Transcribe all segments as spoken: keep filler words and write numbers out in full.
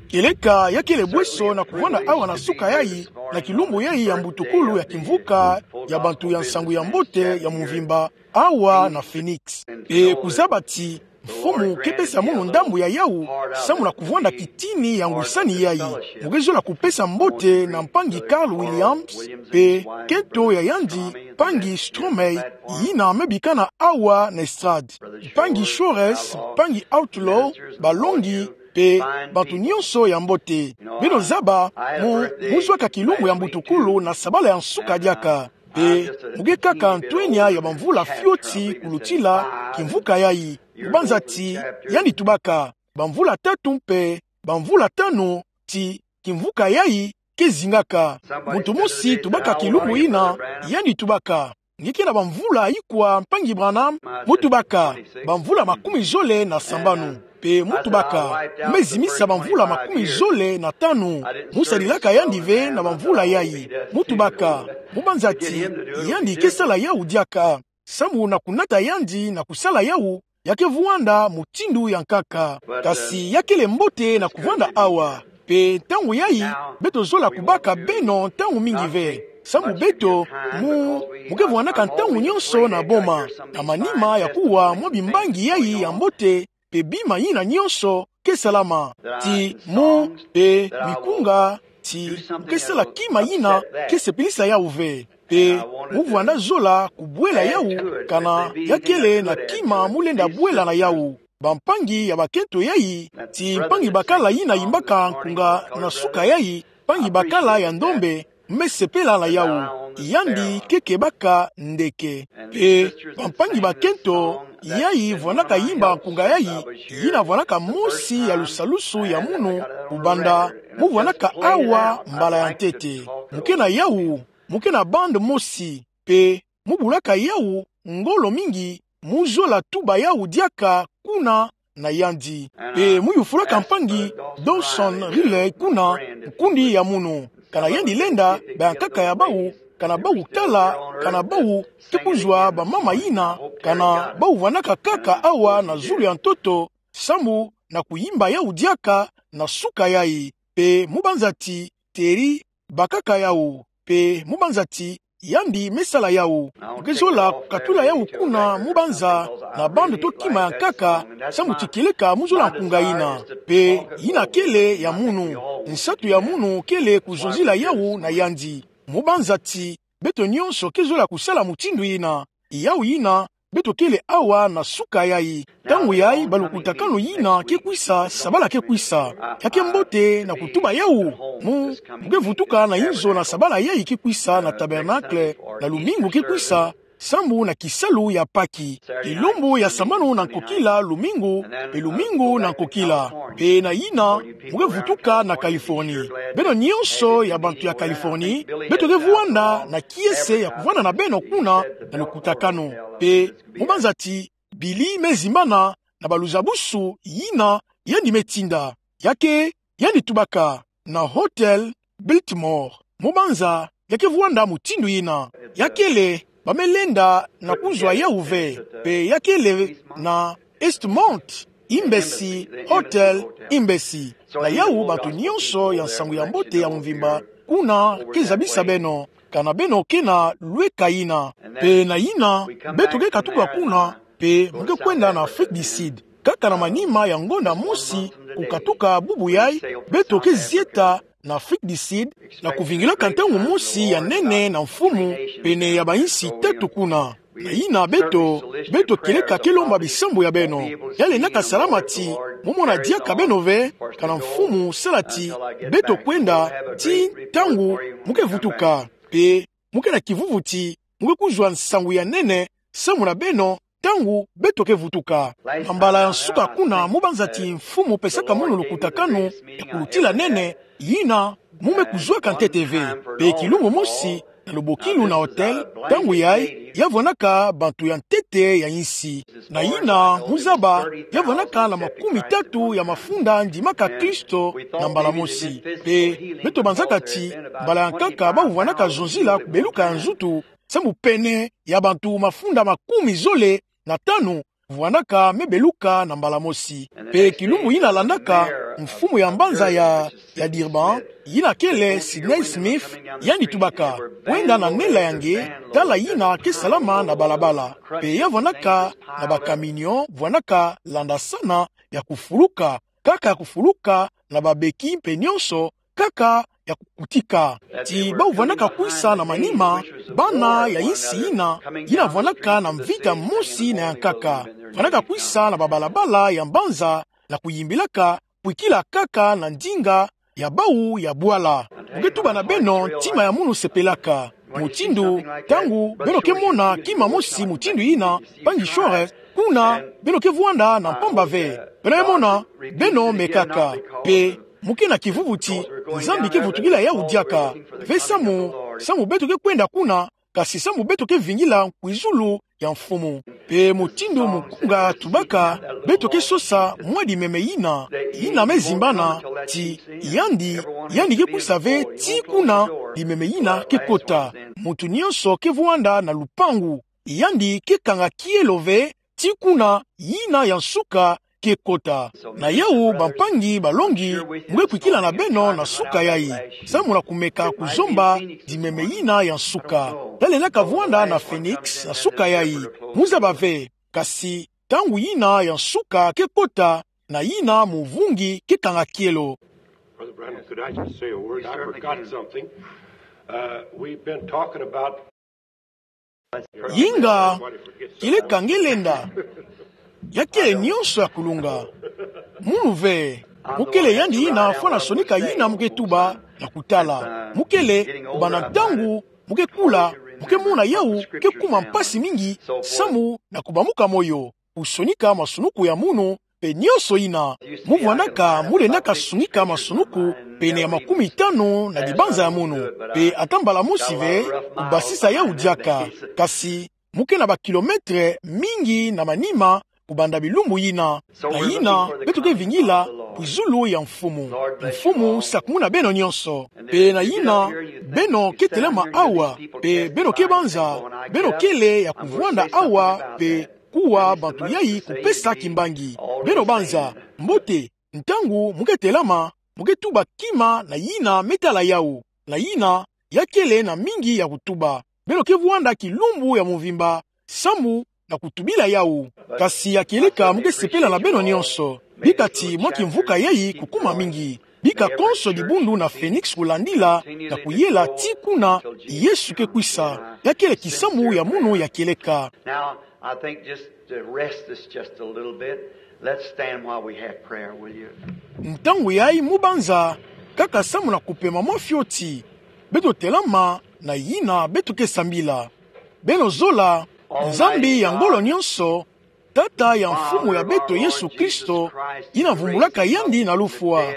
Kieleka ya kele bweso na kuvwanda awa na suka yayi, na kilumbu yayi ya mbutukulu ya kimvuka ya bantu ya nsangu ya mbote ya mvimba, awa na Phoenix. Mpe kuzaba ti Mfumu ke pesa munu ndambu ya yawu, samu na kuvwanda kitini ya ngwisani yayi. Mu ke zola kupesa mbote na mpangi Carl Williams, mpe kento ya yandi, mpangi Stromey, yina me bikana awa na estrade. Mpangi Shores, mpangi Outlaw, balongi, mpe bantu nyonso ya mbote. Beno zaba, mu, mu zwaka kilumbu ya mbutukulu na sabala ya nsuka diaka. Mpe mu ke kaka ntwenya ya bamvula fioti kulutila kimvuka yayi. Mu banza ti yandi tubaka, bamvula tatu mpe bamvula tanu ti kimvuka yayi ke zingaka. Muntu mosi tubaka kilumbu yina, yandi tubaka: Nge ke na bamvula ikwa, mpangi Branham? Mu tubaka: Bamvula makumi zole na sambanu. Mpe mu tubaka: Mu me zimisa bamvula makumi zole na tanu. Mu sadilaka yandi ve na bamvula yayi. Mu tubaka: Mu banza ti yandi ke sala yawu diaka. Samu na kunata yandi na kusala yawu, ya ke vwanda mutindu ya nkaka. Kasi ya kele mbote na kuvwanda awa. Mpe ntangu yayi, beto zola kubaka beno ntangu mingi ve. Samu beto, mu, mu ke vwandaka ntangu nyonso na boma, na manima ya kuwa mwa bimbangi yayi ya mbote, mpe bima yina nyonso ke salama. Ti mu, mpe mikunga, ti mu ke sala kima yina ke sepelisa yawu ve. Mpe mu vwanda zola kubwela yawu, kana ya kele na kima mu lenda bwela na yawu. Bampangi ya bakento yayi, ti mpangi bakala yina yimbaka nkunga na suka yayi, mpangi bakala ya ndombe, me sepela na yawu. Yandi ke kebaka ndeke. Mpe bampangi bakento yayi vwandaka yimba nkunga yayi, yina vwandaka mosi ya lusalusu ya munu, kubanda mu vwandaka awa mbala ya ntete. Mu ke na yawu, mu ke na bande mosi, mpe mu bulaka yawu ngolo mingi, mu zola tuba yawu diaka kuna na yandi. Mpe mu yufulaka mpangi Dawson Riley kuna, nkundi ya munu, kana yandi lenda, bayankaka ya bawu, kana bawu tala, kana bawu ke kuzwa bamama yina, kana bawu vwandaka kaka awa na zulu ya ntoto, samu na kuyimba yawu diaka na suka yayi. Mpe mu banza ti Terry bakaka yawu, mpe mu banza ti yandi me sala yawu. Mu ke zola kukatula yawu kuna mu banza na bande to kima ya nkaka, samu ti kieleka mu zola nkunga yina. Mpe yina kele ya munu, nsatu ya munu kele kuzonzila yawu na yandi. Mu banza ti beto nyonso ke zola kusala mutindu yina. Yawu yina, beto kele awa na suka yayi. Ntangu yayi, balukutakanu yina ke kwisa, sabala ke kwisa. Ya ke mbote na kutuba yawu. Mu, mu ke vutuka na inzo na sabala yayi ke kwisa na tabernacle, na lumingu ke kwisa, samu na kisalu ya Paki. Kilumbu ya sambanu na nkokila lumingu, mpe lumingu na nkokila. Mpe na yina, mu ke vutuka na Californie. Beno nyonso ya bantu ya Californie, beto ke vwanda na kiese ya kuvwanda na beno kuna na lukutakanu. Mpe mu banza ti Billy me zimbana na baluzabusu yina yandi me tinda. Ya ke, yandi tubaka na Hotel Biltmore. Mu banza, ya ke vwanda mutindu yina. Ya kele, ba me lenda na kuzwa yawu ve. Mpe ya kele na Eastmont, Embassy, Hotel Embassy. Na yawu bantu nyonso ya nsangu ya mbote ya mvimba, kuna ke zabisa beno, kana beno ke na lweka yina. Mpe na yina, beto ke katuka kuna, mpe mu ke kwenda na Afrique du Sud. Kaka na manima ya ngonda mosi kukatuka bubu yayi, beto ke zieta na Afrique du Sud, na kuvingilaka ntangu mosi ya nene na mfumu, pene ya bayinsi tatu kuna. Na yina beto, beto kieleka ke lomba bisambu ya beno. Ya lendaka salama ti mu mona diaka beno ve, kana mfumu sala ti beto kwenda, ti ntangu mu ke vutuka. Mpe mu ke na kivuvu ti mu ke kuzwa nsangu ya nene samu na beno, ntangu beto ke vutuka. Na mbala ya nsuka kuna, mu banza ti mfumu pesaka munu lukutakanu ya kulutila nene, yina mu me kuzwaka ntete ve. Mpe kilumbu mosi, na lubokilu na hotel, ntangu yayi, ya vwandaka bantu ya ntete ya insi. Na yina, mu zaba, ya vwandaka na makumi tatu ya mafunda ndimaka Kristo na mbala mosi. Mpe beto banzaka ti, mbala ya nkaka bawu vwandaka zonzila kubeluka ya nzutu, samu pene ya bantu mafunda makumi zole na tanu vwandaka me beluka na mbala mosi. Pe kilumbu yina landaka, mfumu ya mbanza ya, ya Durban, yina kele Sidney Smith, yandi tubaka: Kwenda na nela ya nge, tala yina ke salama na balabala. Pe ya vwandaka na bacamion, vwandaka landasana ya kufuluka, kaka ya kufuluka na babeki mpe nyonso, kaka ya kukutika. Ti bawu vwandaka kwisa na manima, bana ya insi yina, yina vwandaka na mvita mosi na ya nkaka. Vwandaka kwisa na babalabala ya mbanza, na kuyimbilaka, kwikila kaka na ndinga ya bawu ya bwala. Mu ke tuba na beno, ntima ya munu sepelaka. Mutindu, ntangu beno ke mona kima mosi mutindu yina, mpangi Schwarz, kuna beno ke vwanda na mpamba ve. Beno ke mona, beno mekaka. Pe mu ke na kivuvu ti, Nzambi ke vutukila yawu diaka. Ve samu, samu beto ke kwenda kuna, kasi samu beto ke vingila nkwizulu ya mfumu. Pe mutindu mukunga tubaka, beto ke sosa mwa dimeme yina, yina me zimbana, ti yandi, yandi ke kwisa ve tii kuna dimeme yina ke kota. Muntu nyonso ke vwanda na lupangu, yandi ke kanga kielo ve tii kuna yina ya nsuka ke kota. Na yawu, bampangi balongi, mu ke kwikila na beno na suka yayi, samu na kumeka kuzomba dimeme yina ya nsuka. Talendaka vwanda na Phoenix na suka yayi. Mu zaba ve, kasi ntangu yina ya nsuka ke kota, na yina muvungi ke kanga kielo. Brother Branham, could I just say a word? I forgot something. Uh, we've been talking about Yinga, kieleka nge lenda. Ya kele nyonso ya kulunga. Munu ve, mu kele yandi yina fwana sonika yina mu ke tuba na kutala. Mu kele, kubanda ntangu mu ke kula, mu ke mona yawu ke kuma mpasi mingi, samu na kubamuka moyo, kusonika masunuku ya munu, pe nyonso yina. Mu vwandaka, mu lendaka sonika masunuku pene ya makumi tanu na dibanza ya munu. Pe ata mbala mosi ve, kubasisa yawu diaka. Kasi, mu ke na bakilometre mingi na manima, kubanda bilumbu yina. Na yina, beto ke vingila nkwizulu ya mfumu. Mfumu sakumuna beno nyonso. Pe na yina, beno ke telama awa, pe beno ke banza, beno kele ya kuvwanda awa, pe kuwa bantu yayi kupesa kimbangi. Beno banza, mbote, ntangu mu ke telama, mu ke tuba kima na yina me tala yawu. Na yina, ya kele na mingi ya kutuba. Beno ke vwanda kilumbu ya muvimba, samu na kutubila yawu. Kasi ya kieleka mu ke sepela na beno nyonso. Bika ti mwa kimvuka yayi kukuma mingi. Bika konso dibundu na Phoenix kulandila, na kuyela tii kuna Yesu ke kwisa. Ya kele kisambu ya munu ya kieleka. Now, I think just to rest this just a little bit, let's stand while we have prayer, will you? Ntangu yayi mu banza, kaka samu na kupema mwa fioti. Beto telama na yina beto ke sambila. Beno zola, Nzambi ya ngolo nyonso, Tata ya Mfumu ya beto Yesu Kristo, yina vumbulaka yandi na lufwa,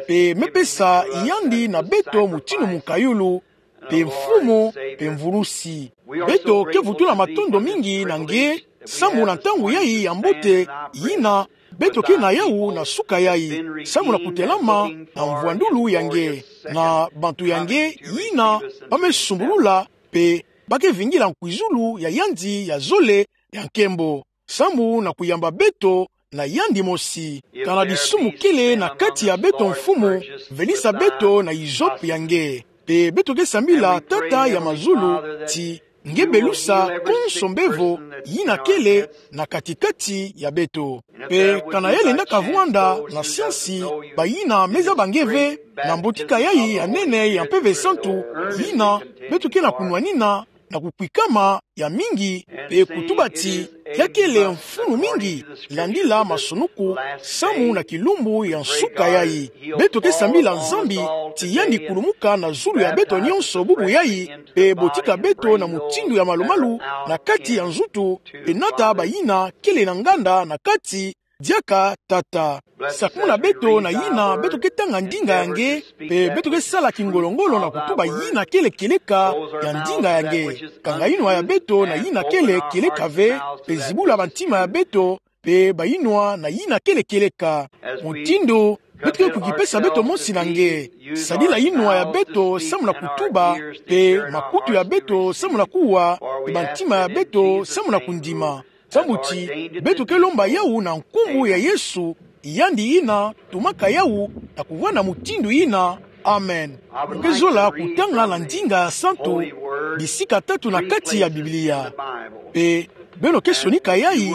pe me pesa yandi na beto mutindu mukayulu, pe Mfumu, pe Mvulusi. Beto ke vutula matondo mingi na nge, samu na ntangu yayi ya mbote, yina beto ke na yawu na suka yayi, samu na kutelama na mvwandulu ya nge, na bantu ya nge, yina ba me sumbulula, pe ba ke vingila nkwizulu ya yandi ya zole ya nkembo, samu na kuyamba beto na yandi mosi. Kana disumu kele na kati ya beto Mfumu, velisa beto na hisope ya nge. Pe beto ke sambila Tata ya mazulu, ti nge belusa konso mbevo yina kele na kati-kati ya beto. Pe kana ya lenda kavwanda na siansi, bayina me zaba nge ve, na mbotika yayi ya nene ya Mpeve Santu, yina beto ke na kunwanina na kukwikama ya mingi, pe kutuba ti ya kele mfunu mingi, landila masunuku, samu na kilumbu ya nsuka yayi. Beto ke sambila Nzambi, ti yandi kulumuka na zulu ya beto nyonso bubu yayi, pe botika beto na mutindu ya malumalu na kati ya nzutu, pe nata bayina kele na nganda na kati, diaka Tata. Sakumuna beto na yina beto ke tanga ndinga ya nge, pe beto ke sala kingolo-ngolo na kutuba yina kele kieleka ya ndinga ya nge. Kanga yinwa ya beto na yina kele kieleka ve, pe zibula bantima ya beto, pe bayinwa na yina kele kieleka. Mutindu beto ke kukipesa beto mosi na nge, sadila yinwa ya beto samu na kutuba, pe makutu ya beto samu na kuwa, pe bantima ya beto samu na kundima. Samu ti beto ke lomba yawu na nkumbu ya Yesu, yandi yina tumaka yawu, na kuvwanda mutindu yina. Amen. Mu ke zola kutanga na ndinga santu bisika tatu na kati ya Biblia. Pe beno ke sonika yayi,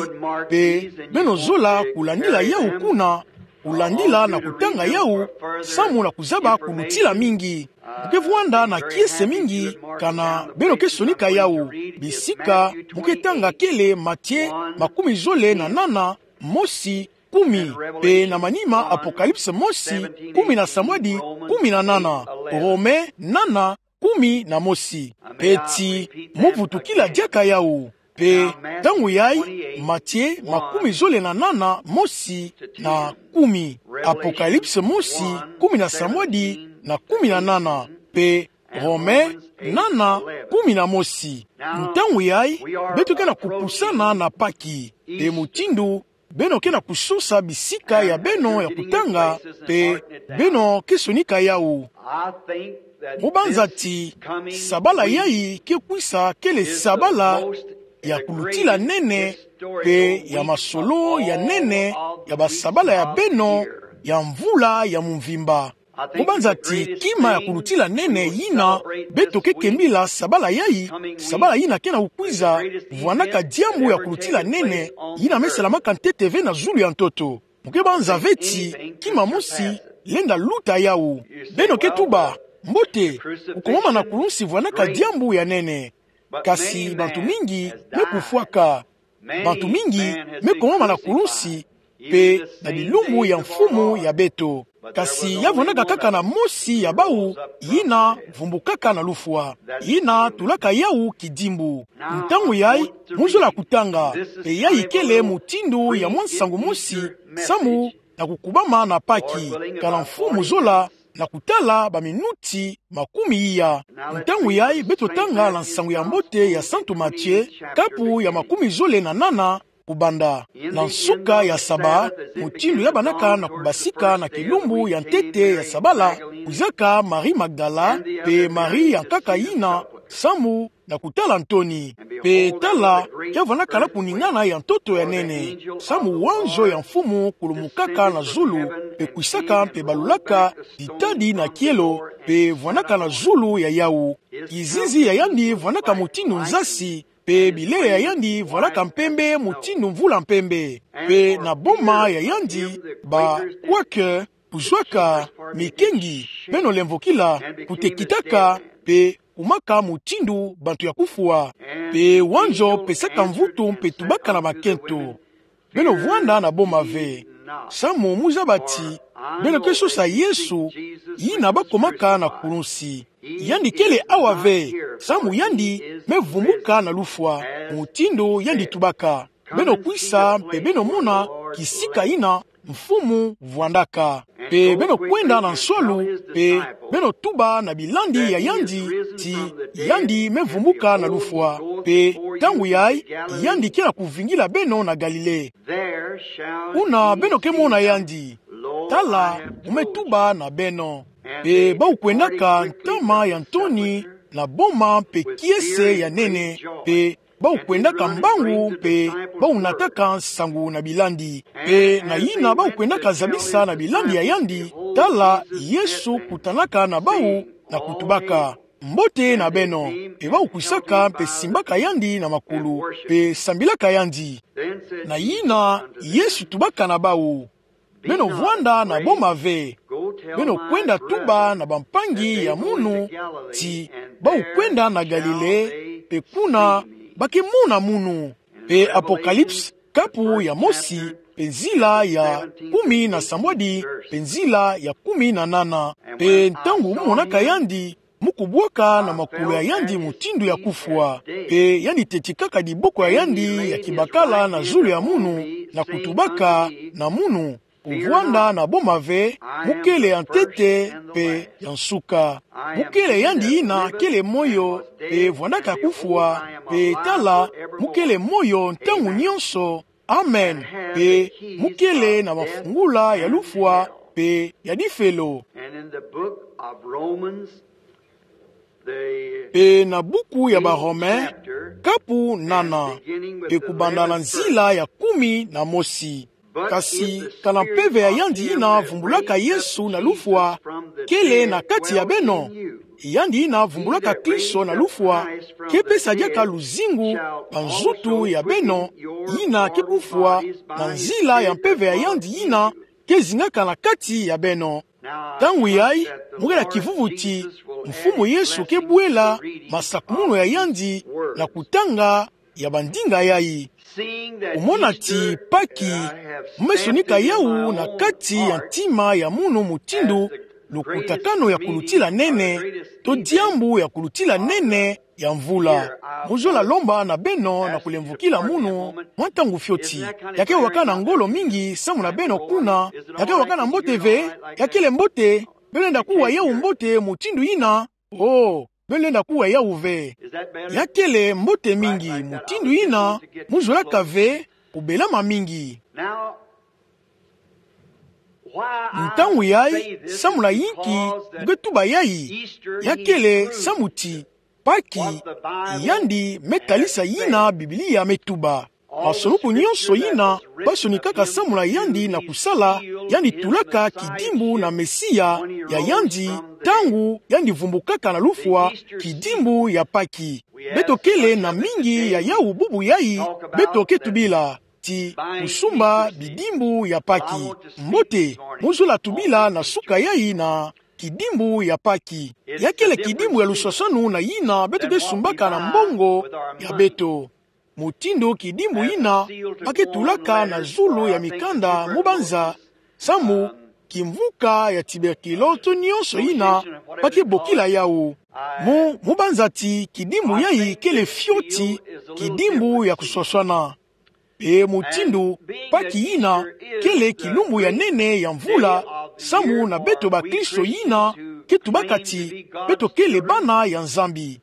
pe beno zola kulandila yawu kuna, kulandila na kutanga yawu, samu na kuzaba kulutila mingi. Mu ke vwanda na kiese mingi, kana beno ke sonika yawu. Bisika mu ke tanga kele Matie makumi zole na nana, mosi, kumi, pe na manima Apokalipse mosi, kumi na samwadi, kumi na nana, Rome nana, kumi na mosi. Pe ti mu vutukila diaka yawu. Pe ntangu yayi, Matie makumi zole na nana, mosi na kumi, Apokalipse mosi, kumi na samwadi na kumi na nana, pe Rome nana, kumi na mosi. Ntangu yayi, beto ke na kupusana na Paki. Pe mutindu beno ke na kusosa bisika ya beno ya kutanga, pe beno ke sonika yawu. Mu banza ti sabala yayi ke kwisa kele sabala ya kulutila nene, pe ya masolo ya nene, ya basabala ya beno ya mvula ya mumvimba. Mu banza ti kima ya kulutila nene yina beto ke kembila sabala yayi, sabala yina ke na kukwiza, vwandaka diambu ya kulutila nene, yina me salamaka ntete ve na zulu ya ntoto. Mu ke banza ve ti kima mosi lenda luta yawu. Beno ke tuba: Mbote, kukomama na kulunsi vwandaka diambu ya nene. Kasi bantu mingi me kufwaka. Bantu mingi me komama na kulunsi, pe na bilumbu ya Mfumu ya beto. Kasi ya vwandaka kaka na mosi ya bawu, yina vumbukaka na lufwa, yina tulaka yawu kidimbu. Ntangu yayi, mu zola kutanga, pe yayi kele mutindu ya mwa nsangu mosi, samu na kukubama na Paki, kana Mfumu zola na kutala baminuti makumi iya. Ntangu yayi beto tanga na Nsangu ya Mbote ya Santu Matie, kapu ya makumi zole na nana, kubanda. Na nsuka ya saba, mutindu ya bandaka na kubasika na kilumbu ya ntete ya sabala, kwizaka Marie Magdala, pe Marie ya nkaka yina, samu na kutala ntoni. Pe tala, ya vwandaka na kuningana ya ntoto ya nene, samu wanzo ya Mfumu kulumukaka na zulu, pe kwisaka mpe balulaka ditadi na kielo, pe vwandaka na zulu ya yawu. Kizizi ya yandi vwandaka mutindu nzasi, pe bilele ya yandi vwandaka mpembe mutindu mvula mpembe. Pe na boma ya yandi, ba Quaker kuzwaka mikengi, beno lemvokila, kutekitaka, pe kumaka mutindu bantu ya kufwa. Pe wanzo pesaka mvutu mpe tubaka na makento. Beno vwanda na boma ve. Samu mu zaba ti beno ke sosa Yesu, yina bakomaka na kulunsi. Yandi kele awa ve, samu yandi me vumbuka na lufwa, mutindu yandi tubaka. Beno kwisa mpe beno mona kisika yina Mfumu vwandaka. Pe beno kwenda na nswalu, pe beno tuba na bilandi ya yandi ti yandi me vumbuka na lufwa. Pe ntangu yayi, yandi ke na kuvingila beno na Galile. Kuna beno ke mona yandi. Tala, mu me tuba na beno. Pe bawu kwendaka ntama ya ntoni na boma mpe kiese ya nene, pe bawu kwendaka mbangu, pe bawu nataka nsangu na bilandi. Pe na yina bawu kwendaka zabisa na bilandi ya yandi, tala, Yesu kutanaka na bawu na kutubaka: Mbote na beno. Pe bawu kwisaka mpe simbaka yandi na makulu, pe sambilaka yandi. Na yina Yesu tubaka na bawu: Beno vwanda na boma ve. Beno kwenda tuba na bampangi ya munu ti bawu kwenda na Galile, pe kuna ba ke mona munu. Pe Apokalipse, kapu ya mosi, pe nzila ya kumi na sambwadi, pe nzila ya kumi na nana. Pe ntangu mu monaka yandi, mu kubwaka na makulu ya yandi mutindu ya kufwa, pe yandi tetikaka diboko ya yandi ya kibakala na zulu ya munu, na kutubaka na munu: Kuvwanda na boma ve, mu kele ya ntete mpe ya nsuka. Mu kele yandi yina kele moyo, pe vwandaka kufwa, pe tala, mu kele moyo ntangu nyonso. Amen. Pe mu kele na mafungula ya lufwa pe ya difelo. And in the book of Romans, Pe na buku ya Barome, kapu nana, pe kubanda na nzila ya kumi na mosi. Kasi, kana mpeve ya yandi yina vumbulaka Yesu na lufwa, kele na kati ya beno. Yandi yina vumbulaka Kristo na lufwa, ke pesa diaka luzingu na nzutu ya beno, yina ke kufwa, na nzila ya mpeve ya yandi yina ke zingaka na kati ya beno. Ntangu yayi, mu kala kivuvu ti Mfumu Yesu ke bwela masakumunu ya yandi na kutanga ya bandinga yayi. Kumona ti Paki, mu me sonika yawu na kati ya ntima ya munu mutindu lukutakanu ya kulutila nene, to diambu ya kulutila nene ya mvula. Mu zola lomba na beno na kulemvukila munu mwa ntangu fioti. Ya ke wakana ngolo mingi samu na beno kuna? Ya ke wakana mbote ve? Ya kele mbote? Beno lenda kuwa yawu mbote mutindu yina? Oh, beno lenda kuwa yawu ve. Ya kele mbote mingi mutindu yina? Mu zolaka ve kubelama mingi. Ntangu yayi, samu na yinki mu ke tuba yayi? Ya kele samu ti Paki, yandi me talisa yina Biblia me tuba. Masoloku nyonso yina ba sonikaka samu na yandi na kusala, yandi tulaka kidimbu na Mesia ya yandi, ntangu yandi vumbukaka na lufwa, kidimbu ya Paki. Beto kele na mingi ya yawu bubu yayi, beto ke tubila ti kusumba bidimbu ya Paki. Mbote, mu zola tubila na suka yayi na kidimbu ya Paki. Ya kele kidimbu ya luswaswanu na yina beto ke sumbaka na mbongo ya beto. Mutindu kidimbu yina ba ke tulaka na zulu ya mikanda mu banza, samu kimvuka ya tuberculose to nyonso yina ba ke bokila yawu. Mu, mu banza ti kidimbu yayi kele fioti kidimbu ya kuswaswana. Pe mutindu Paki yina kele kilumbu ya nene ya mvula, samu na beto bakristo yina ke tubaka ti beto kele bana ya Nzambi.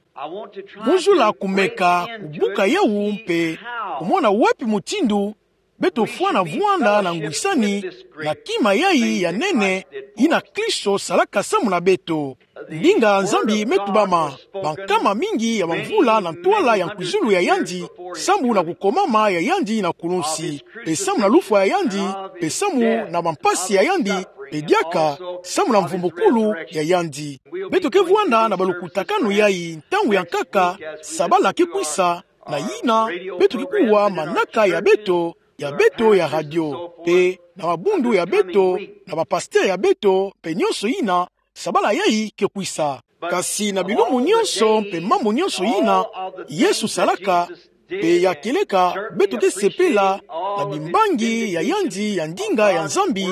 Mu zola kumeka kubuka yawu mpe kumona wapi mutindu beto fwana vwanda na ngwisani na kima yayi ya nene yina Kristo salaka samu na beto. Ndinga Nzambi me tubama bankama mingi ya bamvula na ntwala ya nkwizulu ya yandi, samu na kukomama ya yandi na kulunsi, pe samu na lufwa ya yandi, pe samu na bampasi ya yandi, pe diaka samu na mvumbukulu ya yandi. Beto ke vwanda na balukutakanu yayi ntangu ya nkaka, sabala ke kwisa, na yina beto ke kuwa manaka ya beto, ya beto ya radio, pe na mabundu ya beto, na bapastere ya beto, pe nyonso yina, sabala yayi ke kwisa. Kasi na bilumbu nyonso mpe mambu nyonso yina Yesu salaka, pe ya kieleka beto ke sepela na bimbangi ya yandi ya ndinga ya Nzambi,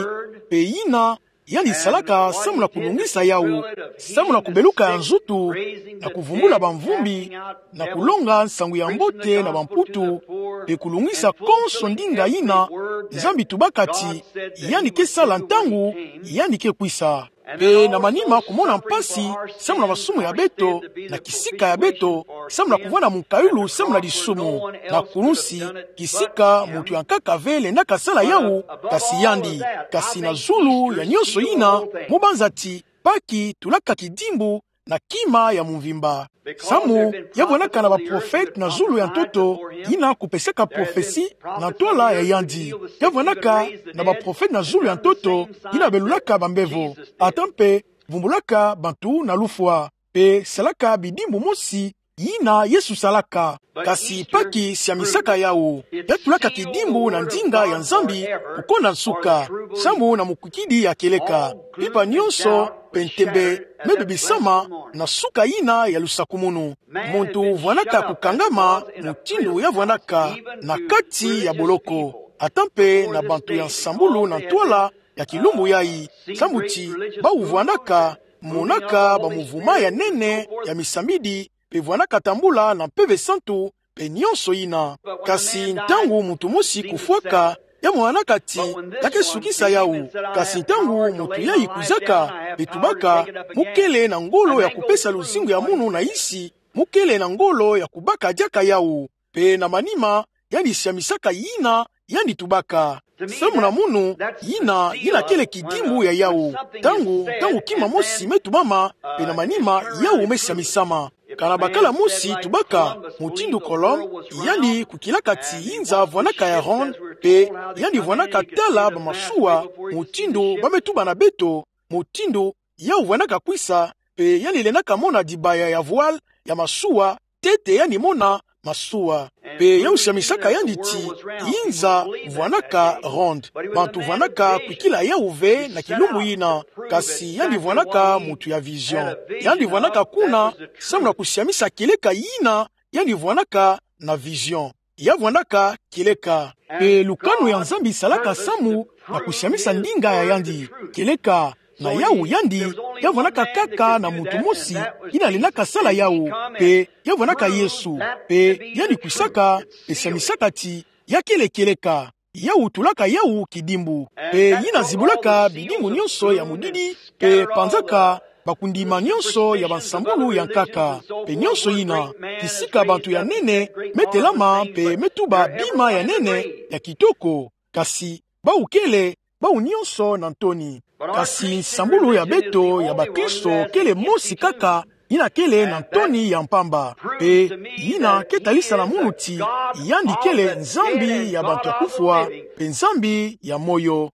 pe yina yandi salaka samu na kulungisa yawu, samu na kubeluka ya nzutu, na kuvumbula bamvumbi, na kulonga nsangu ya mbote na bamputu, pe kulungisa konso ndinga yina Nzambi tubaka ti yandi ke sala ntangu yandi ke kwisa. Pe na manima kumona mpasi samu na masumu ya beto, na kisika ya beto, samu na kuvwanda mukayulu samu na lisumu, na kulunsi, kisika muntu ya nkaka ve lendaka sala yawu, kasi yandi. Kasi na zulu ya nyonso yina, mu banza ti Paki tulaka kidimbu na kima ya mvimba. Samu ya vwandaka na baprofete na zulu ya ntoto yina kupesaka profesi na ntwala ya yandi. Ya vwandaka na baprofete na zulu ya ntoto yina belulaka bambevo, ata mpe vumbulaka bantu na lufwa, pe salaka bidimbu mosi yina Yesu salaka. Kasi Paki siamisaka yawu. Ya tulaka kidimbu na ndinga ya Nzambi kukonda nsuka, samu na mukwikidi ya kieleka. Mpimpa nyonso pe ntembe me bebisama na suka yina ya lusakumunu. Muntu vwandaka kukangama mutindu ya vwandaka na kati ya boloko, ata mpe na bantu ya nsambulu na ntwala ya kilumbu yayi, samu ti bawu vwandaka monaka bamuvuma ya nene ya misambidi, pe vwandaka tambula na Mpeve Santu, pe nyonso yina. Kasi ntangu muntu mosi kufwaka, ya monanaka ti ya ke sukisa yawu. Kasi ntangu muntu yayi kwizaka, pe tubaka, mu kele na ngolo ya kupesa luzingu ya munu na yisi, mu kele na ngolo ya kubaka diaka yawu. Pe na manima, yandi siamisaka yina yandi tubaka. Samu na munu, yina, yina kele kidimbu ya yawu. Ntangu, ntangu kima mosi me tubama, pe na manima, yawu me siamisama. Kana bakala mosi tubaka, mutindu Colomb, yandi kwikilaka ti yinza vwanaka ya ronde, pe yandi vwanaka tala ba masuwa, mutindu ba me tuba na beto, mutindu yawu vwanaka kwisa, pe yandi lendaka mona dibaya ya voile ya masuwa, ntete yandi mona masuwa. Pe yawu siamisaka yandi ti yinza vwanaka ronde. Bantu vwanaka kwikila yawu ve na kilumbu yina, kasi yandi vwanaka mutu ya vision. Yandi vwanaka kuna, samu na kusiamisa kieleka yina, yandi vwanaka na vision. Ya vwanaka kieleka. Pe lukanu ya Nzambi salaka samu na kusiamisa ndinga ya yandi. Kieleka, na yawu yandi, ya vwanaka kaka na mutu mosi, yina lendaka sala yawu, pe ya vwanaka Yesu, pe yandi kwisaka, pe siamisaka ti, ya kele kieleka. Yawu tulaka yawu kidimbu. Pe yina zibulaka bidimbu nyonso ya mudidi, pe panzaka bakundima nyonso ya bansambulu ya nkaka. Pe nyonso yina, kisika bantu ya nene, me telama, pe me tuba bima ya nene, ya kitoko. Kasi, bawu kele, bawu nyonso na ntoni. Kasi nsambulu ya beto ya bakristo kele mosi kaka, yina kele na ntoni ya mpamba. Pe yina ke talisa na munu ti, yandi kele Nzambi ya bantu ya kufwa, pe Nzambi ya moyo.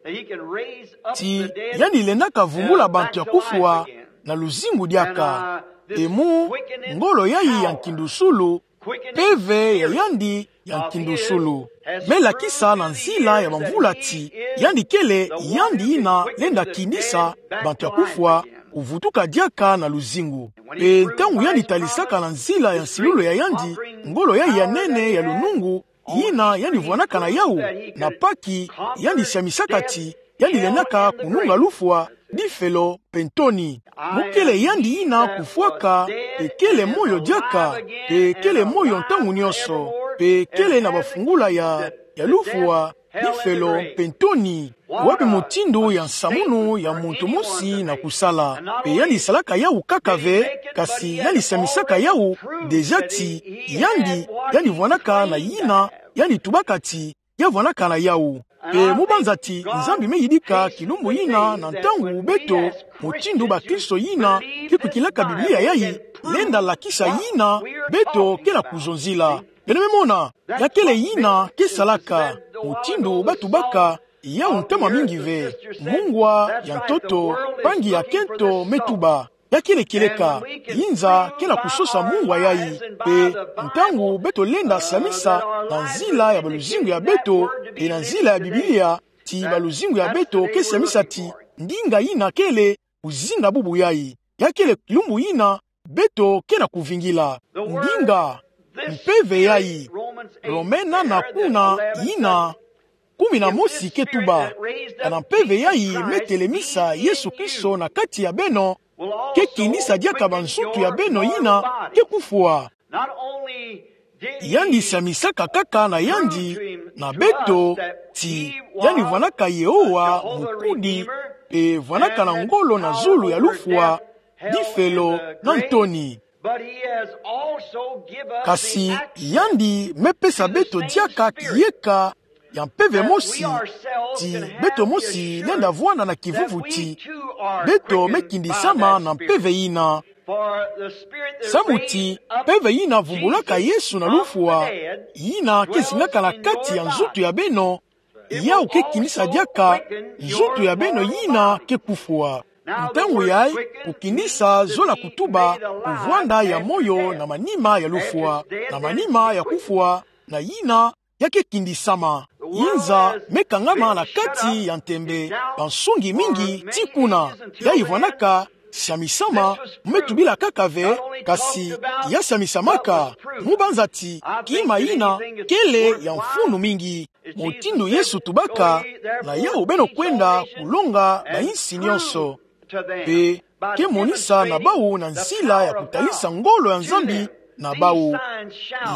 Ti, yandi lendaka vumbula bantu ya kufwa, na luzingu diaka. Pe mu, ngolo yayi ya nkindusulu, mpeve ya yandi ya nkindusulu. Me lakisa na nzila ya bamvula ti, yandi kele yandi yina lenda kindisa bantu ya kufwa, kuvutuka diaka na luzingu. Pe ntangu yandi talisaka na nzila ya nsilulu ya yandi, ngolo yayi ya nene ya lunungu, yina yandi vwanaka na yawu, na Paki, yandi siamisaka ti, yandi lendaka kununga lufwa, difelo, pe ntoni. Mu kele yandi yina kufwaka, pe kele moyo diaka, pe kele moyo ntangu nyonso, pe kele na bafungula ya, ya lufwa, difelo, pe ntoni. Wapi mutindu ya nsamunu ya muntu mosi na kusala. Pe yandi salaka yawu kaka ve, kasi yandi siamisaka yawu, déjà ti, yandi, yandi vwanaka na yina, yandi tubaka ti, ya vwanaka na yawu. Pe mu banza ti, Nzambi me yidika kilumbu yina na ntangu beto, mutindu bakristo yina, ke kwikilaka Biblia yayi, lenda lakisa yina, beto ke na kuzonzila. Beno me mona, ya kele yina, ke salaka, mutindu ba tubaka, yawu ntama mingi ve, mungwa, ya ntoto, mpangi ya kento, me tuba. Ya kele kieleka, yinza ke na kusosa mungwa yayi, pe ntangu beto lenda siamisa na nzila ya baluzingu ya beto, pe na nzila ya Biblia, ti baluzingu ya beto ke siamisa ti, ndinga yina kele, kuzinga bubu yayi. Ya kele kilumbu yina, beto ke na kuvingila. Ndinga, mpeve yayi, Rome nana kuna, yina, kumi na mosi ke tuba, kana mpeve yayi me telemisa Yesu Kristo na kati ya beno, ke kinisa diaka banzutu ya beno yina ke kufwa. Yandi siamisaka kaka na yandi, na beto, ti, yandi vwanaka Yehowa, mukudi, pe vwanaka na ngolo na zulu ya lufwa, difelo, na ntoni. Kasi yandi me pesa beto diaka kiyeka ya mpeve mosi, ti beto mosi lenda vwanda na kivuvu ti, beto me kindisama na mpeve yina. Samu ti, mpeve yina vumbulaka Yesu na lufwa, yina ke zingaka na kati ya nzutu ya beno, yawu ke kinisa diaka nzutu ya beno yina ke kufwa. Ntangu yayi, kukinisa zola kutuba, kuvwanda ya moyo na manima ya lufwa, na manima ya kufwa, na yina ya ke kindisama. Yinza me kangama na kati ya ntembe, bansungi mingi ti kuna, yayi vwanaka, siamisama, me tubila kaka ve, kasi ya siamisamaka, mu banza ti, kima yina, kele ya mfunu mingi. Mutindu Yesu tubaka, na yawu beno kwenda kulonga bayinsi nyonso. Pe, ke monisa na bawu na nzila ya kutalisa ngolo ya Nzambi na bawu.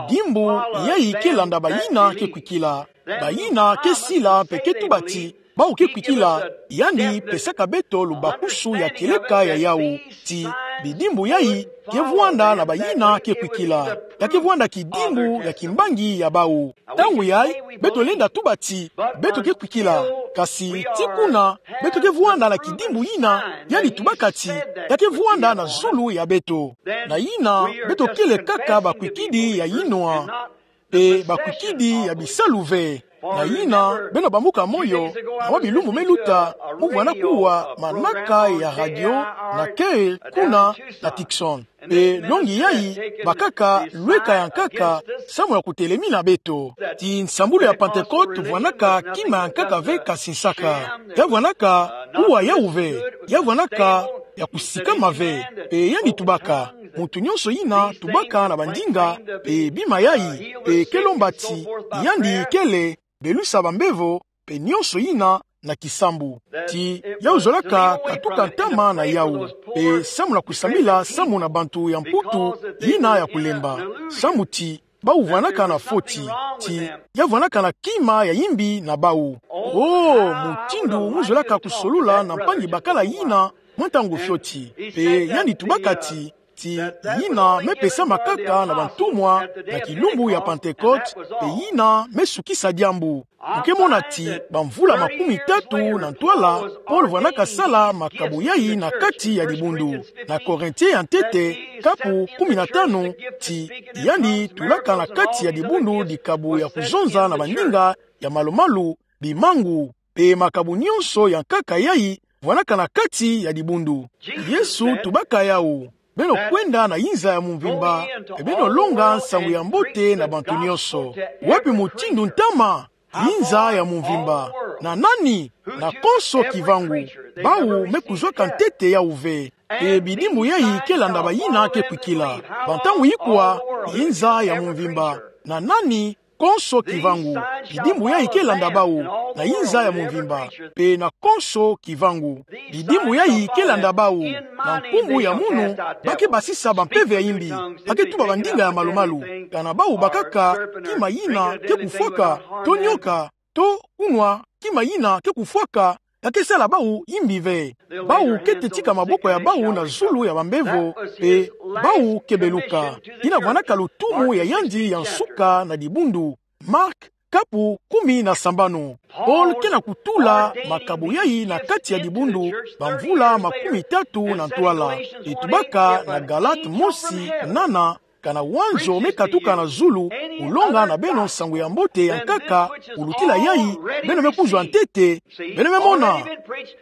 Bidimbu yayi ke landa bayina ke kwikila. Bayina ke sila pe ke tuba ti, bawu ke kwikila, yandi pesaka beto lubakusu ya kieleka ya yawu. Ti, Bidimbu yayi ke vwanda na bayina ke kwikila. Ya ke vwanda kidimbu ya kimbangi ya bawu. Ntangu yayi, beto lenda tuba ti, beto ke kwikila. Kasi ti kuna, beto ke vwanda na kidimbu yina, yandi tubaka ti, ya ke vwanda na zulu ya beto. Na yina, beto kele kaka bakwikidi ya yinwa. Mpe bakwikidi ya bisalu ve. Na yina, beno bambuka moyo, na mwa bilumbu me luta, mu vwanda kuwa manaka ya radio, na Kay kuna, na Tucson. Mpe longi yayi, bakaka lweka ya nkaka, samu na kutelemina beto. Ti nsambulu ya Pentecôte vwandaka kima ya nkaka ve kasi nsaka. Ya vwandaka kuwa yawu ve, ya vwandaka ya kusikama ve. Mpe yandi tubaka, muntu nyonso yina tubaka na bandinga, mpe bima yayi, mpe ke lomba ti, yandi kele, belusa bambevo, mpe nyonso yina na kisambu. Ti yawu zolaka katuka ntama na yawu. Mpe samu na kusambila samu na bantu ya Mputu yina ya kulemba. Samu ti bawu vwandaka na foti. Ti ya vwandaka na kima ya yimbi na bawu. O, mutindu mu zolaka kusolola na mpangi bakala yina mwa ntangu fioti. Mpe yandi tubaka ti, ti yina me pesama kaka na bantumwa na kilumbu ya Pentecôte, mpe yina me sukisa diambu. Mu ke mona ti bamvula makumitatu na ntwala, Paul vwandaka sala makabu yayi na kati ya dibundu. Na Korintien ya ntete, kapu kumi na tanu, ti yandi tulaka na kati ya dibundu dikabu ya kuzonza na bandinga ya malumalu, bimangu, mpe makabu nyonso ya nkaka yayi vwandaka na kati ya dibundu. Yesu tubaka yawu: Beno kwenda na yinza ya mumvimba, mpe beno longa nsangu ya mbote na bantu nyonso. Wapi mutindu ntama? Yinza ya mumvimba. Na nani? Na konso kivangu. Bawu me kuzwaka ntete yawu ve. Mpe bidimbu yayi ke landa bayina ke kwikila. Bantangu ikwa, yinza ya mumvimba. Na nani? Konso kivangu. Bidimbu yayi ke landa bawu, na yinza ya mumvimba, mpe na konso kivangu. Bidimbu yayi ke landa bawu, na nkumbu ya munu, ba ke basisa bampeve ya yimbi, ba ke tuba bandinga ya malumalu. Kana bawu bakaka kima yina ke kufwaka, to nyoka, to kunwa kima yina ke kufwaka, ya ke sala bawu yimbi ve. Bawu ke tetika maboko ya bawu na zulu ya bambevo, mpe bawu ke beluka. Yina vwandaka lutumu ya yandi ya nsuka na dibundu. Mark, kapu kumi na sambanu. Paul ke na kutula makabu yayi na kati ya dibundu, bamvula makumitatu na ntwala. Tubaka na Galate mosi, nana, kana wanzo me katuka na zulu, kulonga na beno nsangu ya mbote ya nkaka, kulutila yayi, beno me kuzwa ntete, beno me mona.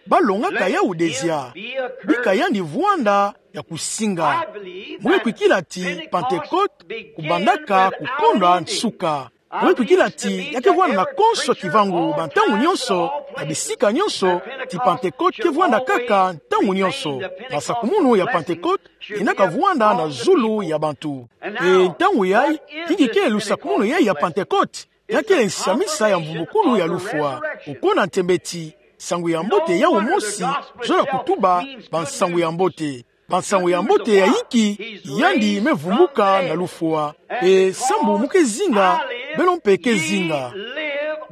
Ba longaka yawu dezia. Bika yandi vwanda ya kusinga. Mu ke kwikila ti Pentecôte kubandaka kukondwa nsuka. Mu ke kwikila ti ya ke vwanda na konso kivangu bantangu nyonso, na bisika nyonso, ti Pentecôte ke vwanda kaka ntangu nyonso. Na sakumunu ya Pentecôte, yinaka vwanda na zulu ya bantu. E ntangu yayi, inki ke lusakumunu yayi ya Pentecôte? Ya kele nsiamisa ya mvumbukulu ya lufwa. Okona ntembe ti, nsangu ya mbote yawu mosi, zola kutuba bansangu ya mbote. Bansangu ya mbote ya inki? Yandi me vumbuka na lufwa. E sambu mu ke zinga, beno mpe ke zinga.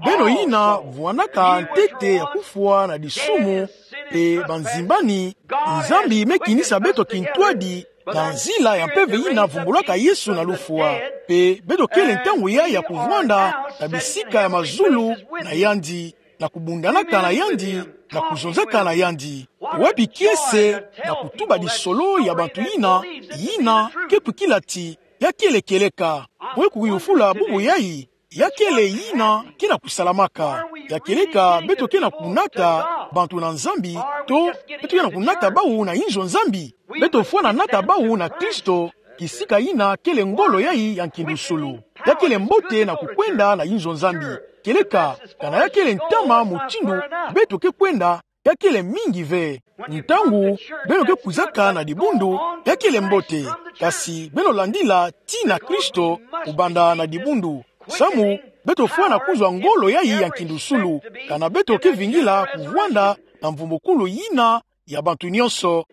Beno yina vwandaka ntete ya kufwa na disumu, mpe banzimbani, Nzambi me kinisa beto kintwadi, na nzila ya mpeve yina vumbulaka Yesu na lufwa. Mpe beto kele ntangu yayi ya kuvwanda na bisika ya mazulu na yandi, na kubundanaka na yandi, na kuzonzaka na yandi. Wapi kiese na kutuba disolo ya bantu yina, yina ke kwikila ti ya kele kieleka? Mu ke kuyufula bubu yayi, ya kele yina ke na kusalamaka. Ya kieleka beto ke na kunata bantu na Nzambi, to beto ke na kunata bawu na inzo Nzambi? Beto fwana nata bawu na Kristo, kisika yina kele ngolo yayi ya nkindusulu. Ya kele mbote na kukwenda na inzo Nzambi. Kieleka, kana ya kele ntama mutindu beto ke kwenda, ya kele mingi ve. Ntangu beno ke kwizaka na dibundu, ya kele mbote. Kasi beno landila tii na Kristo, kubanda na dibundu. Samu beto fwana kuzwa ngolo yayi ya nkindusulu, kana beto ke vingila kuvwanda na mvumbukulu yina ya bantu nyonso.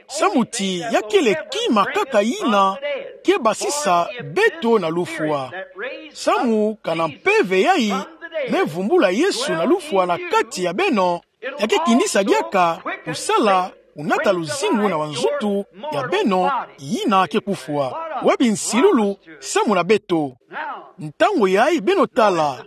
Samu ti ya kele kima kaka yina ke basisa beto na lufwa. Samu kana mpeve yayi me vumbula Yesu na lufwa na kati ya beno, ya ke kinisa diaka kusala kunata luzingu na banzutu ya beno yina ke kufwa. Webi nsilulu samu na beto. Ntangu yayi beno tala,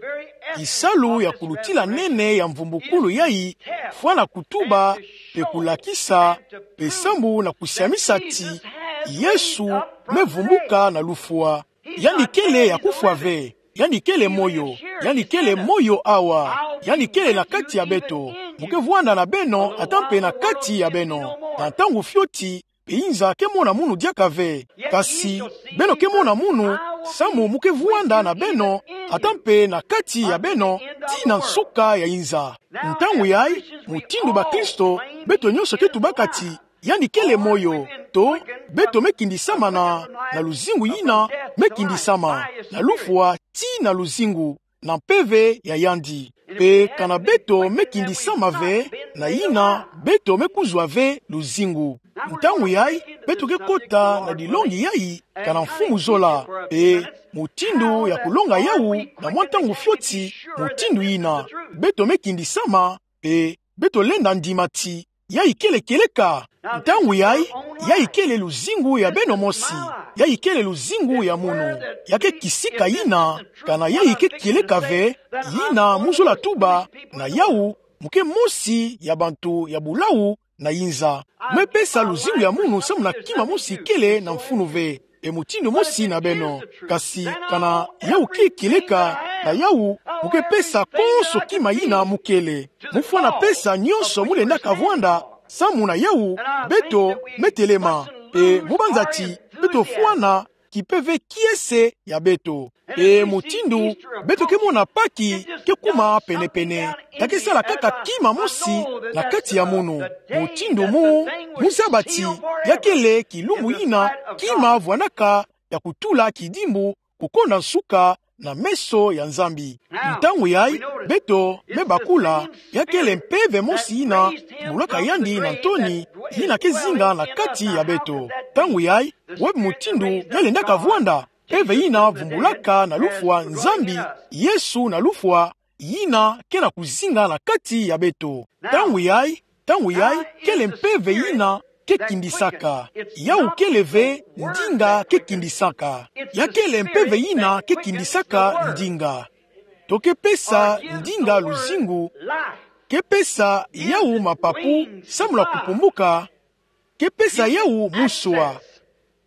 kisalu ya kulutila nene ya mvumbukulu yayi fwana kutuba, mpe kulakisa, mpe samu na kusiamisa ti Yesu me vumbuka na lufwa. Yandi kele ya kufwa ve. Yandi kele moyo. Yandi kele moyo awa. Yandi kele na kati ya beto. Mu ke vwanda na beno, ata mpe na kati ya beno. Na ntangu fioti, mpe inza ke mona munu diaka ve. Kasi, beno ke mona munu, samu mu ke vwanda na beno, ata mpe na kati ya beno, tii na nsuka ya inza. Ntangu yayi, mutindu bakristo, beto nyonso ke tubaka ti, yandi kele moyo, to, beto me kindisama na, na luzingu yina, me kindisama, na lufwa, tii na luzingu, na mpeve ya yandi. Mpe kana beto me kindisama ve, na yina, beto me kuzwa ve luzingu. Ntangu yayi, beto ke kota na dilongi yayi, kana Mfumu Zola. Mpe, mutindu ya kulonga yawu, na mwa ntangu fioti, mutindu yina. Beto me kindisama, mpe, beto lenda ndima ti, yayi kele kieleka. Ntangu yayi, yayi kele luzingu ya beno mosi. Yayi kele luzingu ya munu. Ya ke kisika yina, kana yayi ke kieleka ve, yina mu zola tuba, na yawu, mu ke mosi ya bantu ya bulawu na inza. Me pesa luzingu ya munu samu na kima mosi kele na mfunu ve. E mutindu mosi na beno. Kasi kana yawu ke kieleka, na yawu, mu ke pesa konso kima yina mu kele. Mu fwana pesa nyonso mu lendaka vwanda, samu na yawu, beto, me telema. Mpe mu banza ti, beto fwana, kimpeve kiese ya beto. E mutindu, beto ke mona Paki, ke kuma pene-pene. Ya ke sala kaka kima mosi, na kati ya munu. Mutindu mu, mu zaba ti, ya kele kilumbu yina, kima vwanaka, ya kutula kidimbu, kukonda nsuka, na meso ya Nzambi. Ntangu yayi, beto, me bakula, ya kele mpeve mosi yina, mbulaka yandi na ntoni, yina ke zinga na kati ya beto. Ntangu yayi, webi mutindu, ya lendaka vwanda, mpeve yina vumbulaka na lufwa Nzambi, Yesu na lufwa, yina ke na kuzinga na kati ya beto. Ntangu yayi, ntangu yayi, kele mpeve yina ke kindisaka. Yawu kele ve ndinga ke kindisaka. Ya kele mpeve yina ke kindisaka ndinga. To ke pesa ndinga luzingu, ke pesa yawu mapapu, samu na kupumbuka, ke pesa yawu muswa.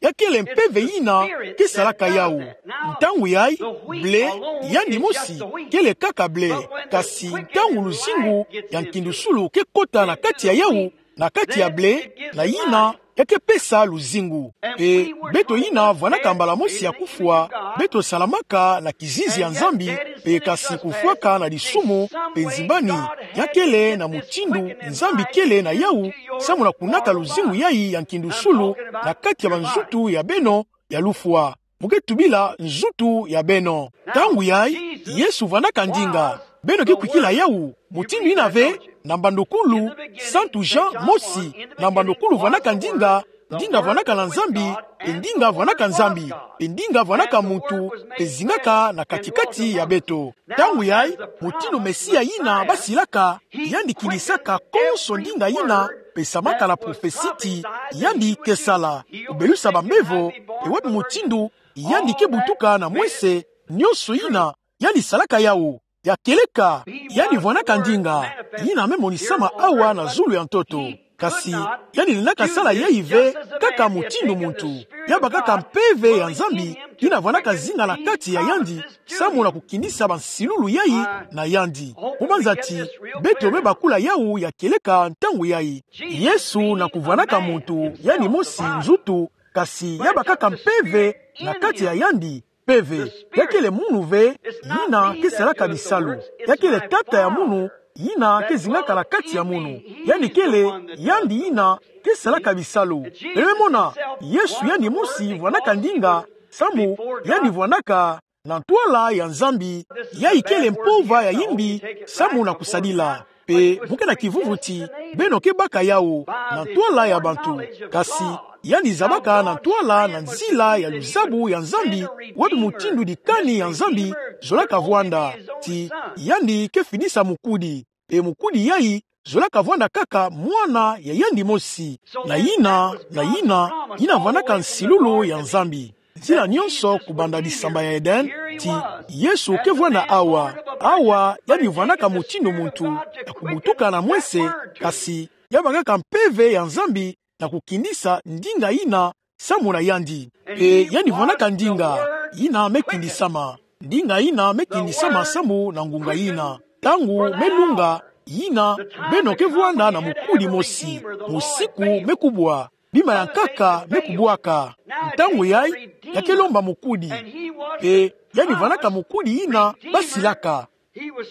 Ya kele mpeve yina, ke salaka yawu. Ntangu yayi, blé, yandi mosi, kele kaka blé. Kasi ntangu luzingu ya nkindusulu ke kota na kati ya yawu, na kati ya blé, na yina, ya ke pesa luzingu. Mpe, beto yina vwanaka mbala mosi ya kufwa, beto salamaka na kizizi ya Nzambi, mpe kasi kufwaka na disumu, mpe nzimbani, ya kele na mutindu, Nzambi kele na yawu, samu na kunata luzingu yayi ya nkindusulu, na kati ya banzutu ya beno, ya lufwa. Mu ke tubila nzutu ya beno. Ntangu yayi, Yesu vwanaka ndinga. Beno ke kwikila yawu, mutindu yina ve, na mbandukulu, Santu Jean mosi, na mbandukulu vwanaka ndinga, ndinga vwanaka na Nzambi, mpe ndinga vwanaka Nzambi, mpe ndinga vwanaka muntu, mpe zingaka na kati-kati ya beto. Ntangu yayi, mutindu Mesia yina basilaka, yandi kindisaka konso ndinga yina, pesamaka na prophetie ti, yandi ke sala, kubelusa bambevo, mpe webi mutindu, yandi ke butuka na mwese, nyonso yina, yandi salaka yawu, ya kieleka, yandi vwanaka ndinga, yina me monisama awa na zulu ya ntoto. Kasi, yandi lendaka sala yayi ve, kaka mutindu muntu. Ya bakaka mpeve ya Nzambi, yina vwanaka zinga na kati ya yandi, samu na kukindisa bansilulu yayi na yandi. Mu banza ti, beto me bakula yawu ya kieleka ntangu yayi. Yesu na kuvwanaka muntu, yandi mosi nzutu, kasi ya bakaka mpeve na kati ya yandi, mpeve. Ya kele munu ve, yina ke salaka bisalu. Ya kele tata ya munu, yina ke zingaka na kati ya munu. Yandi kele, yandi yina ke salaka bisalu. Beno me mona, Yesu yandi mosi vwanaka ndinga, samu, yandi vwanaka, na ntwala ya Nzambi, yayi kele mpova ya yimbi, samu na kusadila. Mpe mu ke na kivuvu ti, beno ke baka yawu, na ntwala ya bantu. Kasi, yandi zabaka na ntwala na nzila ya luzabu ya Nzambi, webi mutindu dikani ya Nzambi, zolaka vwanda. Ti, yandi ke fidisa mukudi. Mpe mukudi yayi, zolaka vwanda kaka mwana ya yandi mosi. Na yina, na yina, yina vwandaka nsilulu ya Nzambi. Nzila nyonso kubanda lisamba ya Eden, ti Yesu ke vwanda awa. Awa, yandi vwandaka mutindu muntu, ya kubutuka na mwese, kasi ya bakaka mpeve ya Nzambi na kukindisa ndinga yina samu na yandi. Mpe yandi vwandaka ndinga, yina me kindisama. Ndinga yina me kindisama samu na ngunga yina. Ntangu me lunga, yina beno ke vwanda na mukudi mosi. Musiku me kubwa. Bima ya nkaka me kubwaka. Ntangu yayi, ya ke lomba mukudi. Mpe yandi vwandaka mukudi yina basilaka.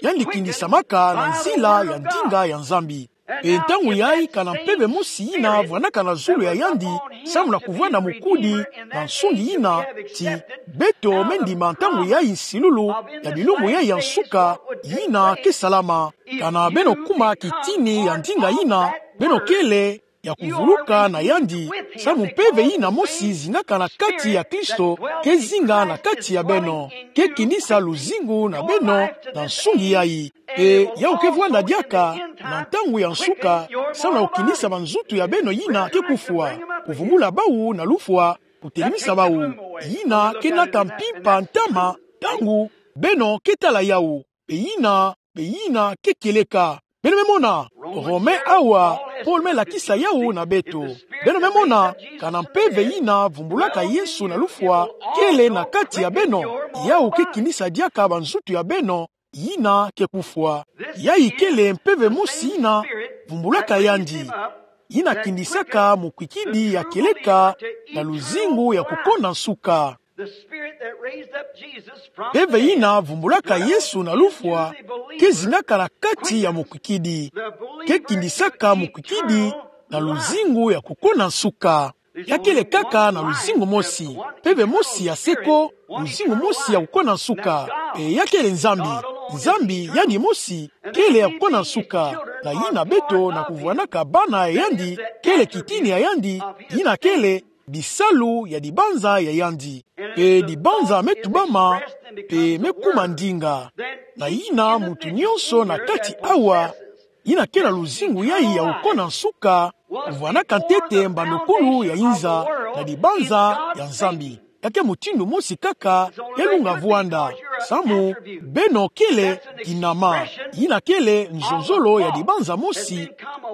Yandi kindisamaka na nzila ya ndinga ya Nzambi. Mpe ntangu yayi kana mpeve mosi yina vwandaka na zulu ya yandi, samu na kuvwanda mukudi na nsungi yina, ti beto me ndima ntangu yayi nsilulu ya bilumbu yayi ya nsuka, yina ke salama. Kana beno kuma kitini ya ndinga yina, beno kele ya kuvuluka na yandi, samu mpeve yina mosi zingaka na kati ya Kristo, ke zinga na kati ya beno, ke kindisa luzingu na beno na nsungi yayi. Mpe yawu ke vwanda diaka na ntangu ya nsuka, samu na kukindisa banzutu ya beno yina ke kufwa, kuvumbula bawu na lufwa, kutelemisa bawu. Yina ke nata mpimpa ntama ntangu beno ke tala yawu. Mpe yina, mpe yina ke kieleka. Beno me mona, Rome awa, Paul me lakisa yawu na beto. Beno me mona, kana mpeve yina vumbulaka Yesu na lufwa, kele na kati ya beno, yawu ke kinisa diaka banzutu ya beno, yina ke kufwa. Yayi kele mpeve mosi yina vumbulaka yandi. Yina kindisaka mukwikidi ya kieleka na luzingu ya kukona nsuka. Mpeve yina vumbulaka Yesu na lufwa, ke zingaka na kati ya mukwikidi. Ke kindisaka mukwikidi na luzingu ya kukona nsuka. Ya kele kaka na luzingu mosi, mpeve mosi ya seko, luzingu mosi ya kukona nsuka. Mpe ya kele Nzambi. Nzambi yandi mosi kele ya kukona nsuka. Na yina beto na kuvwanaka bana ya yandi, kele kitini ya yandi, yina kele bisalu ya dibanza ya yandi. Mpe dibanza me tubama, mpe me kuma ndinga. Na yina muntu nyonso na kati awa, yina ke na luzingu yayi ya kukona nsuka, kuvwanaka ntete mbandokulu ya inza na dibanza ya Nzambi. Ya ke mutindu mosi kaka ya lunga vwanda, samu beno kele kinama. Yina kele nzonzolo ya dibanza mosi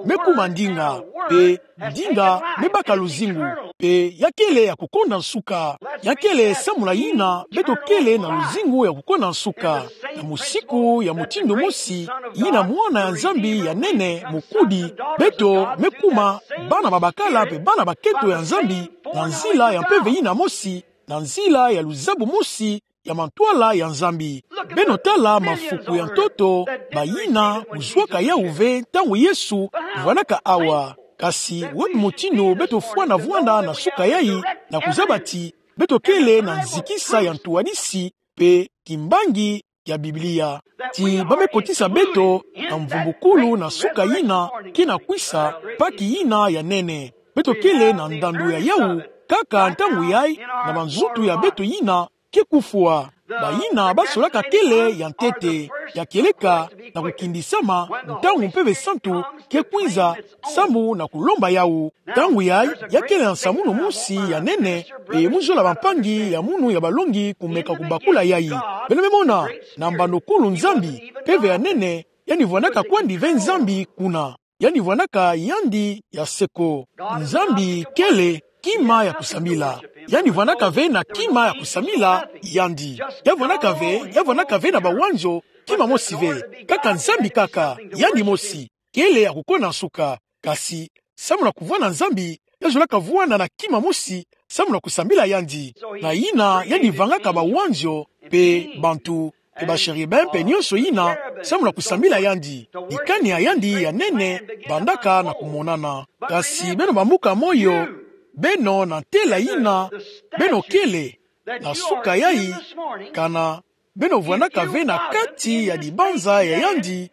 me kuma ndinga, mpe ndinga me baka luzingu. Mpe ya kele ya kukona nsuka. Ya kele samu na yina beto kele na luzingu ya kukona nsuka. Na musiku ya mutindu mosi, yina Mwana ya Nzambi ya nene, mukudi, beto me kuma bana babakala mpe bana baketo ya Nzambi, na nzila ya mpeve yina mosi, na nzila ya luzabu mosi ya mantwala ya Nzambi. Beno tala mafuku ya ntoto, bayina kuzwaka yawu ve ntangu Yesu kuvwanaka awa. Kasi wapi mutindu beto fwana vwanda na suka yayi, na kuzaba ti beto kele na nzikisa ya ntwadisi mpe kimbangi ya Biblia? Ti ba me kotisa beto na mvumbukulu na suka yina ke na kwisa, Pâques yina ya nene. Beto kele na ndandu ya yawu, kaka ntangu yayi, na banzutu ya beto yina ke kufwa. Bayina ba solaka kele ya ntete, ya kieleka, na kukindisama, ntangu Mpeve Santu ke kwinza, samu na kulomba yawu. Ntangu yayi, ya kele na nsamunu mosi ya nene, mpe mu zola bampangi ya munu ya balongi kumeka kubakula yayi. Beno me mona, na mbandokulu Nzambi, mpeve ya nene, yandi vwanaka kwandi ve Nzambi kuna. Yandi vwanaka yandi ya seko. Nzambi kele kima ya kusambila. Yandi vwanaka ve na kima ya kusambila yandi. Ya vwanaka ve, ya vwanaka ve na bawanzo, kima mosi ve. Kaka Nzambi kaka, yandi mosi. Kele ya kukona nsuka. Kasi, samu na kuvwanda Nzambi, ya zolaka vwanda na kima mosi, samu na kusambila yandi. Na yina, yandi vangaka bawanzo, mpe bantu, mpe bashérubin, mpe nyonso yina, samu na kusambila yandi. Dikani ya yandi ya nene, bandaka na kumonana. Kasi beno bambuka moyo, beno na ntela yina, beno kele, na suka yayi, kana, beno vwanaka ve na kati ya dibanza ya yandi,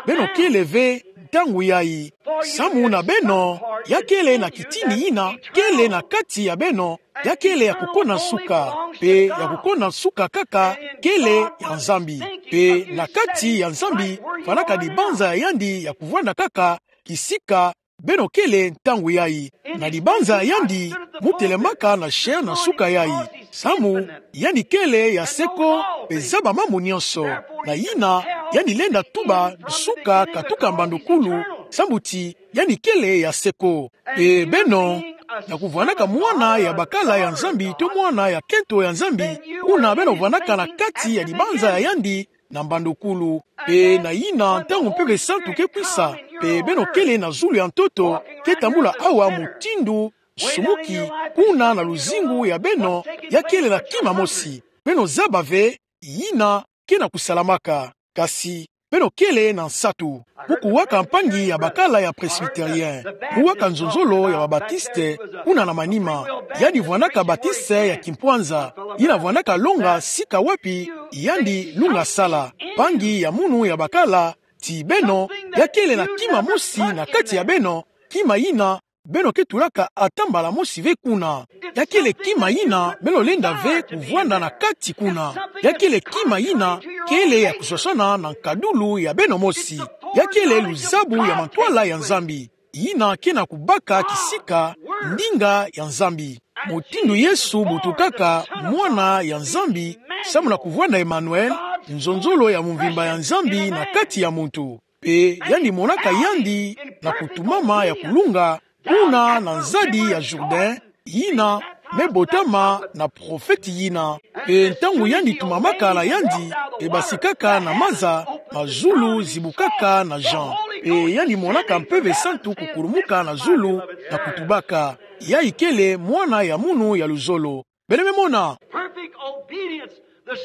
Beno kele ve ntangu yayi. Samu na beno, ya kele na kitini ina kele na kati ya beno, ya kele ya kukona suka, pe ya kukona suka kaka kele ya Nzambi. Pe na kati ya Nzambi, fwanaka dibanza ya yandi ya kuvwanda kaka kisika beno kele ntangu yayi. Na dibanza ya yandi, mu telemaka na chair na suka yayi. Samu, yandi kele ya se ko, pe zaba mambu nyonso. Na yina, yandi lenda tuba suka katuka mbandukulu, samu ti yandi kele ya se ko. Pe beno, na kuvwanaka mwana ya bakala ya Nzambi to mwana ya kento ya Nzambi, kuna beno vwanaka na kati ya dibanza ya yandi, na mbandukulu. Pe na yina ntangu Mpeve Santu ke kwisa, pe beno kele na zulu ya ntoto, ke tambula awa mutindu nsumuki, kuna na luzingu ya beno, ya kele na kima mosi. Beno zaba ve, yina ke na kusalamaka. Kasi, beno kele na nsatu. Mu kuwaka mpangi ya bakala ya Presbytérien. Mu waka nzonzolo ya ba Baptiste, kuna na manima. Yandi vwanaka Baptiste ya kimpwanza. Yina vwanaka longa sika wapi yandi lunga sala. Mpangi ya munu ya bakala, ti beno, ya kele na kima mosi na kati ya beno, kima yina, beno ke tulaka ata mbala mosi ve kuna. Ya kele kima yina beno lenda ve kuvwanda na kati kuna. Ya kele kima yina kele ya kuswaswana na nkadulu ya beno mosi. Ya kele luzabu ya mantwala ya Nzambi. Yina ke na kubaka kisika ndinga ya Nzambi. Mutindu Yesu butukaka mwana ya Nzambi, samu na kuvwanda Emmanuel, nzonzolo ya mvimba ya Nzambi na kati ya muntu. Pe yandi monaka yandi na kutumama ya kulunga, kuna na nzadi ya Jourdain, yina me botama na profeti yina. Pe ntangu yandi tumamaka na yandi, pe basikaka na maza, mazulu zibukaka na Jean. Pe yandi monaka Mpeve Santu kukulumuka na zulu, na kutubaka: Yayi kele mwana ya munu ya luzolo. Beno me mona.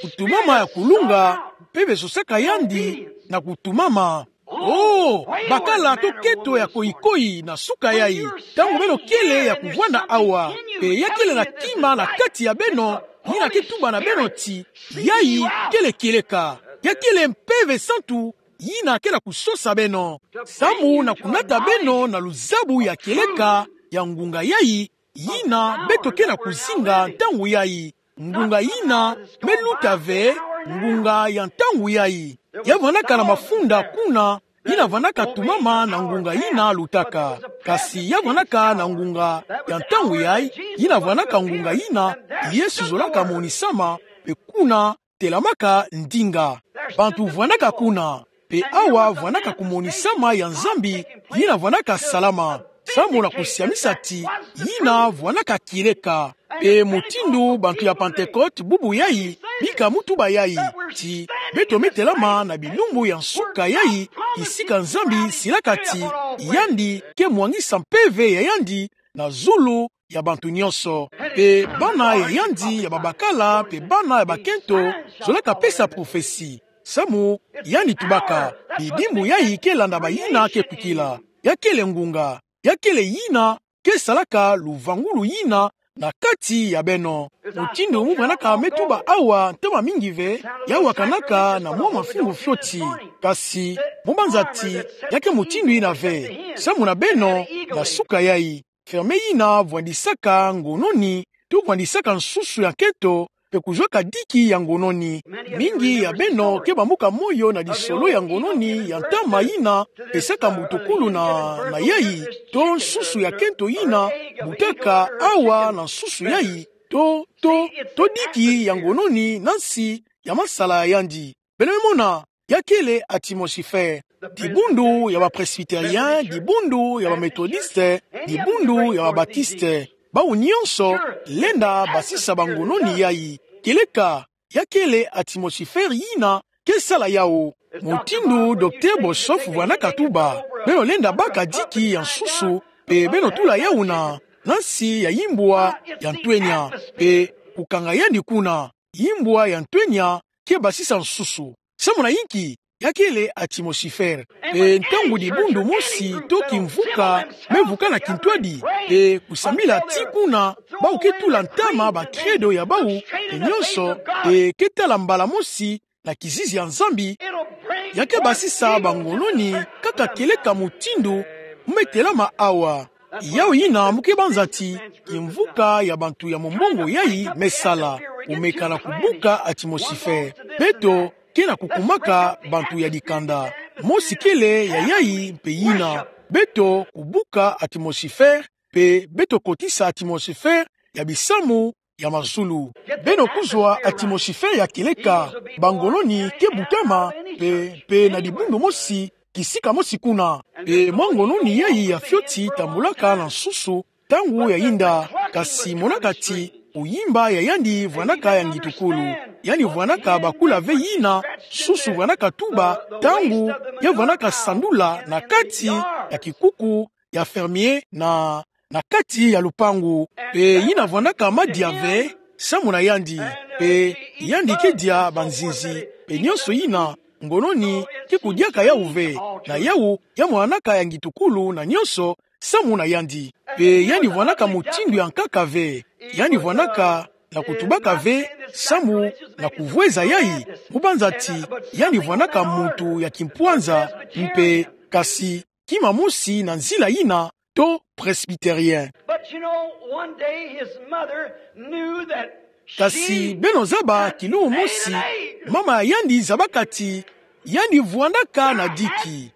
Kutumama ya kulunga, Mpeve sosaka yandi na kutumama. Oh, bakala to kento ya koyi-koyi na suka yayi. Ntangu beno kele ya kuvwanda awa, pe ya kele na kima na kati ya beno, yina ke tuba na beno ti, yayi kele kieleka. Ya kele Mpeve Santu, yina ke na kusosa beno. Samu na kunata beno na luzabu ya kieleka, ya ngunga yayi, yina beto ke na kuzinga ntangu yayi. Ngunga yina me luta ve, ngunga ya ntangu yayi. Ya vwanaka na mafunda kuna, yina vwanaka tumama na ngunga yina lutaka. Kasi ya vwanaka na ngunga ya ntangu yayi, yina vwanaka ngunga yina Yesu zolaka monisama, pe kuna telamaka ndinga. Bantu vwanaka kuna, pe awa vwanaka kumonisama ya Nzambi, yina vwanaka salama. Samu na kusiamisa ti, yina vwanaka kieleka. Pe mutindu bantu ya Pentecôte bubu yayi, bika mu tuba yayi, ti, beto me telama na bilumbu ya nsuka yayi, kisika Nzambi silaka ti, yandi ke mwangisa mpeve ya yandi na zulu ya bantu nyonso. Pe bana ya yandi ya babakala, pe bana ya bakento, zolaka pesa prophesie. Samu, yandi tubaka, bidimbu yayi ke landa bayina ke kwikila. Ya kele ngunga, ya kele yina ke salaka luvangulu yina na kati ya beno. Mutindu mu manaka me tuba awa ntama mingi ve, ya wakanaka na mwa mafingu fioti. Kasi, mu banza ti, ya ke mutindu yina ve. Samu na beno, na suka yayi, ferme yina vwandisaka ngononi, to vwandisaka nsusu ya nkento, pe kuzwaka diki ya ngononi. Mingi ya beno ke bambuka moyo na lisolo ya ngononi ya ntama yina, pe saka mbutukulu na, na yayi, to nsusu ya nkento yina butaka awa na nsusu yayi, to, to, to diki ya ngononi na nsi ya masala ya yandi. Beno me mona, ya kele atmosphère. Dibundu ya ba Presbytérien, dibundu ya ba Méthodiste, dibundu ya ba Baptiste. Bawu nyonso lenda basisa bangononi yayi. Kieleka, ya kele atmosphère yina ke sala yawu. Mutindu Docteur Boshoff vwanaka tuba, beno lenda baka diki ya nsusu, pe beno tula yawu na, na nsi ya yimbwa ya ntwenya, pe kukanga yandi kuna. Yimbwa ya ntwenya ke basisa nsusu. Samu na inki? Ya kele atmosphère. Pe ntangu dibundu mosi to kimvuka me vuka na kintwadi, pe kusambila ti kuna, bawu ke tula ntama ba credo ya bawu, pe nyonso, pe ke tala mbala mosi na kizizi ya Nzambi, ya ke basisa bangononi kaka kieleka mutindu mu me telama awa. Yawu yina mu ke banza ti kimvuka ya bantu ya mombongo yayi me sala, kumeka na kubuka atmosphère. Beto ke na kukumaka bantu ya dikanda. Mosi kele ya yayi mpe yina: beto kubuka atmosphère, mpe beto kotisa atmosphère ya bisamu ya mazulu. Beno kuzwa atmosphère ya kieleka, bangononi ke butama, mpe, mpe na dibundu mosi, kisika mosi kuna. Mpe mwa ngononi yayi ya fioti tambulaka na nsusu, ntangu ya yinda, kasi monaka ti, oyimba ya yandi vwanaka ya ngitukulu. Yandi vwanaka bakula ve yina, nsusu vwanaka tuba, ntangu, ya vwanaka sandula na kati ya kikuku ya fermier na, na kati ya lupangu. Mpe yina vwanaka madia ve, samu na yandi. Mpe yandi ke dia banzinzi, mpe nyonso yina, ngononi ke kudiaka yawu ve, na yawu ya mwanaka ya ngitukulu na nyonso, samu na yandi. Mpe yandi vwanaka mutindu ya nkaka ve, yandi vwanaka na kutubaka ve, samu na kuvweza yayi, mu banza ti, yandi vwanaka muntu ya kimpwanza, mpe kasi, kima mosi na nzila yina, to presbytérien. But you know, one day his mother knew that. Kasi beno zaba, kilumbu mosi, mama ya yandi zabaka ti, yandi vwanaka na diki.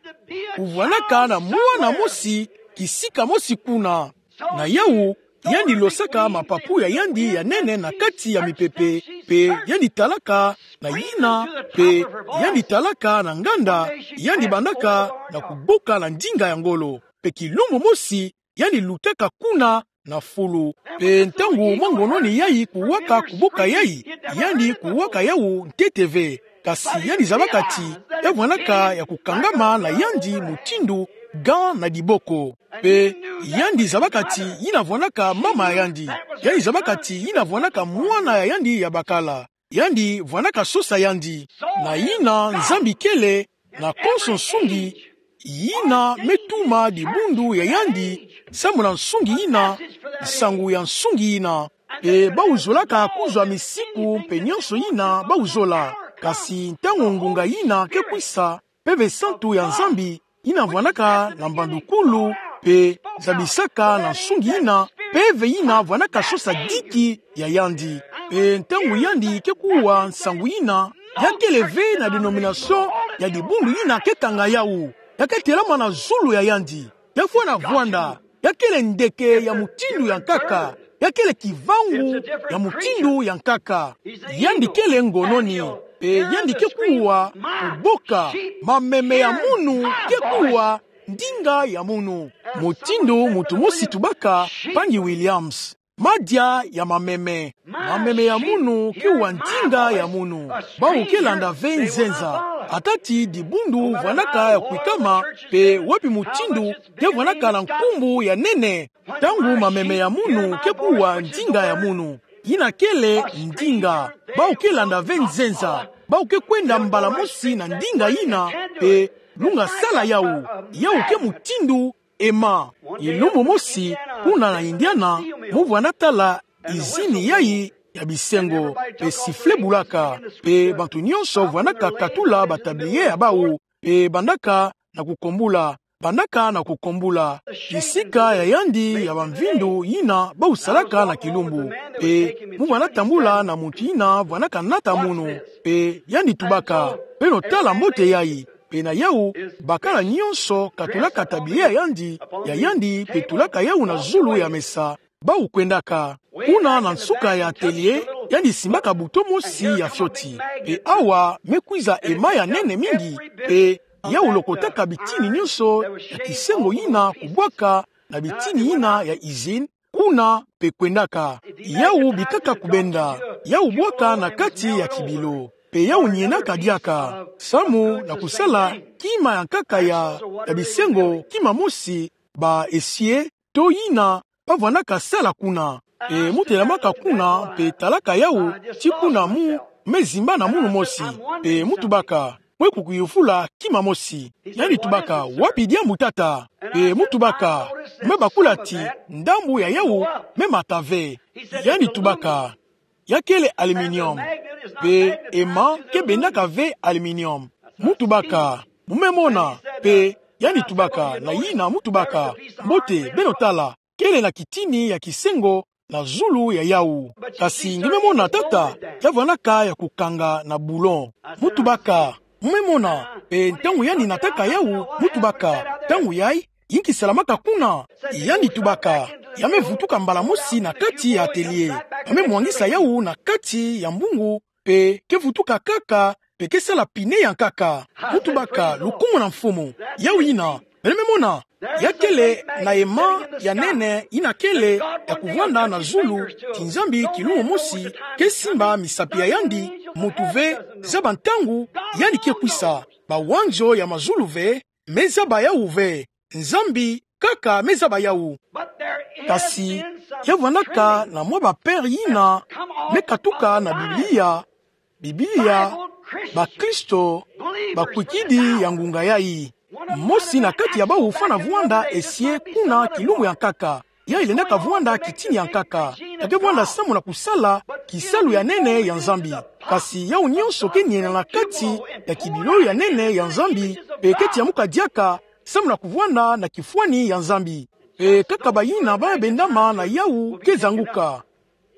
Kuvwanaka na mwana mosi, kisika mosi kuna. Na yawu, yandi losaka mapapu ya yandi ya nene na kati ya mipepe, mpe yandi talaka na yina, mpe yandi talaka na nganda, yandi bandaka na kubuka na ndinga ya ngolo. Mpe kilumbu mosi, yandi lutaka kuna na fulu. Mpe ntangu mwa ngononi yayi kuwaka kubuka yayi, yandi kuwaka yawu ntete ve. Kasi yandi zabaka ti, ya vwanaka ya kukangama na yandi mutindu gant na diboko. Mpe yandi zabaka ti, yina vwanaka mama ya yandi. Yandi zabaka ti, yina vwanaka mwana ya yandi ya bakala. Yandi vwanaka sosa yandi. Na yina Nzambi kele na konso nsungi, yina me tuma dibundu ya yandi, samu na nsungi yina, nsangu ya nsungi yina. Mpe bawu zolaka kuzwa misiku mpe nyonso yina bawu zola. Kasi ntangu ngunga yina ke kwisa, Mpeve santu ya Nzambi, yina vwanaka na mbandukulu, mpe zabisaka na nsungi yina, mpeve yina vwanaka sosa diki ya yandi. Mpe ntangu yandi ke kuwa nsangu yina, ya kele ve na dénomination ya dibundu yina ke kanga yawu. Ya ke telama na zulu ya yandi. Ya fwana vwanda. Ya kele ndeke ya mutindu ya nkaka. Ya kele kivangu ya mutindu ya nkaka. Yandi kele ngononi. Mpe yandi ke kuwa kuboka. Mameme ya munu ke kuwa ndinga ya munu. Mutindu muntu mosi tubaka, mpangi Williams. Madia ya mameme. Mameme ya munu ke wa ndinga ya munu. Bawu ke landa ve nzenza. Ata ti dibundu vwanaka ya kwikama, mpe wapi mutindu ke vwanaka na nkumbu ya nene. Ntangu mameme ya munu ke kuwa ndinga ya munu, yina kele ndinga. Bawu ke landa ve nzenza. Bawu ke kwenda mbala mosi na ndinga yina, mpe lunga sala yawu. Yawu ke mutindu ema. Kilumbu mosi, kuna na Indiana, mu vwanda tala izini yayi ya bisengo, mpe sifflet bulaka, mpe bantu nyonso vwanaka katula batablier ya bawu, mpe bandaka na kukombula, bandaka na kukombula. Bisika ya yandi ya bamvindu yina bawu salaka na kilumbu, mpe mu vwanda tambula na muntu yina vwanaka nata munu, mpe yandi tubaka: Beno tala mbote yayi. Mpe na yawu, bakala nyonso katulaka tablier ya yandi, ya yandi, mpe tulaka yawu na zulu ya mesa. Bawu kwendaka. Kuna na nsuka ya atelier, yandi simbaka buto mosi ya fioti. Mpe awa me kwiza ema ya nene mingi, mpe yawu lokotaka bitini nyonso ya kisengo yina kubwaka na bitini yina ya izini, kuna mpe kwendaka. Yawu bikaka kubenda, yawu bwaka na kati ya kibilo. Mpe yawu nienaka diaka, samu na kusala kima ya nkaka ya, ya bisengo, kima mosi, ba essier, to yina bavwanaka sala kuna. Mpe mu telamaka kuna, mpe talaka yawu, ti kuna mu me zimba na munu mosi. Mpe mu tubaka: Mwe kukuyuvula kima mosi. Yandi tubaka: Wapi diambu, tata? Mpe mu tubaka: Me bakula ti ndambu ya yawu me mata ve. Yandi tubaka: Ya kele aluminium. Pe ema ke bendaka ve aluminium. Mu tubaka, mu me mona, pe yandi tubaka, na yina mu tubaka, mbote, beno tala, kele na kitini ya kisengo na zulu ya yawu. Kasi nge me mona tata, ya vwanaka ya kukanga na boulon. Mu tubaka, mu me mona, pe ntangu yandi nataka yawu, mu tubaka, ntangu yayi, inki salamaka kuna? Yandi tubaka, ya me vutuka mbala mosi na kati ya atelier. Ya me mwangisa yawu na kati ya mbungu, pe ke vutuka kaka, pe ke sala pine ya nkaka. Mu tubaka, lukumu na Mfumu. Yawu yina, beno me mona, ya kele na ema ya nene yina kele ya kuvwanda na zulu, ti Nzambi kilumbu mosi ke simba misapi ya yandi, muntu ve zaba ntangu yandi ke kwisa, bawanzo ya mazulu ve me zaba yawu ve, Nzambi kaka me zaba yawu. Kasi, ya vwanaka na mwa ba père yina me katuka na Biblia, Biblia, bakristo bakwikidi ya ngunga yayi. Mosi na kati ya bawu fwana vwanda esi kuna kilumbu ya nkaka. Yayi lendaka vwanda kitini ya nkaka. Ya ke vwanda samu na kusala kisalu ya nene ya Nzambi. Kasi yawu nyonso ke niena na kati ya kibilolo ya nene ya Nzambi, pe ke tiamuka diaka samu na kuvwanda na kifwani ya Nzambi. Pe kaka bayina ba bendama na yawu ke zanguka.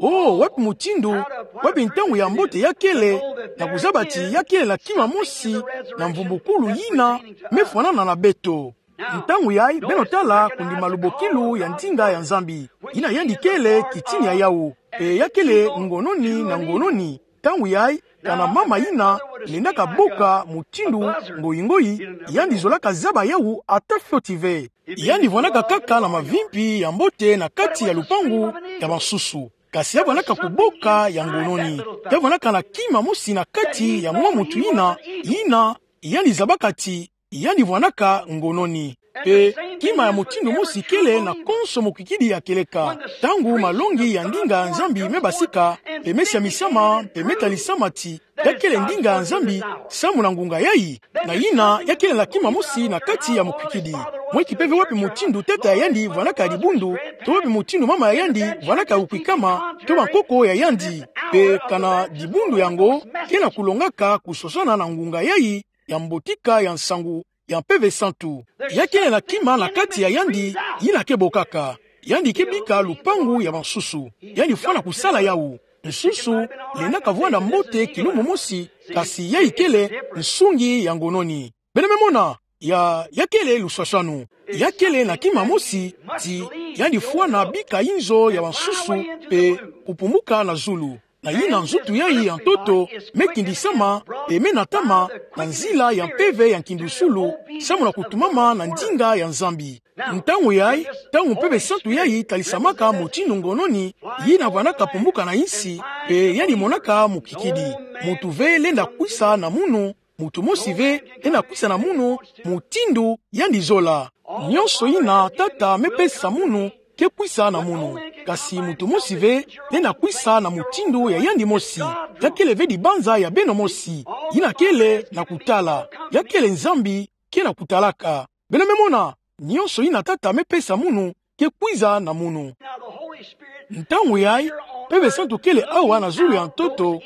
Oh, wapi mutindu, wapi ntangu ya mbote ya kele, na kuzaba ti ya kele na kima mosi na mvumbukulu yina me fwanana na beto? Ntangu yayi, beno tala kundima lubokilu ya ndinga ya Nzambi. Yina yandi kele kitini ya yawu. Pe ya kele ngononi na ngononi. Ntangu yayi, kana mama yina lendaka boka mutindu ngoyi-ngoyi, yandi zolaka zaba yawu ata fioti ve. Yandi vwanaka kaka na mavimpi ya mbote na kati ya lupangu ya bansusu. Kasi ya vwanaka kuboka ya ngononi. Ya vwanaka na kima mosi na kati ya mwa muntu yina, yina yandi zabaka ti yandi vwanaka ngononi. Pe kima ya mutindu mosi kele na konso mukwikidi ya kieleka. Ntangu malongi ya ndinga ya Nzambi me basika, pe me siamisama, pe me talisama ti ya kele ndinga ya Nzambi samu na ngunga yayi, na yina ya kele na kima mosi na kati ya mukwikidi. Mweki pe ve wapi mutindu tata ya yandi vwanaka dibundu, to wapi mutindu mama ya yandi vwanaka kukwikama, to bankoko ya yandi. Pe kana dibundu yango ke na kulongaka kusosana na ngunga yayi ya mbotika ya nsangu ya Mpeve Santu. Ya kele na kima na kati ya yandi, yina ke bokaka. Yandi ke bika lupangu ya bansusu. Yandi fwana kusala yawu. Nsusu lendaka vwanda mbote kilumbu mosi, kasi yayi kele nsungi ya ngononi. Beno me mona, ya, ya kele luswaswanu. Ya kele na kima mosi, ti yandi fwana bika inzo ya bansusu, pe kupumuka na zulu. Na yina nzutu yayi ya ntoto me kindisama, pe me natama na nzila ya mpeve ya nkindusulu, samu na kutumama na ndinga ya Nzambi. Ntangu yayi, ntangu Mpeve Santu yayi talisamaka mutindu ngononi, yina vwanaka pumuka na insi, pe yandi monaka mukwikidi. Muntu ve lenda kwisa na munu, muntu mosi ve lenda kwisa na munu, mutindu yandi zola. Nyonso yina Tata me pesa munu ke kwisa na munu. Kasi muntu mosi ve lenda kwisa na mutindu ya yandi mosi. Ya kele ve dibanza ya beno mosi. Yina kele na kutala. Ya kele Nzambi ke na kutalaka. Beno me mona, nyonso yina Tata me pesa munu ke kwisa na munu. Ntangu yayi, Mpeve Santu kele awa na zulu ya ntoto,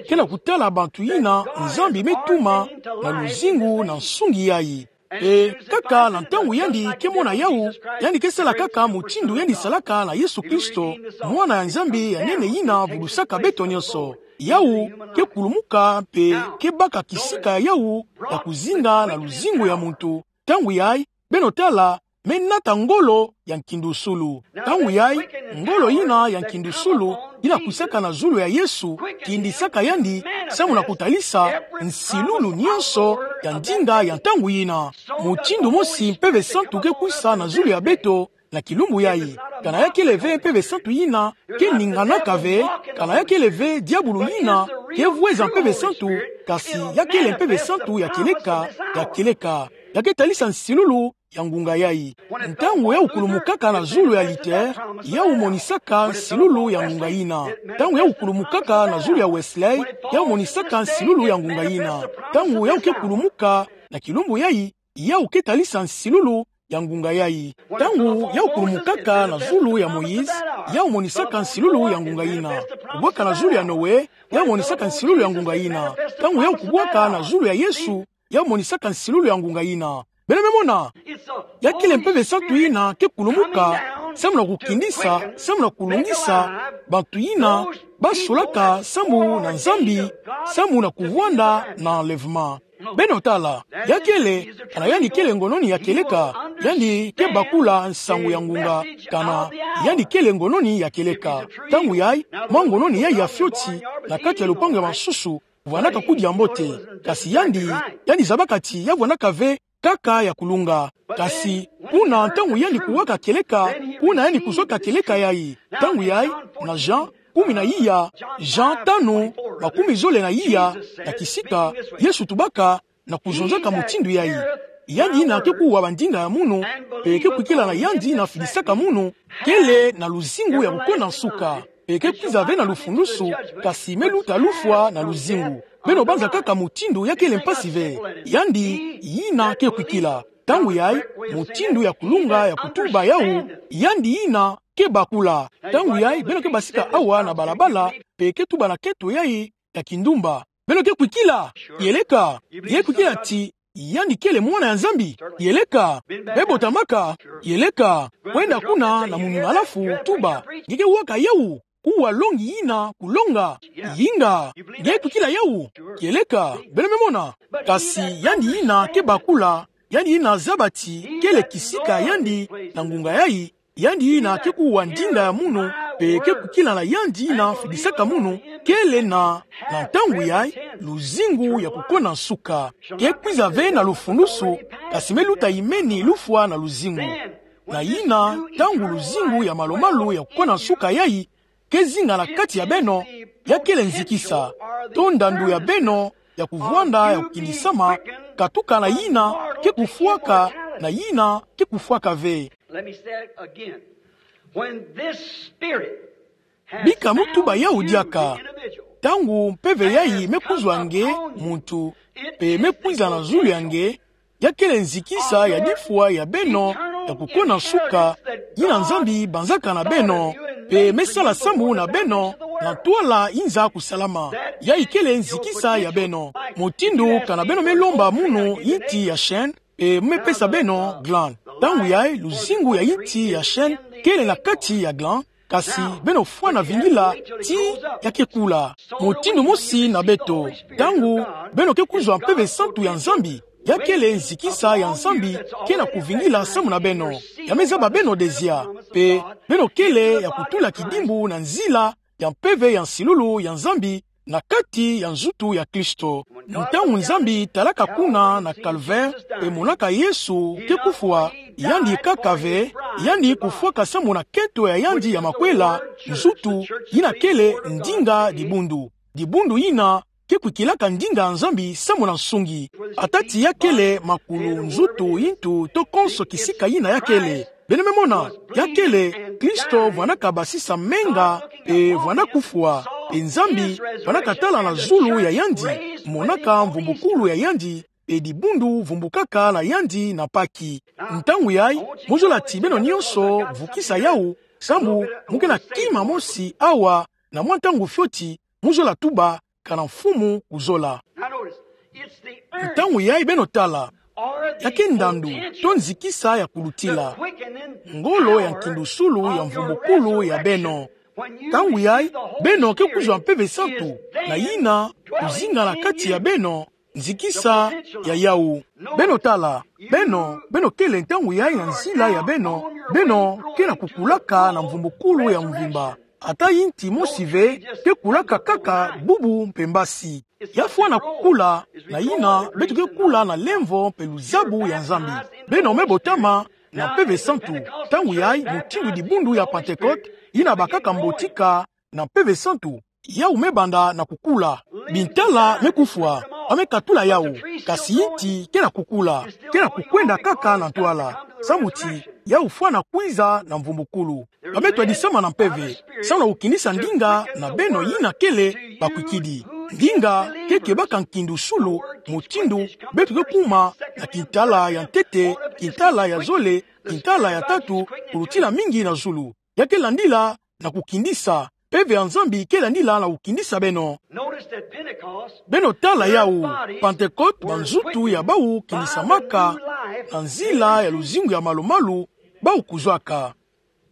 ke na kutala bantu yina Nzambi me tuma na luzingu na nsungi yayi. Pe kaka na ntangu yandi ke mona yawu, yandi ke sala kaka mutindu yandi salaka na Yesu Kristo, Mwana ya Nzambi ya nene yina vulusaka beto nyonso. Yawu ke kulumuka pe ke baka kisika ya yawu ya kuzinga na luzingu ya muntu. Ntangu yayi, beno tala, me nata ngolo ya nkindusulu. Ntangu yayi, ngolo yina ya nkindusulu, yina kwisaka na zulu ya Yesu, kindisaka yandi, samu na kutalisa nsilulu nyonso ya ndinga ya ntangu yina. Mutindu mosi Mpeve Santu ke kwisa na zulu ya beto, na kilumbu yayi. Kana ya kele ve Mpeve Santu yina ke ninganaka ve, kana ya kele ve diabulu yina ke vweza Mpeve Santu, kasi ya kele Mpeve Santu ya kieleka, ya kieleka. Ya ke talisa nsilulu ya ngunga yayi. Ntangu yawu kulumukaka na zulu ya Luther, yawu monisaka nsilulu ya ngunga yina. Ntangu yawu kulumukaka na zulu ya Wesley, yawu monisaka nsilulu ya ngunga yina. Ntangu yawu ke kulumuka na kilumbu yayi, yawu ke talisa nsilulu ya ngunga yayi. Ntangu yau kulumukaka na zulu ya Moïse, yau monisaka nsilulu ya ngunga yina. Kubwaka na zulu ya Noé, yau monisaka nsilulu ya ngunga yina. Ntangu yau kubwaka na zulu ya Yesu, yau monisaka nsilulu ya ngunga yina. Beno me mona, ya kele Mpeve Santu yina ke kulumuka, samu na kukindisa, samu na kulungisa bantu yina basolaka samu na Nzambi, samu na kuvwanda na enlèvement. Beno tala, ya kele, kana yandi kele ngono ni ya kieleka, yandi ke bakula nsangu ya ngunga, kana yandi kele ngono ni ya kieleka. Ntangu yayi, mwa ngono ni yayi ya fioti, na kati ya lupangu ya bansusu, vwanaka kudia mbote. Kasi yandi, yandi zabaka ti ya vwanaka ve kaka ya kulunga. Kasi, kuna ntangu yandi kuwaka kieleka, kuna yandi kuzwaka kieleka yayi. Ntangu yayi, na Jean, kumi na iya, Jean tanu, makumi zole na iya, na kisika, Yesu tubaka, na kuzonzaka mutindu yayi. Yandi yina ke kuwa bandinga ya munu, mpe ke kwikila na yandi na fidisaka munu, kele na luzingu ya kukona nsuka. Mpe ke kwiza ve na lufundusu, kasi me luta lufwa na luzingu. Beno banza kaka mutindu ya kele mpasi ve. Yandi yina ke kwikila. Ntangu yayi, mutindu ya kulunga ya kutuba yau, yandi yina ke bakula. Ntangu yayi, beno ke basika awa na balabala, mpe ke tuba na keto yayi ya kindumba. Beno ke kwikila, kieleka, nge kwikila ti, yandi kele mwana ya Nzambi, kieleka, me botamaka, kieleka, kwenda kuna na munima lafu, tuba, nge ke waka yau, kuwa longi yina kulonga, yinga, nge kwikila yau, kieleka, beno me mona, kasi yandi yina ke bakula, yandi yina zaba ti, kele kisika yandi, na ngunga yayi, yandi yina ke kuwa ndinga ya munu, mpe ke kwikila na yandi yina fidisaka munu, kele na, na ntangu yayi, luzingu ya kukona nsuka. Ke kwiza ve na lufundusu, kasi me luta imeni lufwa na luzingu. Na yina, ntangu luzingu ya malu-malu ya kukona nsuka yayi, ke zinga na kati ya beno, ya kele nzikisa, to ndandu ya beno, ya kuvwanda, ya kukindisama, katuka na yina, ke kufwaka, na yina, ke kufwaka ve. Let me say it again. When this spirit has Bika mutuba found yau you, diaka, the individual, ntangu mpeve yayi me kuzwa nge, muntu, mpe me kwiza na zulu ya nge, ya kele nzikisa ya difwa ya beno, ya kukona nsuka, yina Nzambi banzaka na beno, mpe me sala samu na beno, na ntwala yinza kusalama. Yayi kele nzikisa ya beno. Mutindu kana beno me lomba munu yinti ya chêne, mpe mu me pesa beno gland. Ntangu yayi luzingu ya yinti ya chêne kele na kati ya gland, kasi beno fwana vingila ti ya ke kula. Mutindu mosi na beto. Ntangu beno ke kuzwa Mpeve Santu ya Nzambi, ya kele nzikisa ya Nzambi ke na kuvingila samu na beno. Ya me zaba beno dezia. Mpe beno kele ya kutula kidimbu na nzila ya mpeve ya nsilulu ya Nzambi na kati ya nzutu ya Kristo. Ntangu Nzambi talaka kuna na calvaire, mpe monaka Yesu ke kufwa, yandi kaka ve, yandi kufwaka samu na keto ya yandi ya makwela, nzutu, yina kele ndinga dibundu. Dibundu yina ke kwikilaka ndinga ya Nzambi samu na nsungi. Ata ti ya kele makulu, nzutu, yintu, to konso kisika yina ya kele. Beno me mona, ya kele, Kristo vwanaka basisa menga, mpe vwana kufwa, mpe Nzambi vwanaka tala na zulu ya yandi, monaka mvumbukulu ya yandi, mpe dibundu vumbukaka na yandi na Paki. Ntangu yayi, mu zola ti beno nyonso vukisa yau, samu mu ke na kima mosi awa, na mwa ntangu fioti, mu zola tuba, kana Mfumu kuzola. Now notice, it's the earnest Ntangu yayi beno tala, or the ya ke ndandu, potential to nzikisa ya kulutila. The quickening Ngolo ya power nkindusulu ya of your mvumbukulu ya beno. Resurrection. When you Ntangu yayi, receive the Holy beno ke kuzwa Spirit, Mpeve Santu, is na then yina, dwelling kuzinga na in kati ya you. Nzikisa ya yau. Beno tala, beno, beno kele ntangu yayi na nzila ya beno, beno ke na kukulaka na mvumbukulu ya mvimba. Ata yinti mosi ve, ke kulaka kaka bubu mpe mbasi. Ya fwana kukula, na yina, beto ke kula na lemvo mpe luzabu ya Nzambi. Beno me botama na Mpeve Santu, ntangu yayi mutindu dibundu ya Pentecôte, yina bakaka mbotika na Mpeve Santu, yau me banda na kukula. Bintala me kufwa, ba me katula yau, kasi yinti ke na kukula, ke na kukwenda kaka na ntwala. Samu ti, yau fwana kwiza na mvumbukulu. Ba me twadisama na mpeve, samu na kukinisa ndinga na beno yina kele bakwikidi. ndinga ke kebaka nkindu sulu, mutindu beto ke kuma na kintala ya ntete, kintala ya zole, kintala ya tatu, kulutila mingi na zulu. Ya ke landila na kukindisa. Mpeve ya Nzambi ke landila na kukindisa beno. Notice that Pentecost, beno tala yawu, Pentecote, banzutu ya bawu kindisamaka na nzila ya luzingu ya malu-malu, bawu kuzwaka.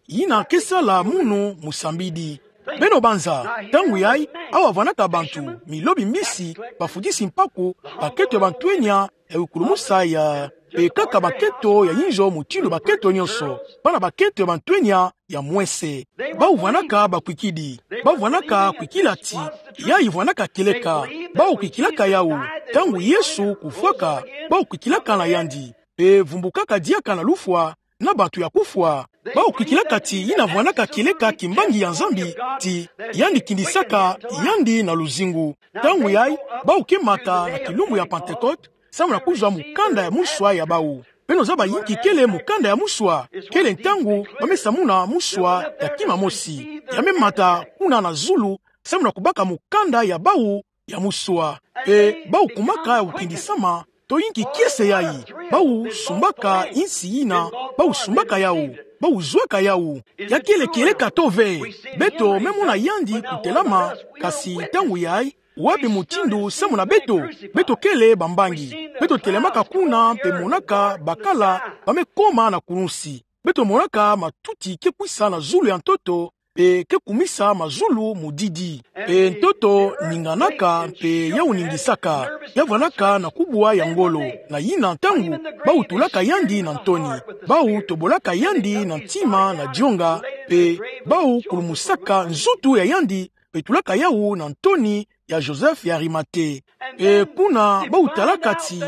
Yina ke sala munu musambidi. Beno banza, ntangu yayi, awa vwanaka bantu, milobi mbisi, bafutisi mpaku, bakento ya bantwenya ya wikulumusa ya, mpe kaka bakento ya yinzo mutindu bakento nyonso, bana bakento ya bantwenya ya mwese. Bawu vwanaka bakwikidi, bawu vwanaka kwikila ti, yayi vwanaka kieleka, bawu kwikilaka yawu, ntangu Yesu kufwaka, bawu kwikilaka na yandi, mpe vumbukaka diaka na lufwa, na bantu ya kufwa. Bawu kwikilaka ti yina vwanaka kieleka kimbangi ya Nzambi, ti yandi kindisaka yandi na luzingu. Ntangu yayi, bawu ke mata na kilumbu ya Pentecote, samu na kuzwa mukanda ya muswa ya bawu. Beno zaba yinki kele mukanda ya muswa? Kele ntangu ba me samuna muswa ya kima mosi. Ya me mata kuna na zulu, samu na kubaka mukanda ya bawu ya muswa. Mpe bawu kumaka ya kukindisama, to yinki kiese yayi. Bawu sumbaka insi yina, bawu sumbaka yawu, bawu zwaka yawu. Ya kele kieleka to ve? Beto me mona yandi kutelama, kasi ntangu yayi, wapi mutindu samu na beto? Beto kele bambangi. Beto telemaka kuna mpe monaka bakala ba me koma na kulunsi. Beto monaka matuti ke kwisa na zulu ya ntoto, mpe ke kumisa mazulu mudidi. Mpe ntoto ninganaka, mpe yawu ningisaka. Ya vwanaka na kubwa ya ngolo. Na yina ntangu, bawu tulaka yandi na ntoni. Bawu tobolaka yandi na ntima na dionga, mpe bawu kulumusaka nzutu ya yandi, mpe tulaka yawu na ntoni ya Joseph ya Arimathée. Mpe kuna bawu talaka ti,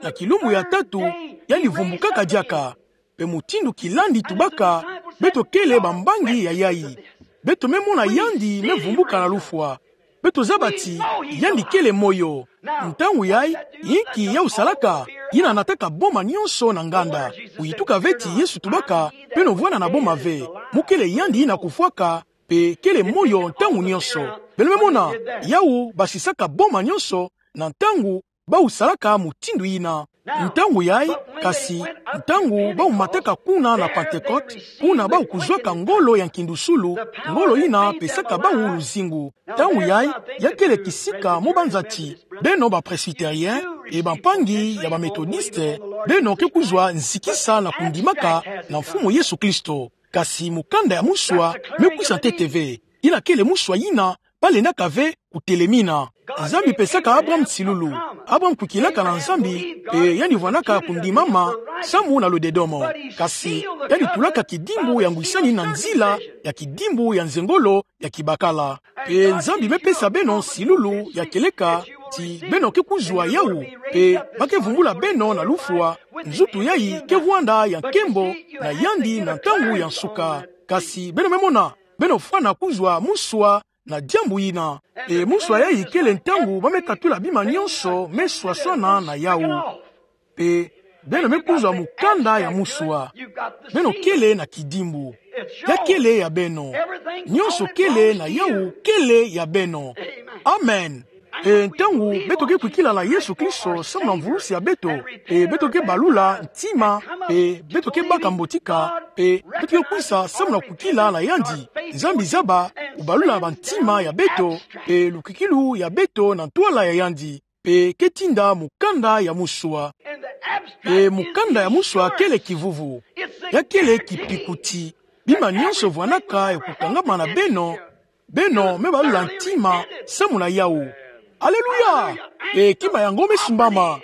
na kilumbu ya tatu, yandi vumbukaka diaka. Mpe mutindu kilandi tubaka, beto kele bambangi ya yayi. Beto me mona yandi me vumbuka na lufwa. Beto zaba ti, yandi kele moyo. Ntangu yayi, yinki yawu salaka? Yina nataka boma nyonso na nganda. Kuyituka ve ti Yesu tubaka, beno vwanda na boma ve. Mukele yandi yina kufwaka, mpe kele moyo ntangu nyonso. Beno me mona, yawu basisaka boma nyonso, na ntangu bawu salaka mutindu yina. Ntangu yayi, kasi, ntangu bawu mataka kuna na Pentecote, kuna bawu kuzwaka ngolo ya nkindusulu, ngolo yina pesaka bawu luzingu. Ntangu yayi, ya kele kisika mo banza ti, beno ba Presbytérien, mpe bampangi ya ba Méthodiste, beno ke kuzwa nzikisa na kundimaka na Mfumu Yesu Kristo. Kasi mukanda ya muswa me kwisa ntete ve. Yina kele muswa yina ba lendaka ve kutelemina. Nzambi pesaka Abraham nsilulu. Abraham kwikilaka na Nzambi, mpe yandi vwanaka kundimama samu na ludedomo. Kasi yandi tulaka kidimbu ya ngwisani na nzila ya kidimbu ya nzengolo ya kibakala. Mpe Nzambi me pesa beno nsilulu ya kieleka ti beno ke kuzwa yawu, mpe ba ke vumbula beno na lufwa, nzutu yayi ke vwanda ya nkembo na yandi na ntangu ya nsuka. Kasi beno me mona, beno fwana kuzwa muswa na diambu yina. Mpe muswa yayi kele ntangu ba me katula bima nyonso me swaswana na yawu. Mpe beno me kuzwa mukanda ya muswa. Beno kele na kidimbu. Ya kele ya beno. Nyonso kele na yawu kele ya beno. Amen. Mpe ntangu beto ke kwikila na Yesu Kristo samu na mvulusi ya beto, mpe beto ke balula ntima, mpe beto ke baka mbotika, mpe beto ke kwisa samu na kwikila na yandi. Nzambi zaba kubalula bantima ya beto, mpe lukwikilu ya beto na ntwala ya yandi. Mpe ke tinda mukanda ya muswa. Mpe mukanda ya muswa kele kivuvu. Ya kele kipikuti. Bima nyonso vwanaka ya kukangama na beno, beno me balula ntima samu na yawu. Aleluya! Mpe kima yango me simbama.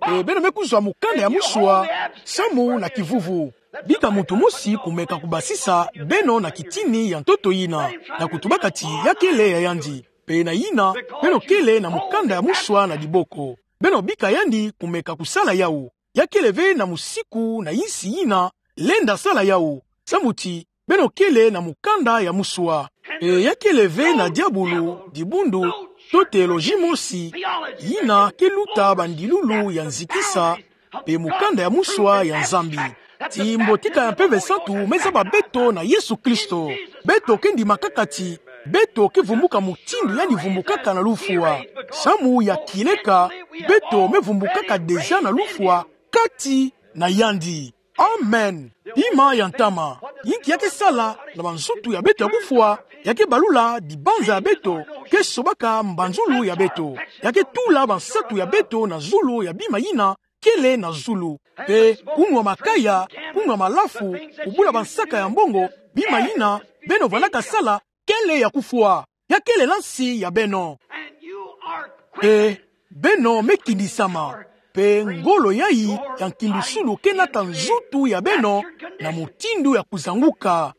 Mpe beno me kuzwa mukanda ya muswa samu na kivuvu. Bika muntu mosi kumeka kubasisa beno na kitini ya ntoto yina, na kutubaka ti ya kele ya yandi. Mpe na yina, beno kele na mukanda ya muswa na diboko. Beno bika yandi kumeka kusala yawu. Ya kele ve na musiku na insi yina lenda sala yawu. Samu ti, beno kele na mukanda ya muswa. Mpe ya kele ve na diabulu, dibundu, to teoloji mosi, yina ke luta bandilulu ya nzikisa, mpe mukanda ya muswa ya Nzambi. Ti mbotika ya Mpeve Santu me zaba beto na Yesu Kristo. Beto ke ndima kaka ti, beto ke vumbuka mutindu yandi vumbukaka na lufwa. Samu ya kieleka, beto me vumbukaka deja na lufwa kati na yandi. Amen. Bima ya ntama, inki ya ke sala na banzutu ya beto ya kufwa? Ya ke balula dibanza ya beto, ke sobaka mbanzulu ya beto. Ya ke tula bansatu ya beto na zulu ya bima yina kele na zulu. Mpe kunwa makaya, kunwa malafu, kubula bansaka ya mbongo, bima yina beno vandaka sala, kele ya kufwa. Ya kele na nsi ya beno. Mpe beno me kindisama. Mpe ngolo yayi ya nkindusulu ke nata nzutu ya beno na mutindu ya kuzanguka.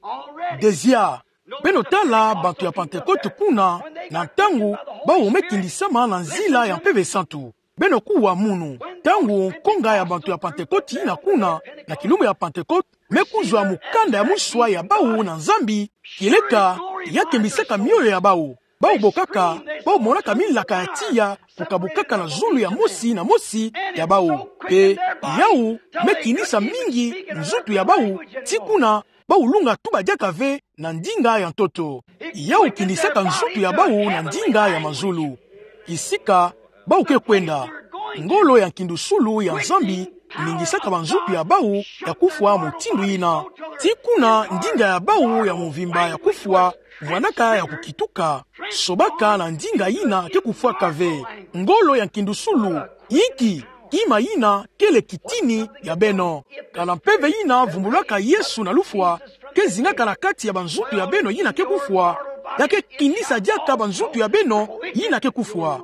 Dezia, beno tala bantu ya Pantekote kuna, na ntangu bawu me kindisama na nzila ya Mpeve Santu. Beno kuwa munu, ntangu nkonga ya bantu ya Pantekote yina kuna, na kilumbu ya Pantekote, me kuzwa mukanda ya muswa ya bawu na Nzambi, kieleka, ya kembisaka mioyo ya bawu. Bawu bokaka, bawu monaka milaka ya tiya kukabukaka na zulu ya mosi na mosi ya bawu. Mpe yawu me kinisa mingi nzutu ya bawu, tii kuna bawu lunga tuba diaka ve na ndinga ya ntoto. Yawu kinisaka nzutu ya bawu na ndinga ya mazulu. Kisika bawu ke kwenda, ngolo ya nkindusulu ya Nzambi ningisaka banzutu ya bawu ya kufwa mutindu yina. Tii kuna ndinga ya bawu ya mvimba ya kufwa vwandaka ya kukituka, sobaka na ndinga yina ke kufwaka ve. Ngolo ya nkindusulu, inki? Kima yina kele kitini ya beno. Kana mpeve yina vumbulaka Yesu na lufwa ke zingaka na kati ya banzutu ya beno yina ke kufwa, ya ke kinisa diaka banzutu ya beno yina ke kufwa.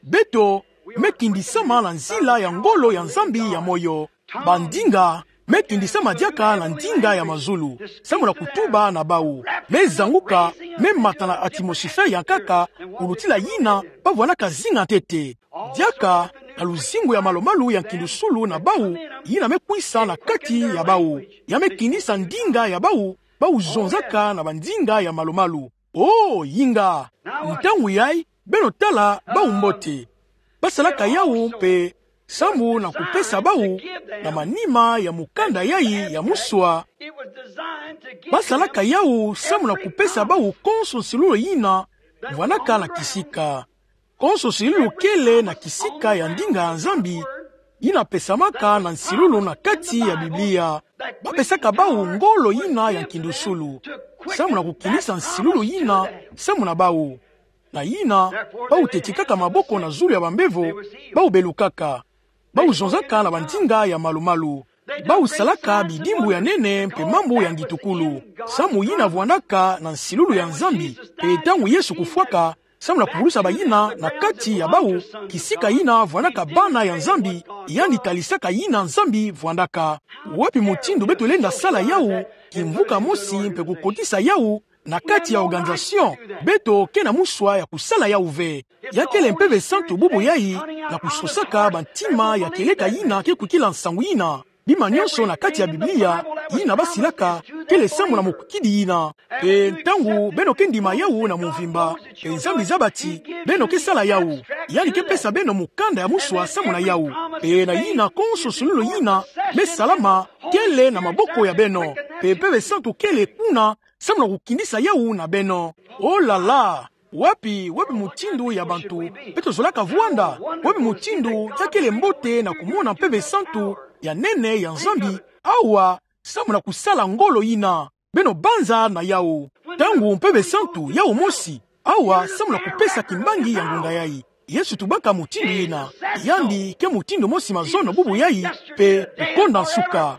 Beto me kindisama na nzila ya ngolo ya Nzambi ya moyo. Bandinga me kindisama diaka na ndinga ya mazulu, samu na kutuba na bawu. Me zanguka, me mata na atmosphère ya nkaka, kulutila yina bavwandaka zinga ntete. Diaka na luzingu ya malumalu ya nkindusulu na bawu, yina me kwisa na kati ya bawu. Ya me kinisa ndinga ya bawu, bawu zonzaka na bandinga ya malumalu. Oh, yinga! Ntangu yayi, beno tala bawu mbote. Basalaka yawu mpe samu na kupesa bawu, na manima ya mukanda yayi ya muswa, basalaka yawu samu na kupesa bawu konso nsilulu yina vwandaka na kisika. Konso nsilulu kele na kisika ya ndinga ya Nzambi, yina pesamaka na nsilulu na kati ya Biblia. Bapesaka bawu ngolo yina ya nkindusulu, samu na kukinisa nsilulu yina samu na bawu. Na yina, bawu tetikaka maboko na zulu ya bambevo, bawu belukaka. Bawu zonzaka na bandinga ya malumalu. Bawu salaka bidimbu ya nene mpe mambu ya ngitukulu, samu yina vwandaka na nsilulu ya Nzambi, mpe ntangu Yesu kufwaka, samu na kuvulusa bayina na kati ya bawu, kisika yina vwandaka bana ya Nzambi, yandi talisaka yina Nzambi vwandaka. Wapi mutindu beto lenda sala yawu, kimvuka mosi mpe kukotisa yawu na kati ya organisation? Beto ke na muswa ya kusala yawu ve. Ya kele Mpeve Santu bubu yayi, na kusosaka bantima ya kieleka yina ke kwikila nsangu yina. Bima nyonso na kati ya Biblia yina basilaka kele samu na mukukidi yina. Mpe ntangu beno ke ndima yawu na mvimba, mpe Nzambi zabati, beno ke sala yawu. Yandi ke pesa beno mukanda ya muswa samu na yawu. Mpe na yina konso nsilulu yina me salama kele na maboko ya beno. Mpe Mpeve Santu kele kuna samu na kukinisa yawu na beno. Oh là là! Wapi, wapi mutindu ya bantu beto zolaka vwanda? Wapi mutindu ya kele mbote na kumona Mpeve Santu ya nene ya Nzambi awa, samu na kusala ngolo yina? Beno banza na yawu. Ntangu Mpeve Santu yawu mosi awa samu na kupesa kimbangi ya ngunga yayi. Yesu tubaka mutindu yina. Yandi ke mutindu mosi mazono, bubu yayi, mpe kukonda nsuka.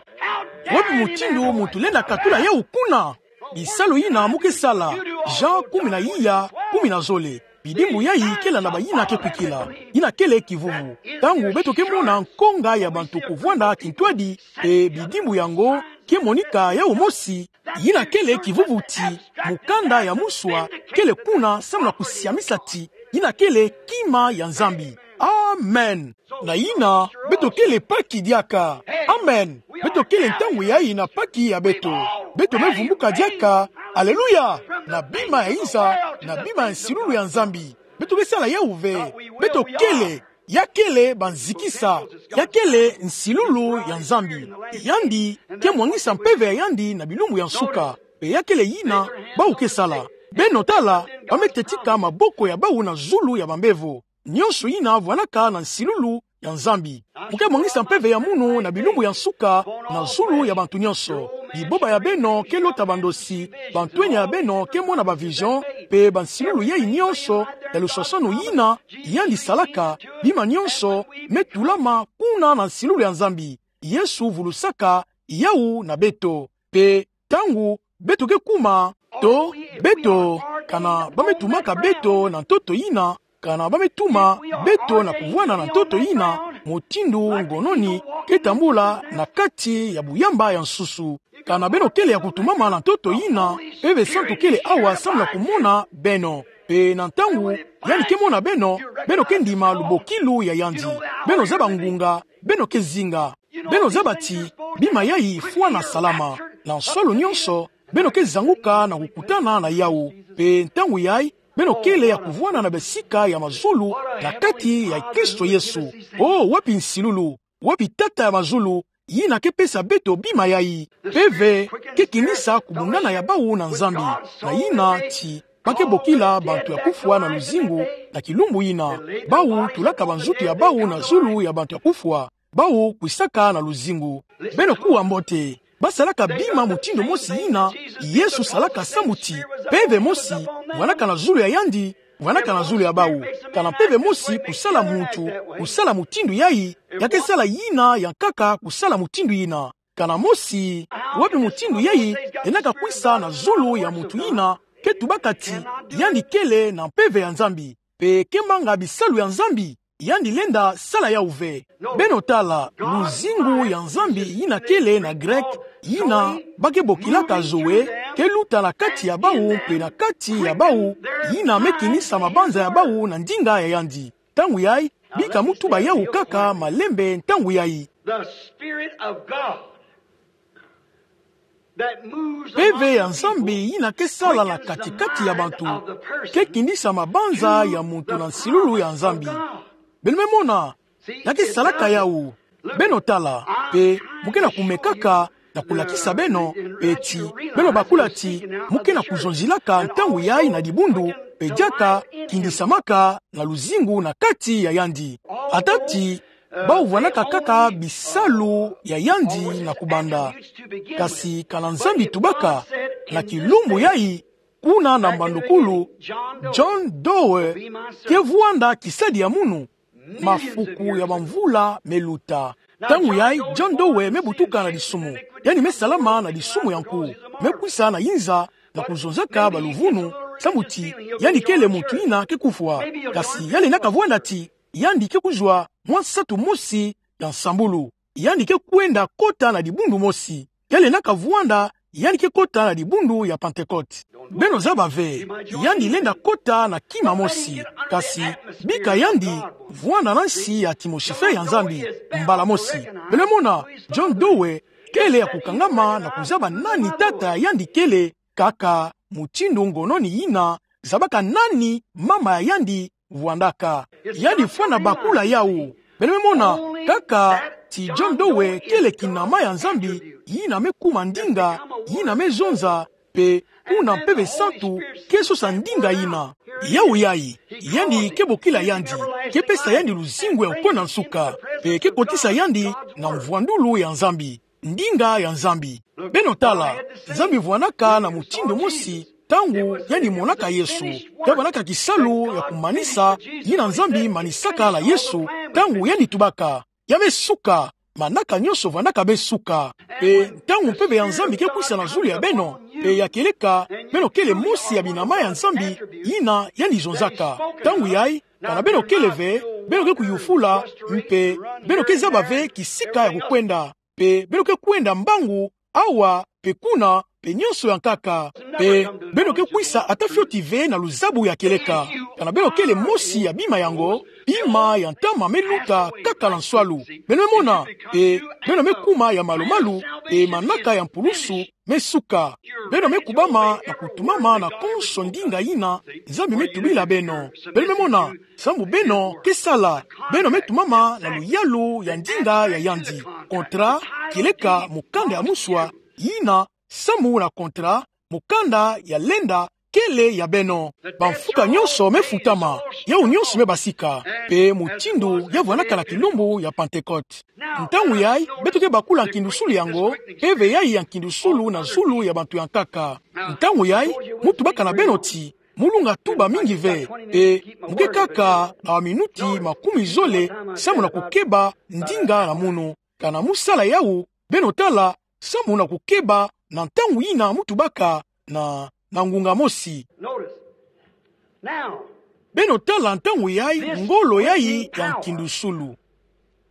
Wapi mutindu muntu lenda katula yawu kuna? Bisalu yina mu ke sala. Jean kumi na iya, kumi na zole. Bidimbu yayi kele na bayina ke kwikila. Yina kele kivuvu. Ntangu beto ke mona nkonga ya bantu kuvwanda kintwadi, mpe bidimbu yango ke monika yawu mosi, yina kele kivuvu ti mukanda ya muswa kele kuna samu na kusiamisa ti yina kele kima ya Nzambi. Amen. Na yina, beto kele Paki diaka. Amen. Beto kele ntangu yayi na Paki ya beto. Beto me vumbuka diaka. Aleluya! Na bima ya inza, na bima ya nsilulu ya Nzambi. Beto ke sala yawu ve. Beto kele, ya kele banzikisa, ya kele nsilulu ya Nzambi. Yandi ke mwangisa mpeve ya yandi na bilumbu ya nsuka. Mpe ya kele yina bawu ke sala. Beno tala, ba me teti ka maboko ya bawu na zulu ya bambevo. Nionso yina vwanaka na nsilulu ya Nzambi. Mo ke mwaningisa mpeve ya munu na bilumbu ya nsuka, na zulu ya bantu nionso. Biboba ya beno ke lota bandosi, bantwenia ya beno ke mona ba vision, pe bansilulu yai nionso ya lusasanu yina yandi salaka, bima nionso me tulama kuna na nsilulu ya Nzambi. Yesu vulusaka yawu na beto. Pe ntangu beto ke kuma, to, beto, kana ba me tumaka beto na ntoto yina, kana ba me tuma beto na kuvwanda na ntoto yina, mutindu ngononi ke tambula na kati ya buyamba ya nsusu. Kana beno kele ya kutumama na ntoto yina, Mpeve Santu kele awa samu na kumona beno. Pe na ntangu yandi ke mona beno, beno ke ndima lubokilu ya yandi. Beno zaba ngunga beno ke zinga. Beno zaba ti bima yai fwana salama. Na nsalu nionso, beno ke zanguka na kukutana na yawu. Pe ntangu yai, beno kele ya kuvwanda na basika ya mazulu na kati ya Kristo Yesu. O, wapi nsilulu, wapi Tata ya mazulu, yina ke pesa beto bima yai? Mpeve ke kinisa kubundana ya bawu na Nzambi, na yina ti ba ke bokila bantu ya kufwa na luzingu na kilumbu yina. Bawu tulaka banzutu ya bawu na zulu ya bantu ya kufwa. Bawu kwisaka na luzingu. Beno kuwa mbote. Ba salaka bima mutindu mosi yina Yesu salaka samu ti mpeve mosi vwanaka na zulu ya yandi, vwanaka na zulu ya bawu. Kana mpeve mosi kusala muntu, kusala mutindu yai, ya ke sala yina ya nkaka kusala mutindu yina. Kana mosi, wapi mutindu yai lenda ka kwisa na zulu ya muntu yina ke tubaka ti yandi kele na mpeve ya Nzambi, pe ke manga bisalu ya Nzambi? Yandi lenda sala yawu ve. Beno tala, luzingu ya Nzambi yina kele na grec, yina ba ke bokilaka Zoe, ke luta na kati ya bawu mpe na kati ya bawu, yina me kinisa mabanza ya bawu na ndinga ya yandi. Ntangu yai, bika mo tuba yawu kaka malembe ntangu yai. The Spirit of God that moves among the people. Mpeve ya Nzambi yina ke sala na katikati ya bantu ke kinisa mabanza ya muntu na nsilulu ya Nzambi. Beno me mona, ya ke salaka yawu. Beno tala, pe mo ke na kumekaka na kulakisa beno, pe ti beno bakula ti mo ke na kuzonzilaka ntangu yai na dibundu, pe diaka kinisamaka na luzingu na kati ya yandi. Ata ti bawu vwanaka kaka bisalu ya yandi na kubanda. Kasi kana Nzambi tubaka, na kilumbu yai, kuna na mbandukulu, John Doe ke vwanda kisadi ya munu, mafuku ya bamvula me luta. Ntangu yai, John Doe me butuka na disumu. Yandi me salama na disumu ya nku. Me kwisa na inza na kuzonzaka baluvunu, samu ti yandi kele muntu yina ke kufwa. Kasi ya lenda ka vwanda ti yandi ke kuzwa mwa nsatu mosi ya nsambulu. Yandi ke kwenda kota na dibundu mosi. Ya lenda ka vwanda yandi ke kota na dibundu ya Pentecote. Beno zaba ve, yandi lenda kota na kima mosi. Kasi bika yandi vwanda na nsi ya atmosphere ya Nzambi mbala mosi. Beno mona, John Doe kele ya kukangama na kuzaba nani tata ya yandi kele, kaka mutindu ngononi yina zabaka nani mama ya yandi vwandaka. Yandi fwana bakula yawu. Beno me mona, kaka ti John Doe kele kinama ya Nzambi, yina me kuma ndinga, yina me zonza, pe kuna Mpeve Santu ke sosa ndinga yina. Yawu yai, yandi ke bokila yandi, ke pesa yandi luzingu ya kukona nsuka, pe ke kotisa yandi na mvwandulu ya Nzambi, ndinga ya Nzambi. Beno tala, Nzambi vwanaka na mutindu mosi ntangu yandi monaka Yesu. Ya vwanaka kisalu ya kumanisa yina Nzambi manisaka na Yesu ntangu yandi tubaka: Ya me suka, manaka nionso vwanaka me suka. Pe ntangu Mpeve ya Nzambi ke kwisa na zulu ya beno, pe ya kieleka beno kele mosi ya binama ya Nzambi yina yandi zonzaka. Ntangu yai, kana beno kele ve, beno ke kuyufula, mpe beno ke zaba ve kisika ya kukwenda. Pe beno ke kwenda mbangu, awa, pe kuna, pe nionso ya nkaka. Pe beno ke kwisa ata fioti ve na luzabu ya kieleka. Kana beno kele mosi ya bima yango, bima ya ntama me luta kaka na nswalu. Beno me mona, pe beno me kuma ya malumalu, pe manaka ya mpulusu me suka. Beno me kubama na kutumama na konso ndinga yina Nzambi me tubila beno. Beno me mona, samu beno ke sala, beno me tumama na luyalu ya ndinga ya yandi. Kontra, kieleka mukanda ya muswa, yina samu na kontra, mukanda ya lenda kele ya beno. Bamfuka nyonso mefutama, yawu nyonso mebasika, pe mutindu ya vwanaka na kilumbu ya Pantekote. Ntangu yayi, beto ke bakula nkindusulu yango, mpeve yayi ya nkindusulu na zulu ya bantu ya nkaka. Ntangu yayi, mu tubaka na beno ti, mu lunga tuba mingi ve, pe mu ke kaka na baminuti makumi zole, samu na kukeba ndinga na munu. Kana mu sala yawu, beno tala, samu na kukeba na ntangu yina mu tubaka na, na ngunga mosi. Notice. Now, beno tala ntangu yayi, ngolo yayi ya nkindusulu.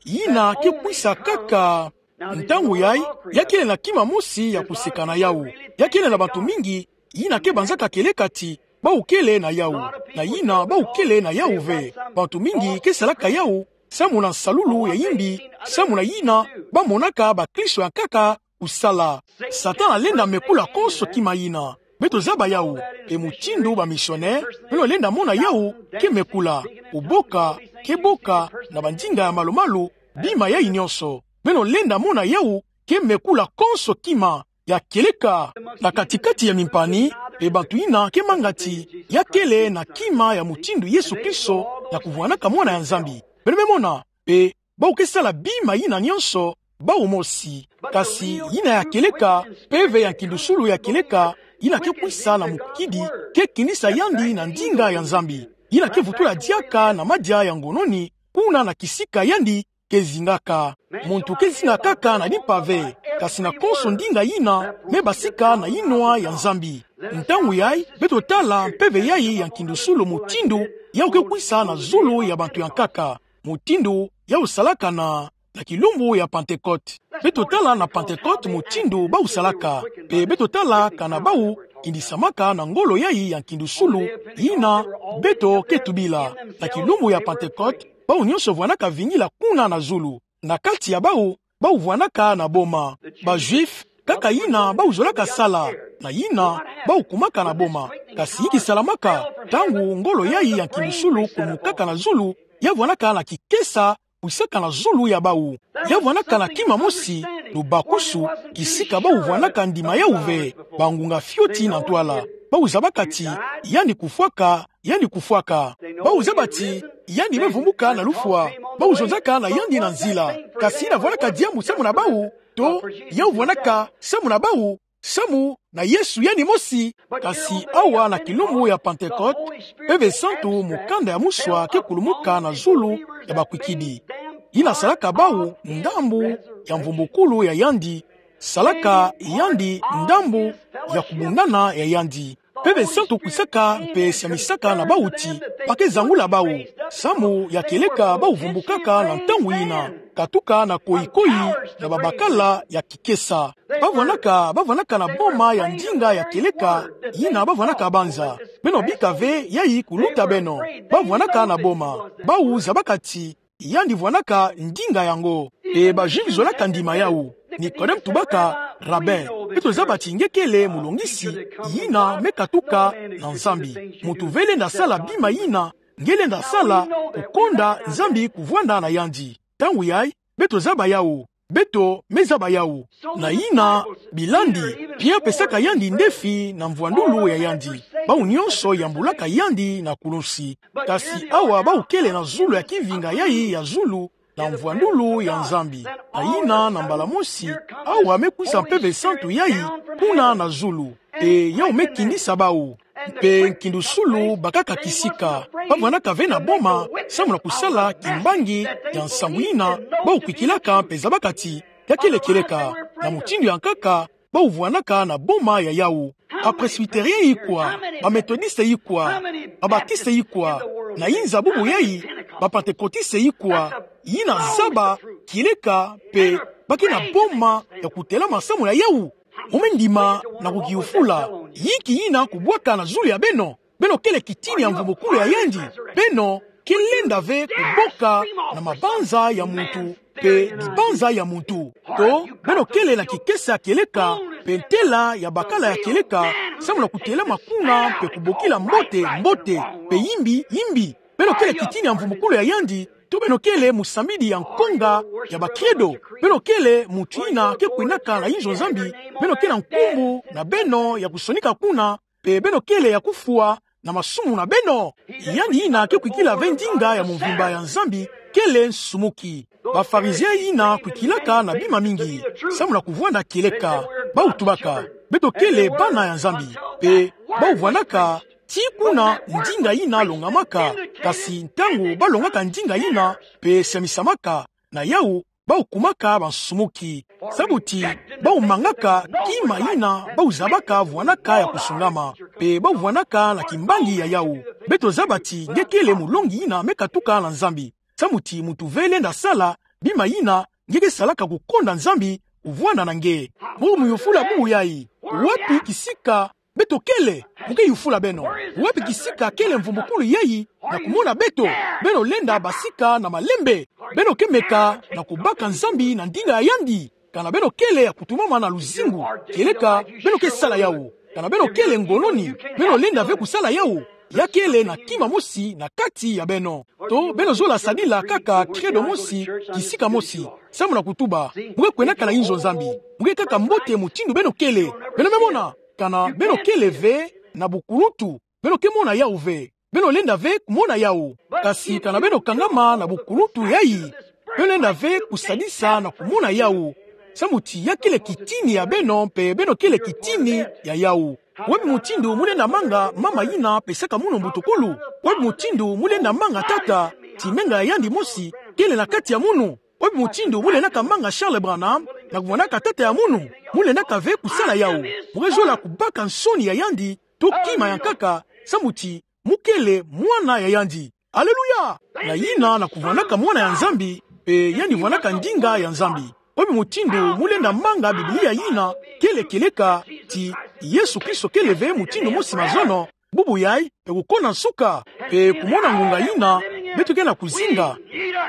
Yina ke kwisa kaka. Ntangu yayi, ya kele na kima mosi ya kuseka na yawu. Ya kele na bantu mingi, yina ke banzaka kieleka ti, bawu kele na yawu. Na yina, bawu kele na yawu ve. Bantu mingi ke salaka yawu, samu na nsalulu ya yimbi, samu na yina, bamonaka bakristo ya nkaka kusala. Satana lenda mekula konso kima yina. Beto zaba yawu, pe mutindu bamisionere, beno lenda mona yawu ke mekula, kuboka, ke boka, na bandinga ya malu-malu, bima yayi nyonso. Beno lenda mona yawu ke mekula konso kima ya kieleka na kati-kati ya mimpani, pe bantu yina ke manga ti, ya kele na kima ya mutindu Yesu Kristo, ya kuvwanaka Mwana ya Nzambi. Beno me mona, pe bawu ke sala bima yina nyonso, bawu mosi. Kasi yina ya kieleka, mpeve ya nkindusulu ya kieleka, yina ke kwisa na mukidi, ke kinisa yandi na ndinga ya Nzambi. Yina ke vutula diaka na madia ya ngononi, kuna na kisika yandi ke zingaka. Muntu ke zinga kaka na limpa ve, kasi na konso ndinga yina mebasika na yinwa ya Nzambi. Ntangu yayi, beto tala mpeve yayi ya nkindusulu mutindu yawu ke kwisa na zulu ya bantu ya nkaka. Mutindu yawu salaka na, na kilumbu ya Pantekote. Beto tala na Pantekote mutindu bawu salaka. Pe beto tala kana bawu kindisamaka na ngolo yayi ya nkindusulu, yina beto ke tubila. Na kilumbu ya Pantekote, bawu nyonso vwanaka vingila kuna na zulu. Na kati ya bawu, bawu vwanaka na boma. Ba Juifs, kaka yina bawu zolaka sala, na yina, bawu kumaka na boma. Kasi inki salamaka, ntangu ngolo yayi ya nkindusulu kumukaka na zulu, ya vwanaka na kikesa, kwisaka na zulu ya bawu. Ya vwanaka na kima mosi, lubakusu, kisika bawu vwanaka ndima yawu ve, bangunga fioti na ntwala. Bawu zabaka ti, yandi kufwaka, yandi kufwaka. Bawu zaba ti, yandi mevumbuka na lufwa. Bawu zonzaka na yandi na nzila. Kasi yina vwanaka diambu samu na bawu, to, yawu vwanaka samu na bawu, samu na Yesu yandi mosi. Kasi awa na kilumbu ya Pantekote, Mpeve Santu, mukanda ya muswa ke kulumuka na zulu ya bakwikidi. Yina salaka bawu ndambu ya mvumbukulu ya yandi, salaka yandi ndambu ya kubundana ya yandi. Mpeve Santu kwisaka mpe siamisaka na bawu ti, ba ke zangula bawu. Samu ya kieleka bawu vumbukaka na ntangu yina, katuka na koyi-koyi na babakala ya kikesa. Ba vwanaka, ba vwanaka na boma ya ndinga ya kieleka, yina ba vwanaka banza. Beno bika ve yayi kuluta beno. Ba vwanaka na boma. Bawu zabaka ti, yandi vwanaka ndinga yango. E ba Juifs zolaka ndima yawu. Nikodeme tubaka, Rabbin, beto zaba ti nge kele mulongisi yina me katuka na Nzambi. Muntu ve lenda sala bima yina nge lenda sala, kukonda Nzambi kuvwanda na yandi. Ntangu yayi, beto zaba yawu. Beto me zaba yawu. Na yina, bilandi, Pierre pesaka yandi ndefi na mvwandulu ya yandi. Bawu nyonso yambulaka yandi na kulunsi. Kasi awa bawu kele na zulu ya kivinga yayi ya zulu, na mvwandulu ya Nzambi. Na yina na mbala mosi, awa me kwisa Mpeve Santu yayi, kuna na zulu. E yawu me kinisa bawu. Mpe nkindusulu bakaka kisika. Ba vwanaka ve na boma, samu na kusala kimbangi ya nsangu yina, bawu kwikilaka mpe zabaka ti, ya kele kieleka, na mutindu ya nkaka, bawu vwanaka na boma ya yawu. Ba Presbytériens ikwa, ba Méthodistes ikwa, ba Baptistes ikwa, na inza bubu yayi, ba Pentecôtistes ikwa, yina zaba kieleka mpe ba ke na boma ya kutelama samu na yawu. Mu me ndima na kukiyufula, yinki yina kubwaka na zulu ya beno? Beno kele kitini ya mvumbukulu ya yandi. Beno ke lenda ve kuboka na mabanza ya muntu mpe dibanza ya muntu. To, beno kele na kikesa kieleka, mpe ntela ya bakala ya kieleka, samu na kutelama kuna mpe kubokila mbote, mbote, mpe yimbi, yimbi. Beno kele kitini ya mvumbukulu ya yandi, to beno kele musambidi ya nkonga ya ba credo. Beno kele muntu yina ke kwendaka na inzo Nzambi, beno ke na nkumbu na beno ya kusonika kuna, pe beno kele ya kufwa na masumu na beno. Yandi yina ke kwikila ve ndinga ya mvimba ya Nzambi kele nsumuki. Ba-Farizien yina kwikilaka na bima mingi, samu na kuvwanda kieleka, bau tubaka: Beto kele bana ya Nzambi, pe bau vwandaka ti kuna ndinga yina longamaka, kasi ntangu bau longaka ndinga yina pe samisamaka na yau, bau kumaka bansumuki. Sabuti bau mangaka kima yina bau zabaka vwanaka ya kusungama, pe bau vwanaka na kimbangi ya yau. Beto zaba ti nge kele mulongi yina me katuka na Nzambi. Samuti muntu ve lenda sala bima yina nge ke salaka kukonda Nzambi kuvwanda na nge. Mu muyufula bubu yayi: Wapi kisika beto kele? Mu ke yufula beno: Wapi kisika kele mvumbukulu yayi na kumona beto? Beno lenda basika na malembe. Beno ke meka na kubaka Nzambi na ndinga ya yandi. Kana beno kele ya kutumama na luzingu, kieleka beno ke sala yau. Kana beno kele ngononi, beno lenda ve kusala yau. Ya kele na kima mosi na kati ya beno. To beno zola sadila kaka credo mosi, kisika mosi, samu na kutuba: Mu ke kwenaka na inzo Nzambi. Mu ke kaka mbote mutindu beno kele. Beno me mona. Kana beno kele ve na bukuluntu, beno ke mona yau ve. Beno lenda ve kumona yau. Kasi kana beno kangama na bukuluntu yayi, beno lenda ve kusadisa na kumona yau. Samuti ya kele kitini ya beno, pe beno kele kitini ya yau. Wapi mutindu mu lenda manga mama yina pesaka munu mbutukulu? Wapi mutindu mu lenda manga tata ti menga ya yandi mosi kele na kati ya munu? Wapi mutindu mu lendaka manga Charles Branham na kuvwandaka tata ya munu? Mu lendaka ve kusala yau. Mu ke zola kubaka nsoni ya yandi to kima ya nkaka, samuti mu kele mwana ya yandi. Aleluya! Na yina na kuvwandaka mwana ya Nzambi, pe yandi vwandaka ndinga ya Nzambi. Wapi mutindu mu lenda manga Biblia yina kele kieleka ti Yesu Kristo kele ve mutindu mosi mazono, bubu yayi, pe kukona nsuka, pe kumona ngonga yina beto ke na kuzinga?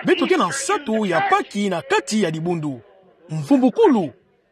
Beto ke na nsatu ya Paki na kati ya dibundu. Mvumbukulu.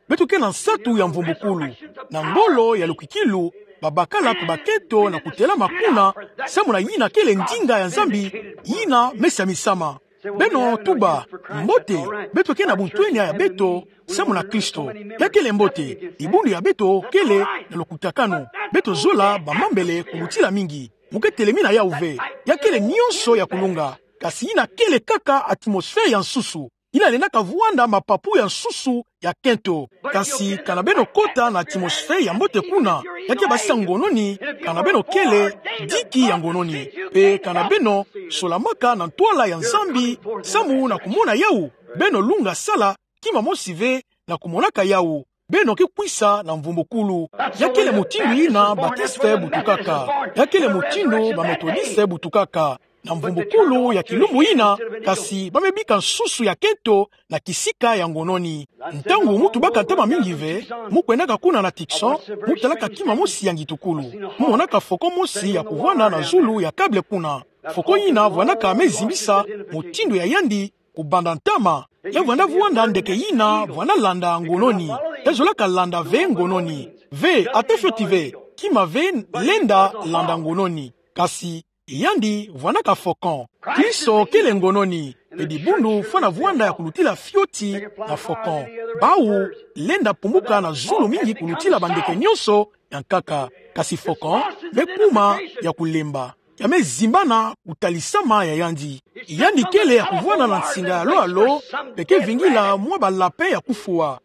Beto ke na nsatu ya mvumbukulu, na ngolo ya lukwikilu, babakala pe bakento na kutelama kuna, samu na yina kele ndinga ya Nzambi yina me samisama. Beno tuba: Mbote, beto ke na buntwenya ya beto samu na Kristo. Ya kele mbote. Dibundu ya beto kele na lukutakanu. Beto zola bamambele kulutila mingi. Mu ke telemi na yau ve. Ya kele nyonso ya kulunga. Kasi yina kele kaka atmosphère ya nsusu. Yina lendaka vwanda mapapu ya nsusu ya kento. Kasi kana beno kota na atmosphère ya mbote kuna, ya ke basisa ngononi, kana beno kele diki ya ngononi. Pe kana beno solamaka na ntwala ya Nzambi samu na kumona yau, beno lunga sala kima mosi ve na kumonaka yau. Beno ke kwisa na mvumbukulu. Ya kele mutindu yina Batisite butukaka. Ya kele mutindu Bametodiste butukaka. Na mvumbukulu ya kilumbu yina, kasi ba me bika nsusu ya kento na kisika ya ngononi. Ntangu mu tubaka ntama mingi ve, mu kwendaka kuna na Tucson, mu talaka kima mosi ya ngitukulu. Mu monaka faucon mosi ya kuvwanda na zulu ya câble kuna. Faucon yina vwandaka me zimbisa mutindu ya yandi kubanda ntama. Ya vwanda vwanda ndeke yina vwanda landa ngononi. Ya zolaka landa ve ngononi. Ve, ata fioti ve, kima ve lenda landa ngononi. Kasi yandi vwandaka faucon. Kristo kele ngononi. Pe dibundu fwana vwanda ya kulutila fioti na faucon. Bau lenda pumbuka na zulu mingi kulutila bandeke nyonso ya nkaka. Kasi faucon me kuma ya kulemba. Ya me zimbana kutalisama ya yandi. Yandi kele ya kuvwanda na nsinga ya lo ya lo, pe ke vingila mwa ba lapin ya kufwa.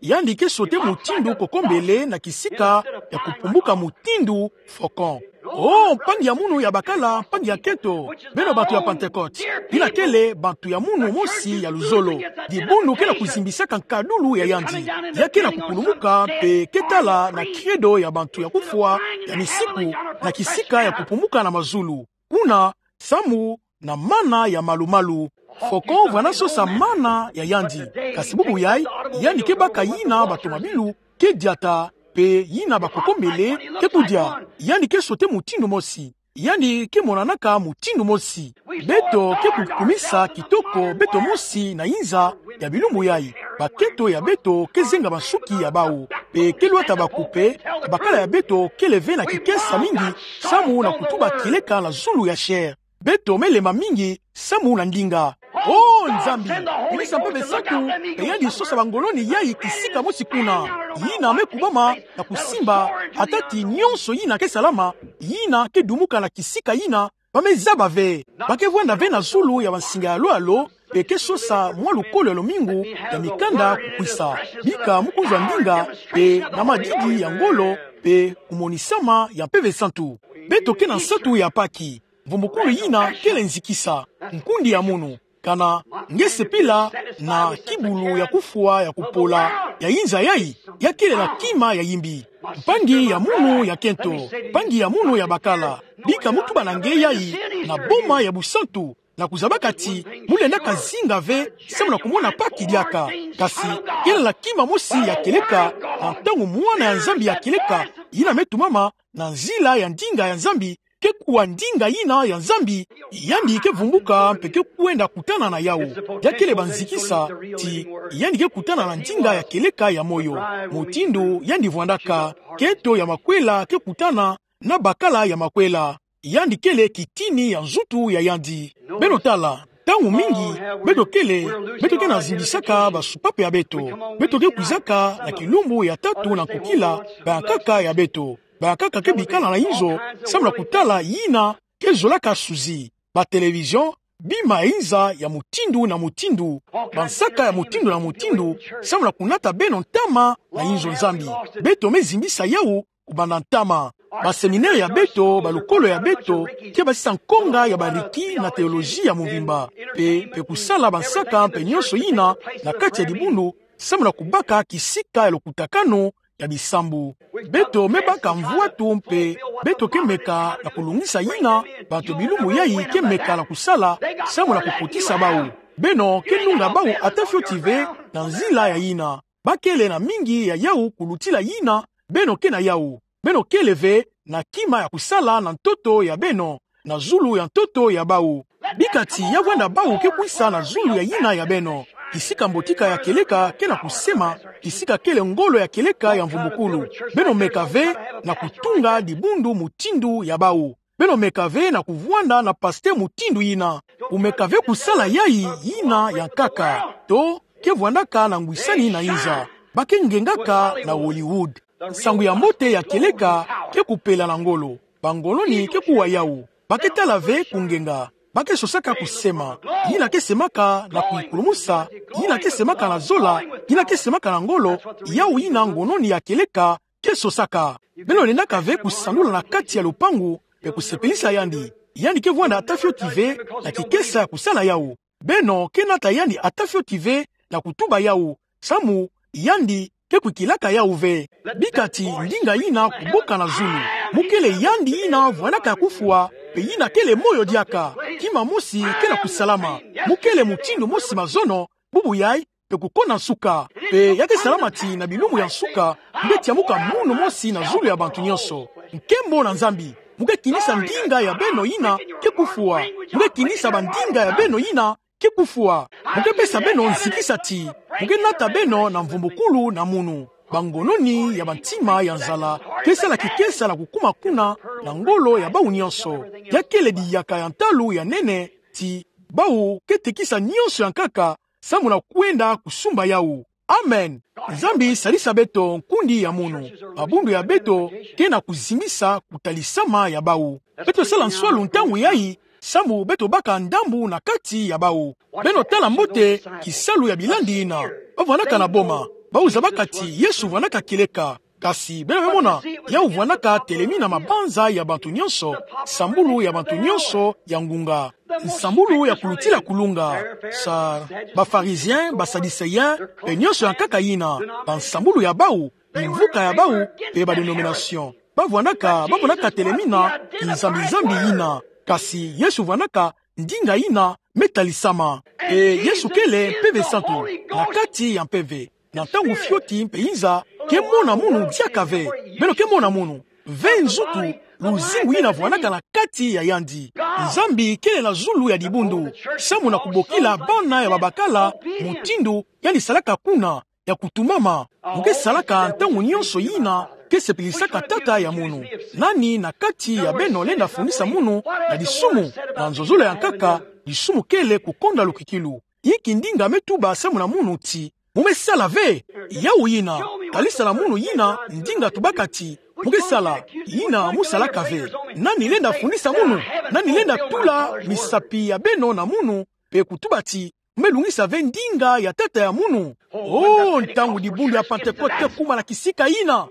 Yandi ke sauter mutindu kokombele na kisika ya kupumbuka mutindu faucon. Oh, mpangi ya munu ya bakala mpangi ya kento, beno bantu ya Pentecôte, yina kele bantu ya munu mosi ya luzolo. Dibundu ke na kuzimbisaka nkadulu ya yandi. Ya ke na kukulumuka pe ke tala na credo ya bantu ya kufwa ya misiku na kisika ya kupumbuka na mazulu. Kuna, samu na mana ya malu-malu. Faucon vwanda sosa mana ya yandi. Kasi bubu yayi, yandi ke baka yina batomabilu ke diata, pe yina bakokombele ke kudia. Yandi ke sauter mutindu mosi. Yandi ke monanaka mutindu mosi. Beto ke kukumisa kitoko beto mosi na inza ya bilumbu yayi. Bakento ya beto ke zenga bansuki ya bau, pe ke lwata bakupe. Bakala ya beto kele ve na kikesa mingi samu na kutuba kieleka na zulu ya chair. Beto me lemba mingi samu na ndinga. O Nzambi, kumisa Mpeve Santu, mpe yandi sosa bangoloni yai kisika mosi kuna. Yina me kubama na kusimba, ata ti nyonso yina ke salama, yina ke dumuka na kisika yina, ba me zaba ve. Ba ke vwanda ve na zulu ya bansinga ya lo ya lo, mpe ke sosa mwa lukolo ya lomingu ya mikanda kukwisa. Bika mukunzwa ndinga, mpe na madidi ya ngolo, mpe kumonisama ya Mpeve Santu. Beto ke na nsatu ya Paki. Mvumbukulu yina kele nzikisa. Nkundi ya munu, kana nge sepila na kibulu ya kufwa ya kupola ya inza yai, ya kele na kima ya yimbi. Mpangi ya munu ya kento, mpangi ya munu ya bakala, bika mu tuba na nge yai na boma ya busantu, na kuzabaka ti mu lendaka zinga ve samu na kumona Paki diaka. Kasi kele na kima mosi ya kieleka, na ntangu mwana ya Nzambi ya kieleka yina me tumama na nzila ya ndinga ya Nzambi, ke kuwa ndinga yina ya Nzambi, yandi ke vumbuka mpe ke kwenda kutana na yau. Ya kele banzikisa ti yandi ke kutana na ndinga ya kieleka ya moyo. Mutindu yandi vwandaka, kento ya makwela ke kutana na bakala ya makwela. Yandi kele kitini ya nzutu ya yandi. Beno tala, ntangu mingi, beto kele, beto ke na zimbisaka basupape ya beto. Beto ke kwizaka na kilumbu ya tatu na nkukila, bankaka ya beto. Bankaka ke bikala na inzo, samu na kutala yina ke zolaka suzi, ba télévision, bima ya inza ya mutindu na mutindu, bansaka ya mutindu na mutindu, samu na kunata beno ntama na inzo Nzambi. Beto me zimbisa yau kubanda ntama. Ba séminaire ya beto, balukolo ya beto, ke basisa nkonga ya bariki na théologie ya mvimba. Mpe, mpe kusala bansaka mpe nyonso yina na kati ya dibundu, samu na kubaka kisika ya lokutakanu ya bisambu. Beto me baka mvwatu mpe beto ke meka na kulungisa yina bantu bilumbu yai ke meka na kusala, samu na kukotisa bau. Beno ke nunga bau ata fioti ve na nzila ya yina. Ba kele na mingi ya yau kulutila yina beno ke na yau. Beno kele ve na kima ya kusala na ntoto ya beno, na zulu ya ntoto ya bau. Bika ti ya vwanda bau ke kwisa na zulu ya yina ya beno. Kisika mbotika ya kieleka ke na kusema, kisika kele ngolo ya kieleka ya mvumbukulu. Beno meka ve na kutunga dibundu mutindu ya bau. Beno meka ve na kuvwanda na pasteur mutindu yina. Kumeka ve kusala yai yina ya nkaka, to ke vwandaka na ngwisani na inza. Ba ke ngengaka na Hollywood. Nsangu ya mbote ya kieleka ke kupela na ngolo. Bangoloni ke kuwa yau. Ba ke tala ve kungenga. Ba ke sosaka kusema. Yina ke semaka na kuikulumusa, yina ke semaka na zola, yina ke semaka na ngolo, yau yina ngoloni ya kieleka ke sosaka. Beno lendaka ve kusandula na kati ya lupangu, mpe kusepelisa yandi. Yandi ke vwanda ata fioti ve na kikesa ya kusala yau. Beno ke nata yandi ata fioti ve na kutuba yau, samu yandi ke kwikilaka yau ve. Bika ti ndinga yina kuboka na zulu. Mu kele yandi yina vwandaka ya kufwa, mpe yina kele moyo diaka. Kima mosi ke na kusalama. Mu kele mutindu mosi mazono, bubu yai, mpe kukonda nsuka. Mpe ya ke salama ti na bilumbu ya nsuka, mu ke tiamuka munu mosi na zulu ya bantu nyonso. Nkembo na Nzambi. Mu ke kinisa ndinga ya beno yina ke kufwa. Mu ke kinisa bandinga ya beno yina ke kufwa. Mu ke pesa beno nzikisa ti mu ke nata beno na mvumbukulu na munu. Bangoloni ya bantima ya nzala ke sala kikesa na kukuma kuna na ngolo ya bau nyonso. Ya kele diyaka ya ntalu ya nene ti bau ke tekisa nyonso ya nkaka samu na kwenda kusumba yau. Amen. Nzambi salisa beto nkundi ya munu. Mabundu ya beto ke na kuzimbisa kutalisama ya bau. Beto sala nswalu ntangu yai, samu beto baka ndambu na kati ya bau. Beno tala mbote kisalu ya bilandi yina. Ba vwandaka na boma. Bau zabaka ti Yesu vwandaka kieleka. Kasi beno me mona, yau vwandaka telemi na mabanza ya bantu nyonso, nsambulu ya bantu nyonso ya ngunga, nsambulu ya kulutila kulunga, sa, ba pharisiens, ba sadducéens, mpe nyonso ya nkaka yina, bansambulu ya bau, bimvuka ya bau, mpe ba dénominations. Ba vwandaka, ba vwandaka telemi na kinzambi-nzambi yina. Kasi Yesu vwandaka ndinga yina me talisama. E Yesu kele Mpeve Santu, na kati ya mpeve. Na ntangu fioti mpe inza ke mona munu diaka ve. Beno ke mona munu. Ve nzutu, luzingu yina vwandaka na kati ya yandi. Nzambi kele na zulu ya dibundu, samu na kubokila bana ya babakala mutindu yandi salaka kuna, ya kutumama. Mu ke salaka ntangu nyonso yina ke sepelisaka Tata ya munu. Nani na kati ya beno lenda fundisa munu na disumu, na nzozolo ya nkaka, disumu kele kukonda lukwikilu. Inki ndinga me tuba samu na munu ti, mu me sala ve? Yawu yina, talisa na munu yina ndinga tubaka ti mu ke sala, yina mu salaka ve. Nani lenda fundisa munu? Nani lenda tula misapi ya beno na munu, pe kutuba ti, mu me lungisa ve ndinga ya tata ya munu? Oh, ntangu dibundu ya Pantekote kuma na kisika yina,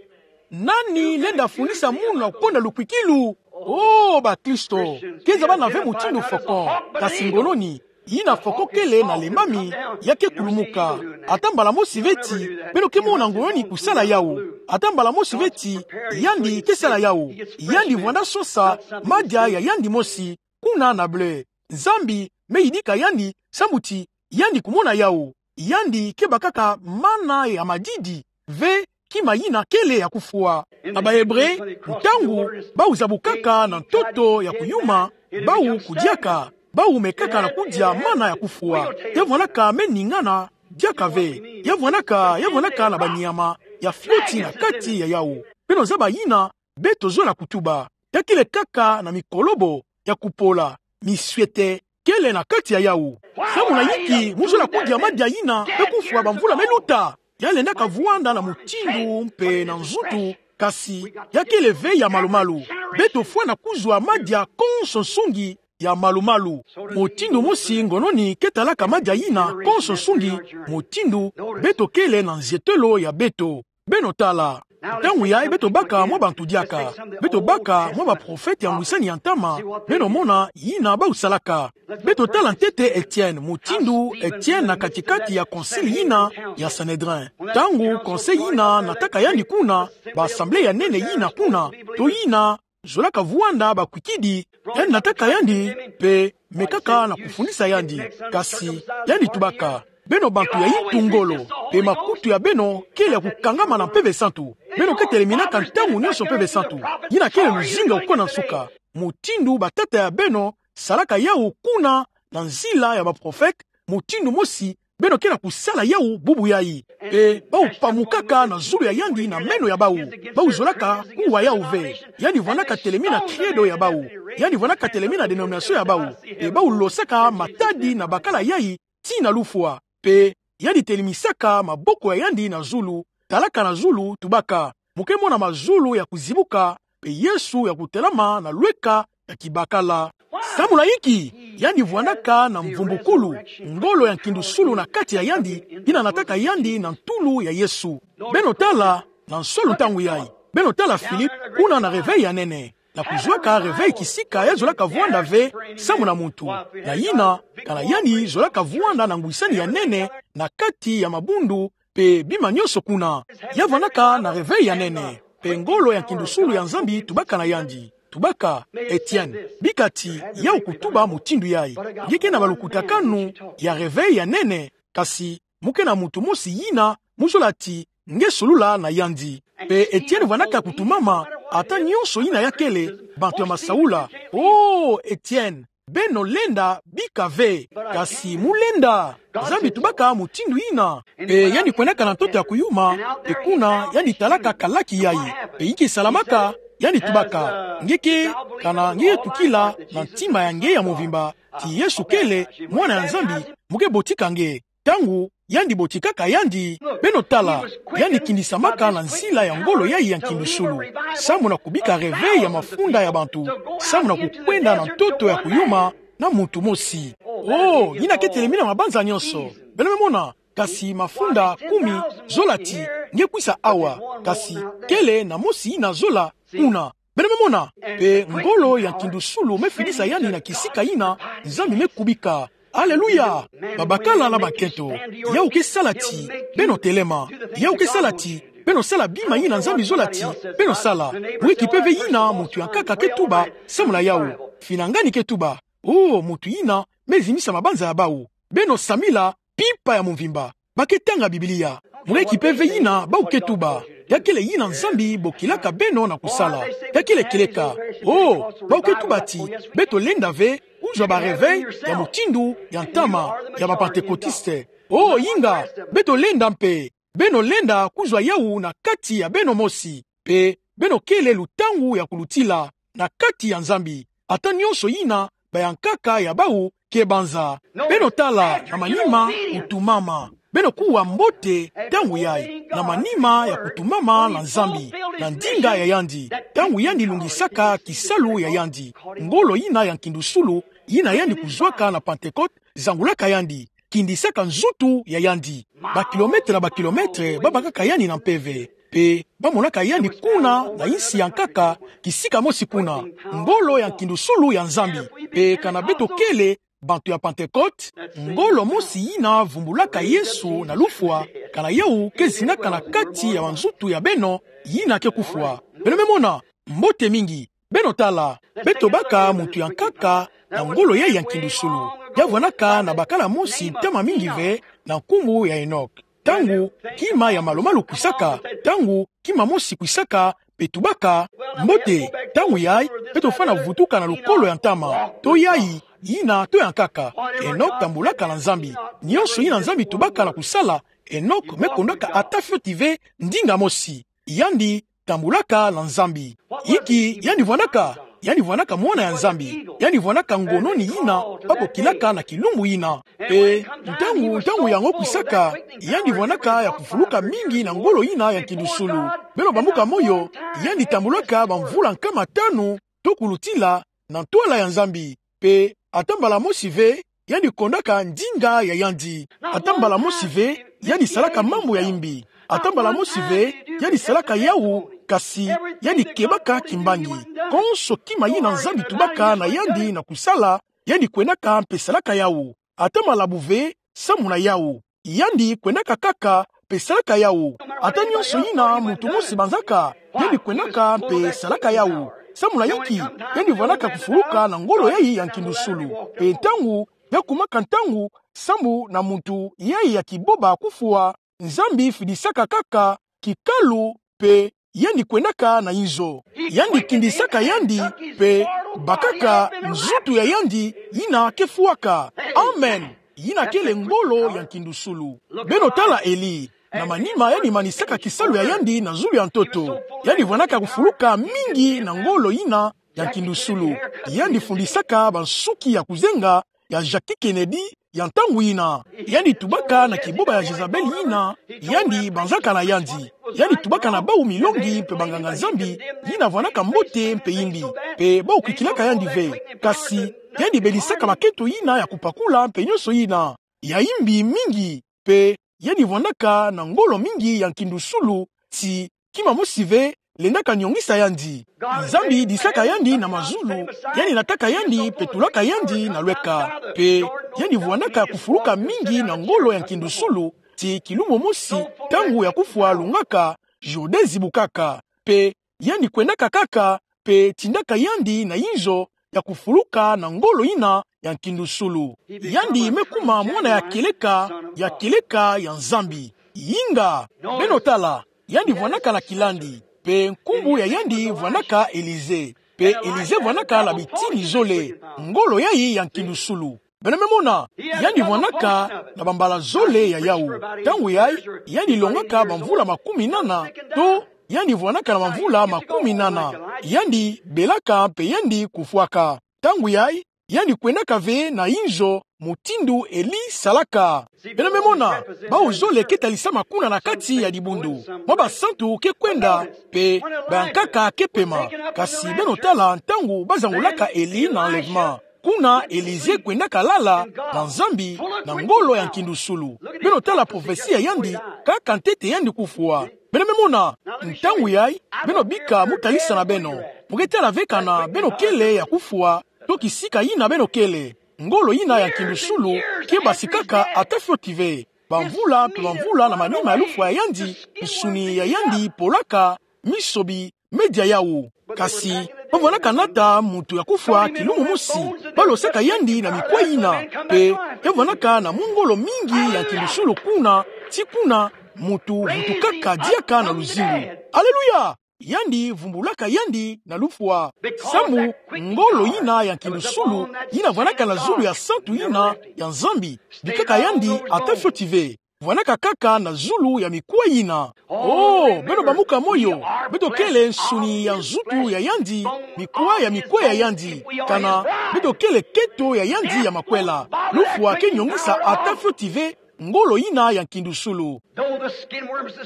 nani lenda fundisa munu na kukonda lukwikilu? Oh, bakristo, keza bana ve mutindu foko. Kasi ngono ni, yina foko kele na lembami, ya ke kulumuka. Ata mbala mosi ve ti, beno ke mona ngono ni kusala yawu. Ata mbala mosi ve ti, yandi ke sala yawu. Yandi vwanda sosa madia ya yandi mosi kuna na blé. Nzambi me yidika yandi, sambu ti yandi kumona yawu. Yandi ke bakaka mana ya madidi ve kima yina kele ya kufwa. Na ba Ebre, ntangu bawu zabukaka na ntoto ya kuyuma, bawu kudiaka, bawu mekaka na kudia mana ya kufwa. Ya vwandaka me ningana diaka ve. Ya vwandaka, ya vwandaka na banyama ya fioti na kati ya yawu. Beno zaba yina beto zola kutuba. Ya kele kaka na mikolobo ya kupola, misiete kele na kati ya yawu. Samu na inki mu zola kudia madia yina, pe kufwa bamvula me luta? Ya lendaka vwanda na mutindu mpe na nzutu, kasi ya kele ve ya malu-malu. Beto fwana kuzwa madia konso nsungi ya malu-malu. Mutindu mosi ngono ni ke talaka madia yina konso nsungi, mutindu beto kele na nzietelo ya beto. Beno tala. Ntangu yayi beto baka mwa bantu diaka. Beto baka mwa baprofete ya ngwisani ya ntama. Beno mona yina bawu salaka. Beto tala ntete Etienne, mutindu Etienne na kati-kati ya concile yina ya Sanhedrin. Ntangu concile yina nataka yandi kuna, ba assemblée ya nene yina kuna, to yina zolaka vwanda bakwikidi, yandi nataka yandi, mpe mekaka na kufundisa yandi. Kasi yandi tubaka: Beno bantu ya intu ngolo, mpe makutu ya beno kele ya kukangama na Mpeve Santu. Beno ke teleminaka ntangu nyonso Mpeve Santu. Yina kele luzingu ya kukona nsuka. Mutindu batata ya beno salaka yawu kuna na nzila ya baprofete, mutindu mosi beno ke na kusala yawu bubu yayi. Mpe bawu pamukaka na zulu ya yandi na meno ya bawu. Bawu zolaka kuwa yawu ve. Yandi vwandaka telemina credo ya bawu. Yandi vwandaka telemina dénomination ya bawu. Mpe bawu losaka matadi na bakala yayi tii na lufwa. Mpe yandi telemisaka maboko ya yandi na zulu, talaka na zulu, tubaka: Mu ke mona mazulu ya kuzibuka, mpe Yesu ya kutelama na lweka ya kibakala. Samu na inki? Yandi vwandaka na mvumbukulu, ngolo ya nkindusulu na kati ya yandi, yina nataka yandi na ntulu ya Yesu. Beno tala, na nsolo ntangu yayi. Beno tala Philippe, kuna na réveil ya nene. Na kuzwaka réveil kisika ya zolaka vwanda ve samu na muntu. Na yina, kana yandi zolaka vwanda na ngwisani ya nene, na kati ya mabundu, mpe bima nyonso kuna. Ya vwandaka na réveil ya nene. Mpe ngolo ya nkindusulu ya Nzambi tubaka na yandi. Tubaka: Etienne, bika ti yawu kutuba mutindu yayi. Nge ke na balukutakanu ya réveil ya nene, kasi mu ke na muntu mosi yina mu zola ti nge solula na yandi. Mpe Etienne vwandaka kutumama, ata nyonso yina ya kele, bantu ya masaula: Oh, Etienne, beno lenda bika ve. Kasi mu lenda. Nzambi tubaka mutindu yina. Mpe yandi kwendaka na ntoto ya kuyuma, mpe kuna yandi talaka kalaki yayi. Mpe inki salamaka? Yandi tubaka: Nge ke, kana nge ke tukila na ntima ya nge ya mvimba ti Yesu kele Mwana ya Nzambi, mu ke botika nge. Ntangu yandi botikaka yandi, beno tala, yandi kindisamaka na nzila ya ngolo yayi ya nkindusulu, samu na kubika réveil ya mafunda ya bantu, samu na kukwenda na ntoto ya kuyuma na muntu mosi. Oh, yina ke telemina mabanza nyonso. Beno me mona, kasi mafunda kumi zola ti nge kwisa awa, kasi kele na mosi yina zola kuna. Beno me mona, mpe ngolo ya nkindusulu me fidisa yandi na kisika yina Nzambi me kubika. Aleluya! Babakala na bankento, yawu ke sala ti beno telema. Yawu ke sala ti beno sala bima yina Nzambi zola ti beno sala. Mu ke kipe ve yina muntu ya nkaka ke tuba samu na yawu. Finangani ke tuba. Oh, muntu yina me zimisa mabanza ya bawu. Beno samila mpimpa ya mvimba. Ba ke tanga Biblia. Mu ke kipe ve yina bawu ke tuba. Ya kele yina Nzambi bokilaka beno na kusala. Ya kele kieleka. Oh, bawu ke tuba ti beto lenda ve kuzwa ba réveil ya mutindu ya ntama ya ba Pentecôtiste. Oh, inga, beto lenda mpe. Beno lenda kuzwa yawu na kati ya beno mosi. Mpe beno kele lutangu ya kulutila na kati ya Nzambi. Ata nyonso yina bayankaka ya bawu ke banza. Beno tala, na manima kutumama. Beno kuwa mbote ntangu yayi, na manima ya kutumama na Nzambi, na ndinga ya yandi. Ntangu yandi lungisaka kisalu ya yandi, ngolo yina ya nkindusulu, yina yandi kuzwaka na Pentecote, zangulaka yandi, kindisaka nzutu ya yandi, bakilometre na bakilometre, babakaka yandi na mpeve, mpe bamonaka yandi kuna na insi ya nkaka, kisika mosi kuna, ngolo ya nkindusulu ya Nzambi. Mpe kana beto kele bantu ya Pentecote, ngolo mosi yina vumbulaka Yesu na lufwa, kana yawu ke zinaka na kati ya banzutu ya beno yina ke kufwa. Beno me mona, mbote mingi. Beno tala, beto baka muntu ya nkaka na ngolo yayi ya nkindusulu. Ya vwanaka na bakala mosi ntama mingi ve, na nkumbu ya Enoch. Ntangu kima ya malumalu kwisaka, ntangu kima mosi kwisaka, mpe tubaka, mbote, ntangu yayi, beto fwana vutuka na lukolo ya ntama, to yayi, yina, to ya nkaka. Enoch tambulaka na Nzambi. Nyonso yina Nzambi tubaka na kusala, Enoch me kondaka ata fioti ve ndinga mosi. Yandi tambulaka na Nzambi. Inki yandi vwanaka? Yandi vwanaka mwana ya Nzambi. Yandi vwanaka ngononi yina babokilaka na kilumbu yina. Mpe ntangu, ntangu yango kwisaka, yandi vwanaka ya kufuluka mingi na ngolo yina ya nkindusulu. Beno bambuka moyo, yandi tambulaka bamvula nkama tanu, to kulutila, na ntwala ya Nzambi. Mpe ata mbala mosi ve yandi kondaka ndinga ya yandi. Ata mbala mosi ve yandi salaka mambu ya imbi. Ata mbala mosi ve yandi salaka yawu, kasi yandi kebaka kimbangi. Konso kima yina Nzambi tubaka na yandi na kusala, yandi kwendaka mpe salaka yawu. Ata malabu ve samu na yawu. Yandi kwendaka kaka mpe salaka yawu. Ata nyonso yina muntu mosi banzaka, yandi kwendaka mpe salaka yawu. Samu na inki? Yandi vwanaka kufuluka na ngolo yayi ya nkindusulu. Mpe ntangu ya kumaka ntangu, samu na muntu yayi ya kiboba kufwa, Nzambi fidisaka kaka kikalu, mpe yandi kwendaka na inzo. Yandi kindisaka yandi, mpe bakaka nzutu ya yandi yina ke fwaka. Amen. Yina kele ngolo ya nkindusulu. Beno tala Eli. Na manima yandi manisaka kisalu ya yandi na zulu ya ntoto, yandi vwanaka kufuluka mingi na ngolo yina ya nkindusulu. Yandi fundisaka bansuki ya kuzenga ya Jackie Kennedy ya ntangu yina. Yandi tubaka na kiboba ya Jezabel yina yandi banzaka na yandi. Yandi tubaka na bawu milongi mpe banganga-Nzambi yina vwanaka mbote mpe imbi, mpe bawu kikilaka yandi ve. Kasi yandi belisaka bakento yina ya kupakula mpe nyonso yina ya imbi mingi, mpe yandi vwanaka na ngolo mingi ya nkindusulu, ti kima mosi ve lendaka nyongisa yandi. Nzambi disaka yandi na mazulu, yandi nataka yandi mpe tulaka yandi na lweka. Mpe yandi vwanaka kufuluka mingi na ngolo ya nkindusulu, ti kilumbu mosi, ntangu ya kufwa lungaka, Jordin zibukaka. Mpe yandi kwendaka kaka, mpe tindaka yandi na inzo ya kufuluka na ngolo yina ya nkindusulu. Yandi me kuma mwana ya kieleka, ya kieleka ya Nzambi. Inga, beno tala, yandi vwanaka na kilandi, mpe nkumbu ya yandi vwanaka Elisée. Mpe Elisée vwanaka na bitini zole, ngolo yayi ya nkindusulu. Beno me mona, yandi vwanaka na bambala zole ya yawu. Ntangu yayi, yandi longaka bamvula makumi nana, to yandi vwanaka na bamvula makumi nana. Yandi belaka mpe yandi kufwaka. Ntangu yayi, yandi kwendaka ve na inzo mutindu Eli salaka. Beno me mona, bawu zole ke talisama kuna na kati ya dibundu. Mwa basantu ke kwenda, mpe bayankaka ke pema. Kasi beno tala ntangu bazangulaka Eli na enlèvement. Kuna Elisée kwendaka lala na Nzambi na ngolo ya nkindusulu. Beno tala prophetie ya yandi, kaka ntete yandi kufwa. Beno me mona, ntangu yayi, beno bika mu talisa na beno. Mu ke tala ve kana beno kele ya kufwa, to kisika yina beno kele. Ngolo yina ya nkindusulu ke basikaka ata fioti ve. Bamvula mpe bamvula na manima ya lufwa ya yandi, nsuni ya yandi polaka, misobi me dia yawu. Kasi bavwanaka nata muntu ya kufwa kilumbu mosi, balosaka yandi na mikwa yina, mpe ya vwanaka na mungolo mingi ya nkindusulu kuna, ti kuna muntu vutukaka diaka na luzingu. Aleluya! Yandi vumbulaka yandi na lufwa. Samu ngolo yina ya nkindusulu, yina vwanaka na zulu ya santu yina ya Nzambi, bikaka yandi ata fioti ve. vwanaka kaka na zulu ya mikwa yina. Oh, beno bamuka moyo, beto kele nsuni ya nzutu ya yandi, mikwa ya mikwa ya yandi. Kana, beto kele keto ya yandi ya makwela. Lufwa ke nyongisa ata fioti ve ngolo yina ya nkindusulu.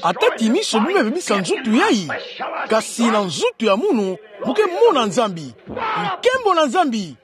Ata ti miso bime bebisa nzutu yayi, kasi na nzutu ya munu mu ke mona Nzambi. Nkembo na Nzambi.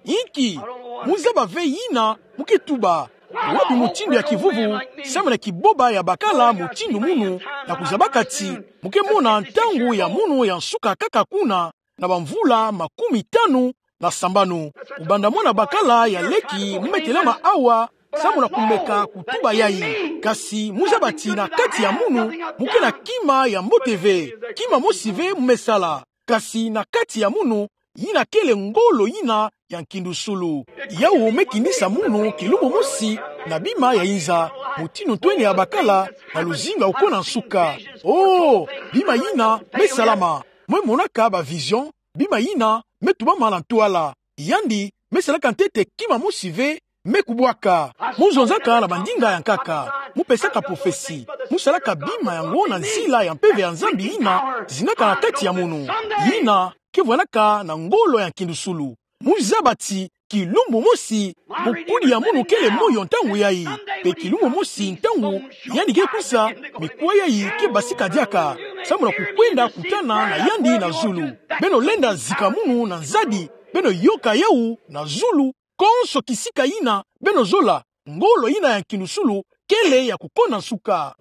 Inki, mu zaba ve yina mu ke tuba. Wapi mutindu ya kivuvu, samu na kiboba ya bakala mutindu munu, na kuzabaka ti mu ke mona ntangu ya munu ya nsuka kaka kuna na bamvula makumi tanu na sambanu. Kubanda mwana bakala ya leki mu me telama awa, samu na kumeka kutuba yayi. Kasi mu zaba ti na kati ya munu, mu ke na kima ya mbote ve, kima mosi ve mu me sala. Kasi na kati ya munu, yina kele ngolo yina ya nkindusulu. Yawu me kinisa munu kilumbu mosi na bima ya inza, mutindu ntwenia ya bakala, na luzingu ya kukona nsuka. Oh, bima yina me salama. Me monaka ba vision, bima yina me tubama na ntwala. Yandi me salaka ntete kima mosi ve me kubwaka. Mu zonzaka na bandinga ya nkaka, mu pesaka prophetie, mu salaka bima yango na nzila ya Mpeve ya Nzambi yina zingaka na kati ya munu, yina ke vwanaka na ngolo ya nkindusulu. Mu zaba ti kilumbu mosi, mukudi ya munu kele moyo ntangu yayi. Mpe kilumbu mosi ntangu yandi ke kwisa, mikwa yayi ke basika diaka, samu na kukwenda kutana na yandi na zulu. Beno lenda zika munu na nzadi, beno yoka yawu na zulu, konso kisika yina beno zola, ngolo yina ya nkindusulu kele ya kukona nsuka.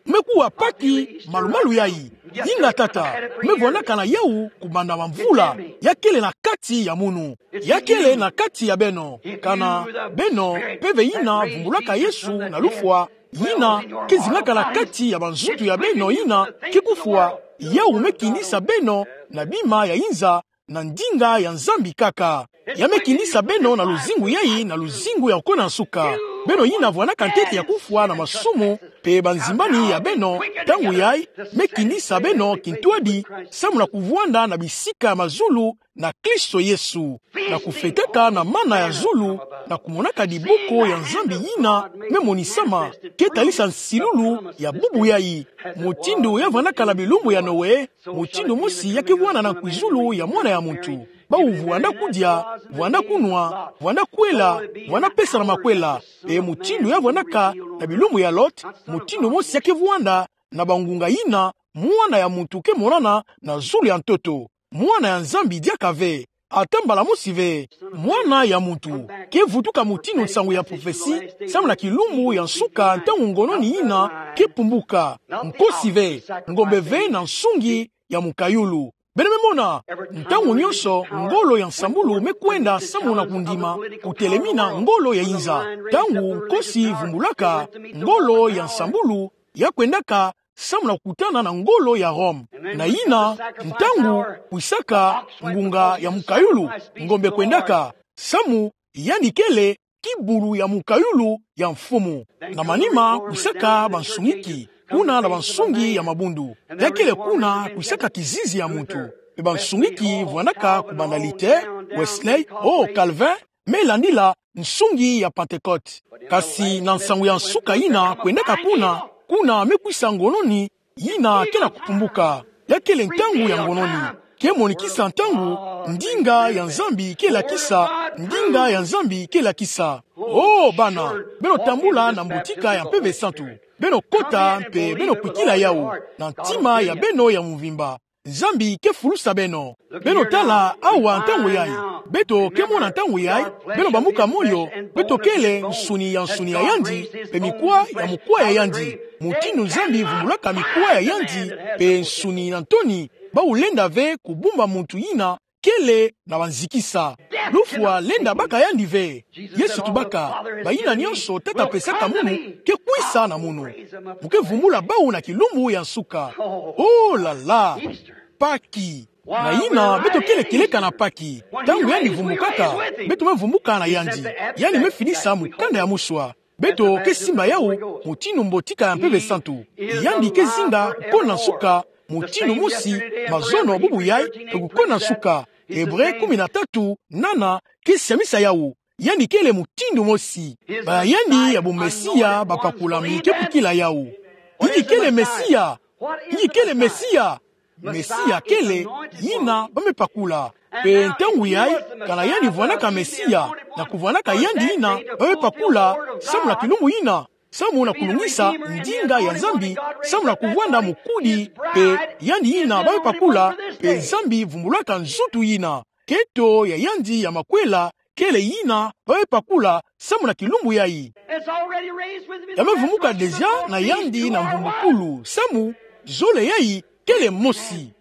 Me kuwa Paki malumalu yayi. Dinga tata, me vwanaka na yawu kubanda bamvula, ya kele na kati ya munu. Ya kele na kati ya beno. Kana beno, Mpeve yina vumbulaka Yesu na lufwa, yina ke zingaka na kati ya banzutu ya beno yina ke kufwa, yawu me kinisa beno na bima ya inza, na ndinga ya Nzambi kaka. Ya me kinisa beno na luzingu yayi, na luzingu ya kukona nsuka. Beno yina vwanaka ntete ya kufwa na masumu mpe banzimbani ya beno, ntangu yayi, me kinisa beno kintwadi, samu na kuvwanda na bisika ya mazulu na Kristo Yesu, na kufwetaka na mana ya zulu, na kumonaka diboko ya Nzambi yina me monisama, ke talisa nsilulu ya bubu yayi. Mutindu ya vwanaka na bilumbu ya Noe, mutindu mosi ya ke vwanda na nkwizulu ya Mwana ya muntu. Bawu vwanda kudia, vwanda kunwa, vwanda kwela, vwanda pesana makwela. Mpe mutindu ya vwandaka na bilumbu ya Lot, mutindu mosi ya ke vwanda na bangunga yina Mwana ya muntu ke monana na zulu ya ntoto. Mwana ya Nzambi diaka ve, ata mbala mosi ve. Mwana ya muntu ke vutuka mutindu nsangu ya prophetie, samu na kilumbu ya nsuka ntangu ngononi yina ke pumbuka. Nkosi ve, ngombe ve na nsungi ya mukayulu. Beno me mona, ntangu nyonso ngolo ya nsambulu me kwenda samu na kundima, kutelemina ngolo ya inza. Ntangu nkosi vumbulaka, ngolo ya nsambulu ya kwendaka samu na kukutana na ngolo ya Rome. Na yina ntangu kwisaka ngunga ya mukayulu, ngombe kwendaka, samu yandi kele kibulu ya mukayulu ya mfumu. Na manima kwisaka bansungiki, kuna na bansungi ya mabundu. Ya kele kuna kwisaka kizizi ya muntu. Mpe bansungiki vwandaka kubanda Luther, Wesley, oh, Calvin, me landila nsungi ya Pentecôte. Kasi na nsangu ya nsuka yina kwendaka kuna, kuna me kwisa ngononi yina ke na kupumbuka. Ya kele ntangu ya ngononi. Ke monikisa ntangu ndinga ya Nzambi ke lakisa, ndinga ya Nzambi ke lakisa. Oh, bana, beno tambula na mbotika ya Mpeve Santu. Beno kota mpe beno kwikila yawu na ntima ya beno ya mvimba. Nzambi ke fulusa beno. Beno tala awa ntangu yayi. Beto ke mona ntangu yayi. Beno bamuka moyo. Beto kele nsuni ya nsuni ya yandi, mpe mikwa ya mukwa ya yandi. Mutindu Nzambi vumbulaka mikwa ya yandi, mpe nsuni na ntoni, bawu lenda ve kubumba muntu yina kele na banzikisa. Lufwa lenda baka yandi ve. Yesu tubaka, bayina nyonso Tata pesaka munu ke kwisa na munu. Mu ke vumbula bawu na kilumbu ya nsuka. Oh là là! Paki. Na yina beto kele kieleka na Paki. Ntangu yandi vumbukaka, beto me vumbuka na yandi. Yandi me finisa mukanda ya muswa. Beto ke simba yawu mutindu mbotika ya Mpeve Santu. Yandi ke zinga kukona nsuka mutindu mosi mazono bubu yayi, mpe kukona nsuka. Ebre kumi na tatu nana ke siamisa yawu. Yandi kele mutindu mosi. Ba yandi ya bo Mesia bapakulami ke kukila yawu. Inki kele Mesia? Inki kele Mesia? Mesia kele yina ba me pakula. Pe ntangu yayi, kana yandi vwanaka Mesia, na kuvwanaka yandi yina ba me pakula, samu na kilumbu yina, samu na kulungisa ndinga ya Nzambi, samu na kuvwanda mukudi, pe yandi yina ba me pakula, pe Nzambi vumbulaka nzutu yina. Keto ya yandi ya makwela kele yina ba me pakula, samu na kilumbu yayi. Ya me vumuka déjà na yandi na mvumbukulu, samu zole yayi kele mosi.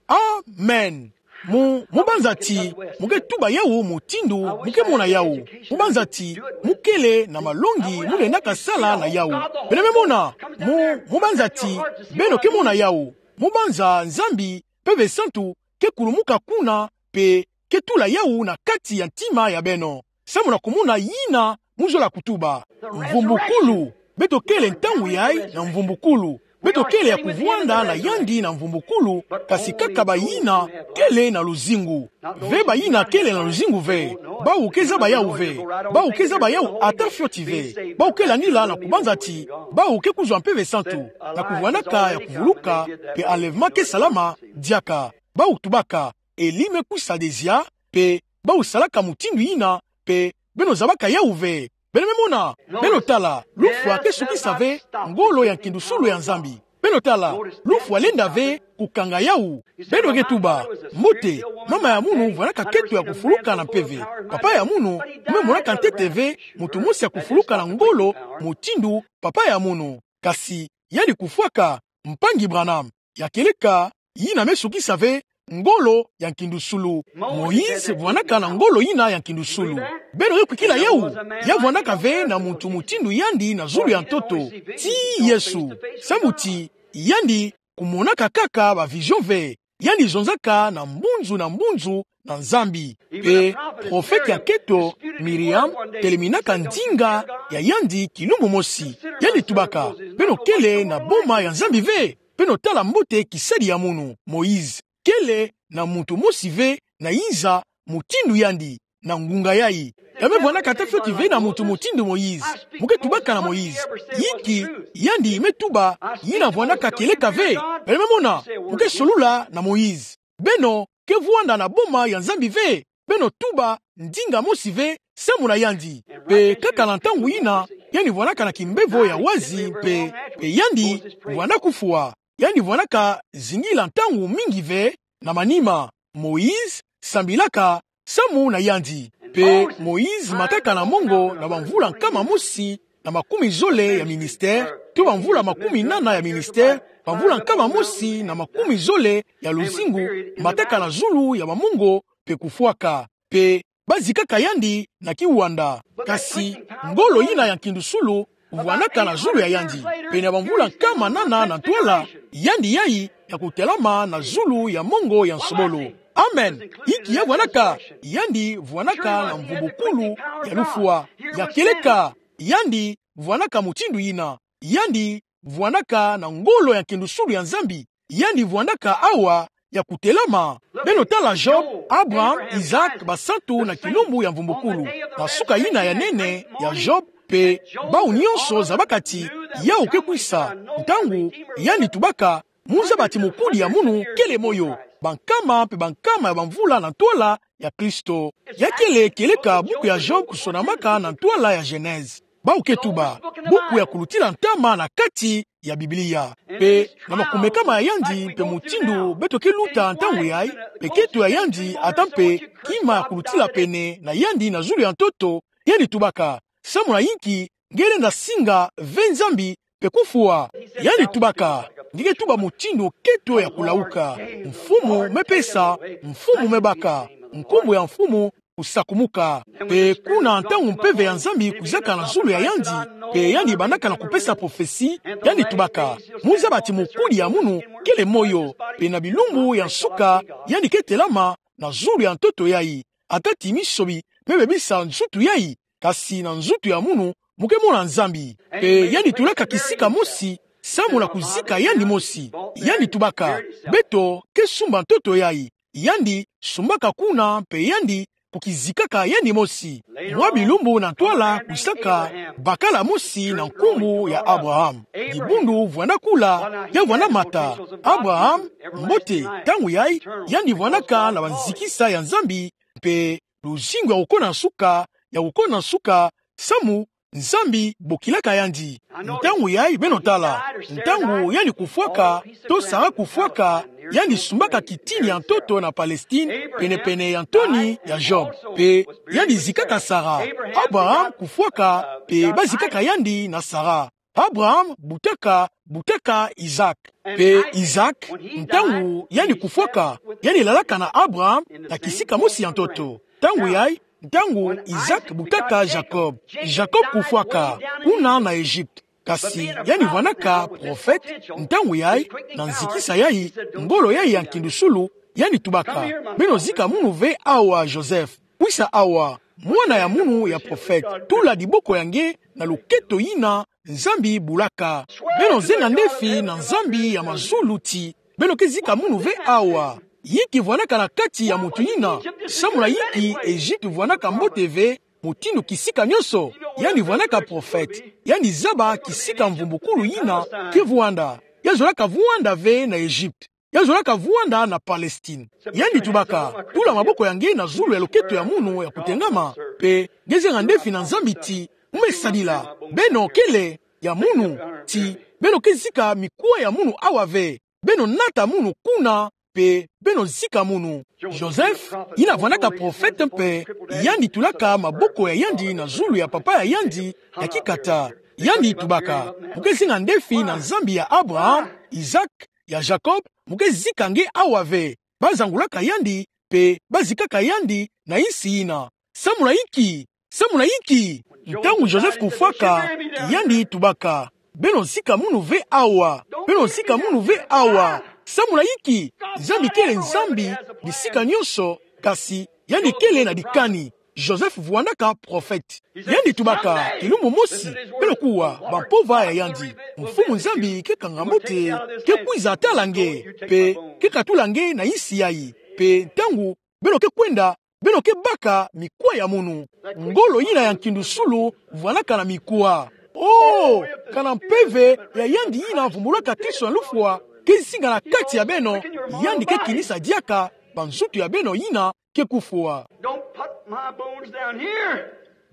Amen. Mu, mu banza ti mu ke tuba yawu mutindu mu ke mona yawu? Mu banza ti mu kele na malongi mu lendaka sala na yawu? Beno me mona. Mu, mu banza ti beno ke mona yawu? Mu banza Nzambi Mpeve Santu ke kulumuka kuna, pe ke tula yawu na kati ya ntima ya beno, samu na kumona yina mu zola kutuba. Mvumbukulu. Beto kele ntangu yayi na mvumbukulu. Beto kele ya kuvwanda na yandi na mvumbukulu, kasi kaka bayina kele na luzingu. Ve bayina kele na luzingu ve. Bawu ke zaba yawu ve. Bawu ke zaba yawu ata fioti ve. Bawu ke landila na kubanza ti bawu ke kuzwa Mpeve Santu, na kuvwandaka ya kuvuluka, pe enlèvement ke salama diaka. Bawu tubaka: Elie me kwisa déjà, pe bawu salaka mutindu yina, pe beno zabaka yawu ve. Beno me mona. Beno tala, lufwa ke sukisa ve ngolo ya nkindusulu ya Nzambi. Beno tala, lufwa lenda ve kukanga yawu. Beno ke tuba: Mbote, mama ya munu vwanaka keto ya kufuluka na mpeve. Papa ya munu, me monaka ntete ve muntu mosi ya kufuluka na ngolo mutindu papa ya munu. Kasi yandi kufwaka, mpangi Branham, ya kieleka yina me sukisa ve ngolo ya nkindusulu. Moïse vwanaka na ngolo yina ya nkindusulu. Beno ke kwikila yawu? Ya vwanaka ve na muntu mutindu yandi na zulu ya ntoto, tii Yesu. Samu ti yandi kumonaka kaka ba vision ve. Yandi zonzaka na mbunzu na mbunzu na Nzambi. Pe profete ya keto, Miriam, teleminaka ndinga ya yandi kilumbu mosi. Yandi tubaka: Beno kele na boma ya Nzambi ve? Beno tala mbote kisadi ya munu. Moïse kele na muntu mosi ve na nza mutindu yandi, na ngunga yayi. Ya me vwanaka ata fioti ve na muntu mutindu Moïse. Mu ke tubaka na Moïse. Inki yandi me tuba yina vwanaka kieleka ve? Beno me mona. Mu ke solula na Moïse. Beno ke vwanda na boma ya Nzambi ve? Beno tuba ndinga mosi ve samu na yandi? Pe kaka na ntangu yina, yandi vwanaka na kimbevo ya wazi, pe, pe yandi vwanda kufwa. Yandi vwanaka zingila ntangu mingi ve na manima. Moïse sambilaka samu na yandi. Pe Moïse mataka na mongo na bamvula nkama mosi na makumi zole ya ministère, to bamvula makumi nana ya ministère, bamvula nkama mosi na makumi zole ya luzingu, mataka na zulu ya bamongo pe kufwaka. Pe bazikaka yandi na kiwanda. Kasi ngolo yina ya nkindusulu vwanaka na zulu ya yandi. Pe na bamvula nkama nana na ntwala, yandi yayi ya kutelama na zulu ya mongo ya nsobolo. Amen. Inki ya vwanaka? Yandi vwanaka na mvumbukulu ya lufwa. Ya kieleka, yandi vwanaka mutindu yina. Yandi vwanaka na ngolo ya nkindusulu ya Nzambi. Yandi vwandaka awa ya kutelama. Beno tala Job, Abraham, Isaac, basantu na kilumbu ya mvumbukulu. Na suka yina ya nene ya Job, pe bawu nyonso zabaka ti yawu ke kwisa, ntangu yandi tubaka: Mu zaba ti mukudi ya munu kele moyo bankama pe bankama ya bamvula na ntwala ya Kristo. Ya kele kieleka buku ya Job kusonamaka na ntwala ya Genèse. Bawu ke tuba buku ya kulutila ntama na kati ya Biblia. Pe na makumekama ya yandi pe mutindu beto ke luta ntangu yayi, pe keto ya yandi ata mpe kima ya kulutila pene na yandi na zulu ya ntoto, yandi tubaka: Samu na inki nge lenda singa ve Nzambi pe kufwa? Yandi tubaka: Nge ke tuba mutindu keto ya kulauka: Mfumu me pesa, Mfumu me baka, nkumbu ya Mfumu kusakumuka. Pe kuna ntangu mpeve ya Nzambi kwizaka na zulu ya yandi, pe yandi bandaka na kupesa prophesie, yandi tubaka: Mu zaba ti mukudi ya munu kele moyo, pe na bilumbu ya nsuka yandi ke telama na zulu ya ntoto yayi. Ata ti misobi me bebisa nzutu yayi, kasi na nzutu ya munu mu ke mona Nzambi. Pe yandi tulaka kisika mosi samu na kuzika yandi mosi. Yandi tubaka: Beto ke sumba ntoto yayi. Yandi sumbaka kuna, pe yandi kukizikaka yandi mosi. Mwa bilumbu na ntwala kusaka bakala mosi na nkumbu ya Abraham. Dibundu vwanda kula, ya vwanda mata: Abraham, mbote. Ntangu yayi, yandi vwandaka na banzikisa ya Nzambi, mpe luzingu ya kukona nsuka, ya kukona nsuka, samu Nzambi bokilaka yandi. Ntangu yayi, beno tala, ntangu yandi kufwaka, to Sara kufwaka, yandi sumbaka kitini ya ntoto na Palestine, penepene ya ntoni ya Job. Mpe yandi zikaka Sara. Abraham kufwaka, mpe bazikaka yandi na Sara. Abraham butaka, butaka Isaac. Mpe Isaac, ntangu yandi kufwaka, yandi lalaka na Abraham na kisika mosi ya ntoto. Ntangu yayi, ntangu Isaac butaka Jacob. Jacob kufwaka, kuna na Egypte. Kasi yandi vwandaka prophète, ntangu yayi, na nzikisa yayi, ngolo yayi ya nkindusulu, yandi tubaka: Beno zika munu ve awa, Joseph. Kwisa awa, mwana ya munu ya prophète. Tula diboko ya nge na loketo yina Nzambi bulaka. Beno zenga ndefi na Nzambi ya mazulu ti beno ke zika munu ve awa. Yinki vwandaka na kati ya moto yina? Samu na yinki Egypte vwandaka mbote ve mutindu kisika nyonso? Yandi vwandaka prophète. Yandi zaba kisika mvumbukulu yina ke vwanda. Ya zolaka vwanda ve na Egypte. Ya zolaka vwanda na Palestine. Yandi tubaka: Tula maboko ya nge na zulu ya loketo ya munu ya kutengama, mpe nge zenga ndefi na Nzambi ti mu me sadila. Beno kele ya munu, ti beno ke zika mikuwa ya munu awa ve. Beno nata munu kuna, mpe beno zika munu. Joseph, yina vwandaka prophète mpe, yandi tulaka maboko ya yandi na zulu ya papa ya yandi ya kikata. Yandi tubaka: Mu ke zenga ndefi na Nzambi ya Abraham, Isaac, ya Jacob, mu ke zika nge awa ve. Bazangulaka yandi, mpe bazikaka yandi na insi yina. Samu na inki? Samu na inki? Ntangu Joseph kufwaka, yandi tubaka: Beno zika munu ve awa. Beno zika munu ve awa. Samu na inki? Nzambi kele Nzambi bisika nyonso, kasi yandi kele na dikani. Joseph vwandaka prophète. Yandi tubaka: Kilumbu mosi, beno kuwa, bampova ya yandi, Mfumu Nzambi ke kanga mbote, ke kwiza tala nge, mpe ke katula nge na insi yayi. Mpe ntangu beno ke kwenda, beno ke baka mikuwa ya munu. Ngolo yina ya nkindusulu vwandaka na mikuwa. Oh, kana mpeve ya yandi yina vumbulaka Kristo na lufwa ke zinga na kati ya beno, yandi ke kinisa diaka banzutu ya beno yina ke kufwa. Don't put my bones down here.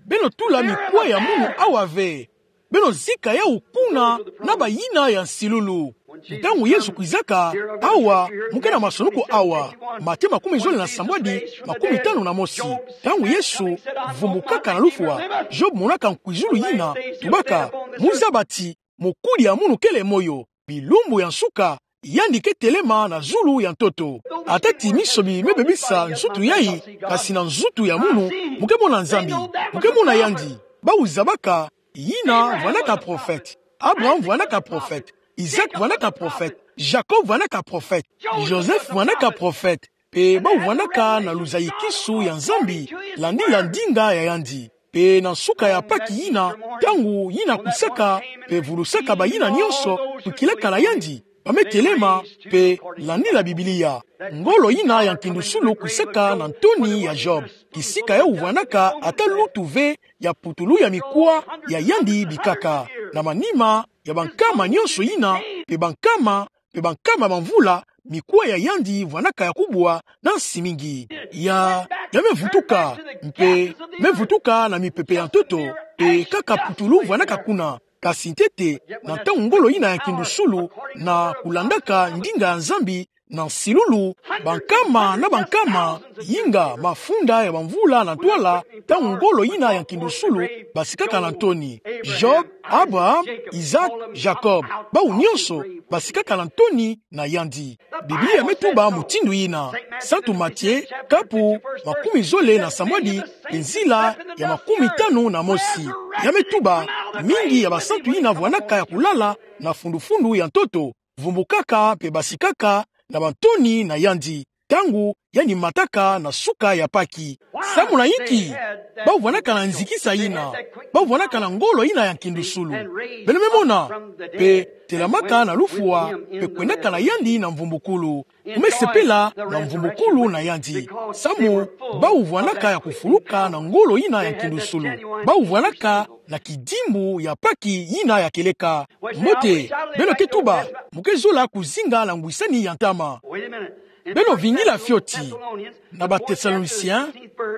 Beno tula mikuwa ya munu awa ve. Beno zika yawu kuna na bayina ya nsilulu. Ntangu Yesu kwizaka: Awa, mu ke na masoni ko awa. Matthieu makumi zole na sambwadi, makumi tanu na mosi. Ntangu Yesu vumbukaka na lufwa, Job monaka nkwizulu yina, tubaka: Mu zaba ti mokuli ya munu kele moyo, bilumbu ya nsuka, yandi ke telema na zulu ya ntoto. Ata ti misomi me bebisa nzutu yayi, kasi na nzutu ya munu, mu ke mona Nzambi, mu ke mona yandi. Bawu zabaka: Yina vwandaka prophète. Abraham vwandaka prophète. Isaac vwandaka prophète. Jacob vwandaka prophète. Joseph vwandaka prophète. Mpe bawu vwandaka na luzayikisu ya Nzambi, landila ndinga ya yandi. Mpe na nsuka ya Pâques yina, ntangu yina kwisaka, mpe vulusaka bayina nyonso, tukilaka na yandi, ba me telema, mpe landila Biblia. Ngolo yina ya nkindusulu kwisaka na ntoni ya Job. Kisika yawu vwandaka ata lutu ve ya putulu ya mikuwa ya yandi bikaka. Na manima ya bankama nyonso yina, mpe bankama, mpe bankama bamvula, mikuwa ya yandi vwandaka ya kubwa na nsi mingi. Ya, ya me vutuka, mpe me vutuka na mipepe ya ntoto, mpe kaka putulu vwandaka kuna. Kasi ntete, na ntangu ngolo yina ya nkindusulu, na kulandaka ndinga ya Nzambi, na nsilulu, bankama na bankama, yinga mafunda ya bamvula na ntwala, ntangu ngolo yina ya nkindusulu basikaka na ntoni. Job, Abraham, Isaac, Jacob, bawu nyonso basikaka na ntoni na yandi. Biblia me tuba mutindu yina. Santu Matthieu, kapu makumi zole na sambwadi, nzila ya makumi tanu na mosi. Ya me tuba, mingi ya basantu yina vwandaka ya kulala na fundu-fundu ya ntoto, vumbukaka mpe basikaka na bantoni na yandi. ntangu yandi mataka na suka ya Paki. Samu na inki? Bau vwanaka na nzikisa ina. Bau vwanaka na ngolo ina ya nkindusulu. Beno me mona, pe telamaka na lufwa, pe kwendaka na yandi na mvumbukulu. Mu me sepela na mvumbukulu na yandi. Samu bau vwanaka ya kufuluka na ngolo ina ya nkindusulu. Bau vwanaka na kidimbu ya Paki ina ya kieleka. Mbote, beno ke tuba, mu ke zola kuzinga na ngwisani ya ntama. Beno vingila fioti na Bathessaloniciens,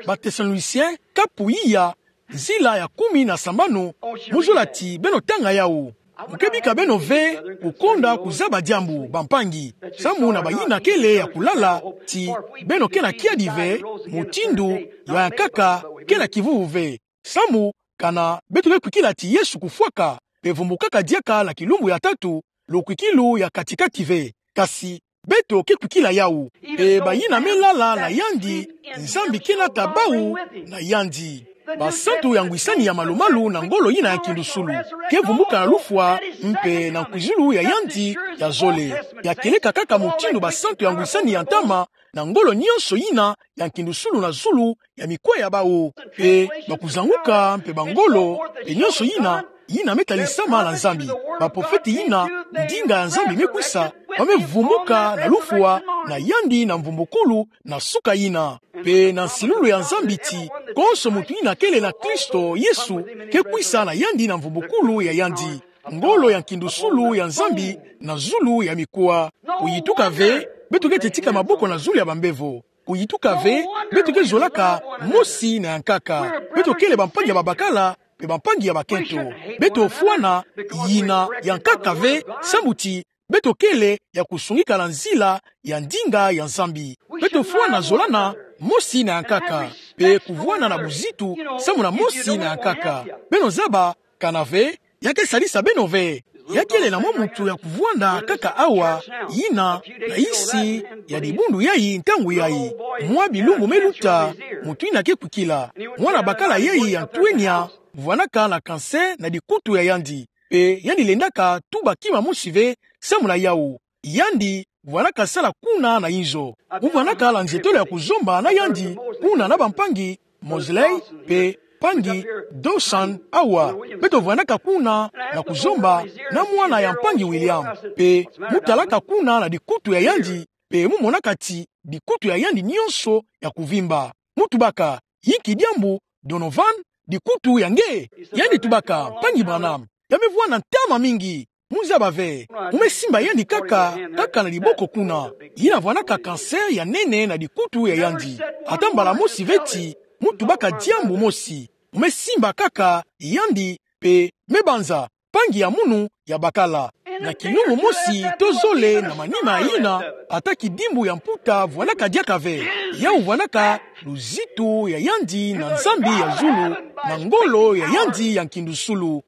Bathessaloniciens kapu iya, nzila ya kumi na sambanu, mu zola ti beno tanga yawu. Mu ke bika beno ve kukonda kuzaba diambu, bampangi. Samu na bayina kele ya kulala ti beno ke na kiadi ve, mutindu ya yankaka ke na kivuvu ve. Samu kana beto ke kwikila ti Yesu kufwaka, pe vumbukaka diaka na kilumbu ya tatu, lukwikilu ya kati-kati ve. Kasi beto ke kwikila yawu. Pe bayina me lala na yandi, Nzambi ke nata bau na yandi. Basantu ya ngwisani ya malu-malu na ngolo ina ya nkindusulu ke vumbuka na lufwa, mpe na nkwizulu ya yandi ya zole. Ya kieleka kaka mutindu basantu ya ngwisani ya ntama, na ngolo nyonso ina ya nkindusulu na zulu ya mikwa ya bau. Pe bakuzanguka mpe bangolo, pe nyonso ina, ina me talisama na Nzambi. Baprofete ina ndinga ya Nzambi me kwisa, ba me vumbuka na lufwa na yandi na mvumbukulu na suka ina. Pe na nsilulu ya Nzambi ti konso muntu ina kele na Kristo Yesu ke kwisa na yandi na mvumbukulu ya yandi. Ngolo ya nkindusulu ya Nzambi na zulu ya mikwa. Kuyituka ve beto ke tetika maboko na zulu ya bambevo. Kuyituka ve beto ke zolaka mosi na yankaka. Beto kele bampangi ya babakala, pe bampangi ya bakento. Beto fwana yina yankaka ve, samu ti beto kele ya kusungika na nzila ya ndinga ya Nzambi. Beto fwana zolana mosi na yankaka, pe kuvwana na buzitu samu na mosi na yankaka. Beno zaba kana ve, ya ke salisa beno ve. Ya kele na mwa muntu ya kuvwanda kaka awa, yina na isi ya dibundu yayi ntangu yayi. Mwa bilumbu me luta, muntu ina ke kwikila. Mwana bakala yayi ya ntwenya vwanaka na cancer na dikutu ya yandi. Pe yandi lendaka tuba kima mosi ve samu na yawu. Yandi vwanaka sala kuna na inzo. Mu vwanaka na nzietolo ya kuzomba na yandi kuna na bampangi Mosley pe mpangi Dawson awa. Beto vwanaka kuna na kuzomba na mwana ya mpangi William. Pe mu talaka kuna na dikutu ya yandi, pe mu monaka ti dikutu ya yandi nyonso ya kuvimba. Mu tubaka: Inki diambu, Donovan? Dikutu ya nge? Yandi tubaka: Mpangi Branham, ya me vwanda ntama mingi. Mu zaba ve. Mu me simba yandi kaka, kaka na diboko kuna. Yina vwanaka cancer ya nene na dikutu ya yandi. Ata mbala mosi ve ti mu tubaka diambu mosi. Mu me simba kaka yandi, pe me banza: Mpangi ya munu ya bakala. Na kilumbu mosi to zole na manima yina, ata kidimbu ya mputa vwanaka diaka ve. Yawu vwanaka luzitu ya yandi na Nzambi ya zulu, na ngolo ya yandi ya nkindusulu.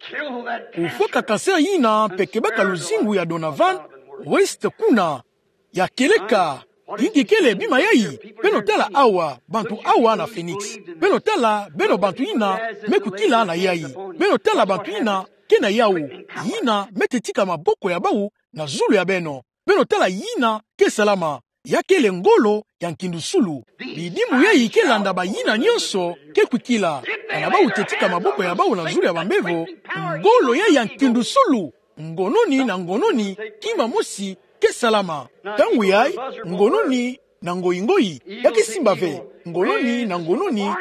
Kufwaka cancer yina, pe kebaka luzingu ya Donovan West kuna. Ya kieleka. Inki kele bima yayi? Beno tala awa, bantu awa na Phoenix. Beno tala, beno bantu yina me kwikila na yayi. Beno tala bantu yina ke na yawu. Yina me tetika maboko ya bau na zulu ya beno. Beno tala yina ke salama. Ya kele ngolo ya nkindusulu. Bidimbu yayi ke landa bayina nyonso ke kwikila. Kana bau tetika maboko ya bau na zulu ya bambevo, ngolo yayi ya nkindusulu, ngononi na ngononi, kima mosi ke salama. Ntangu yayi, ngononi na ngoyi-ngoyi ya ke simba ve. Ngononi na ngononi,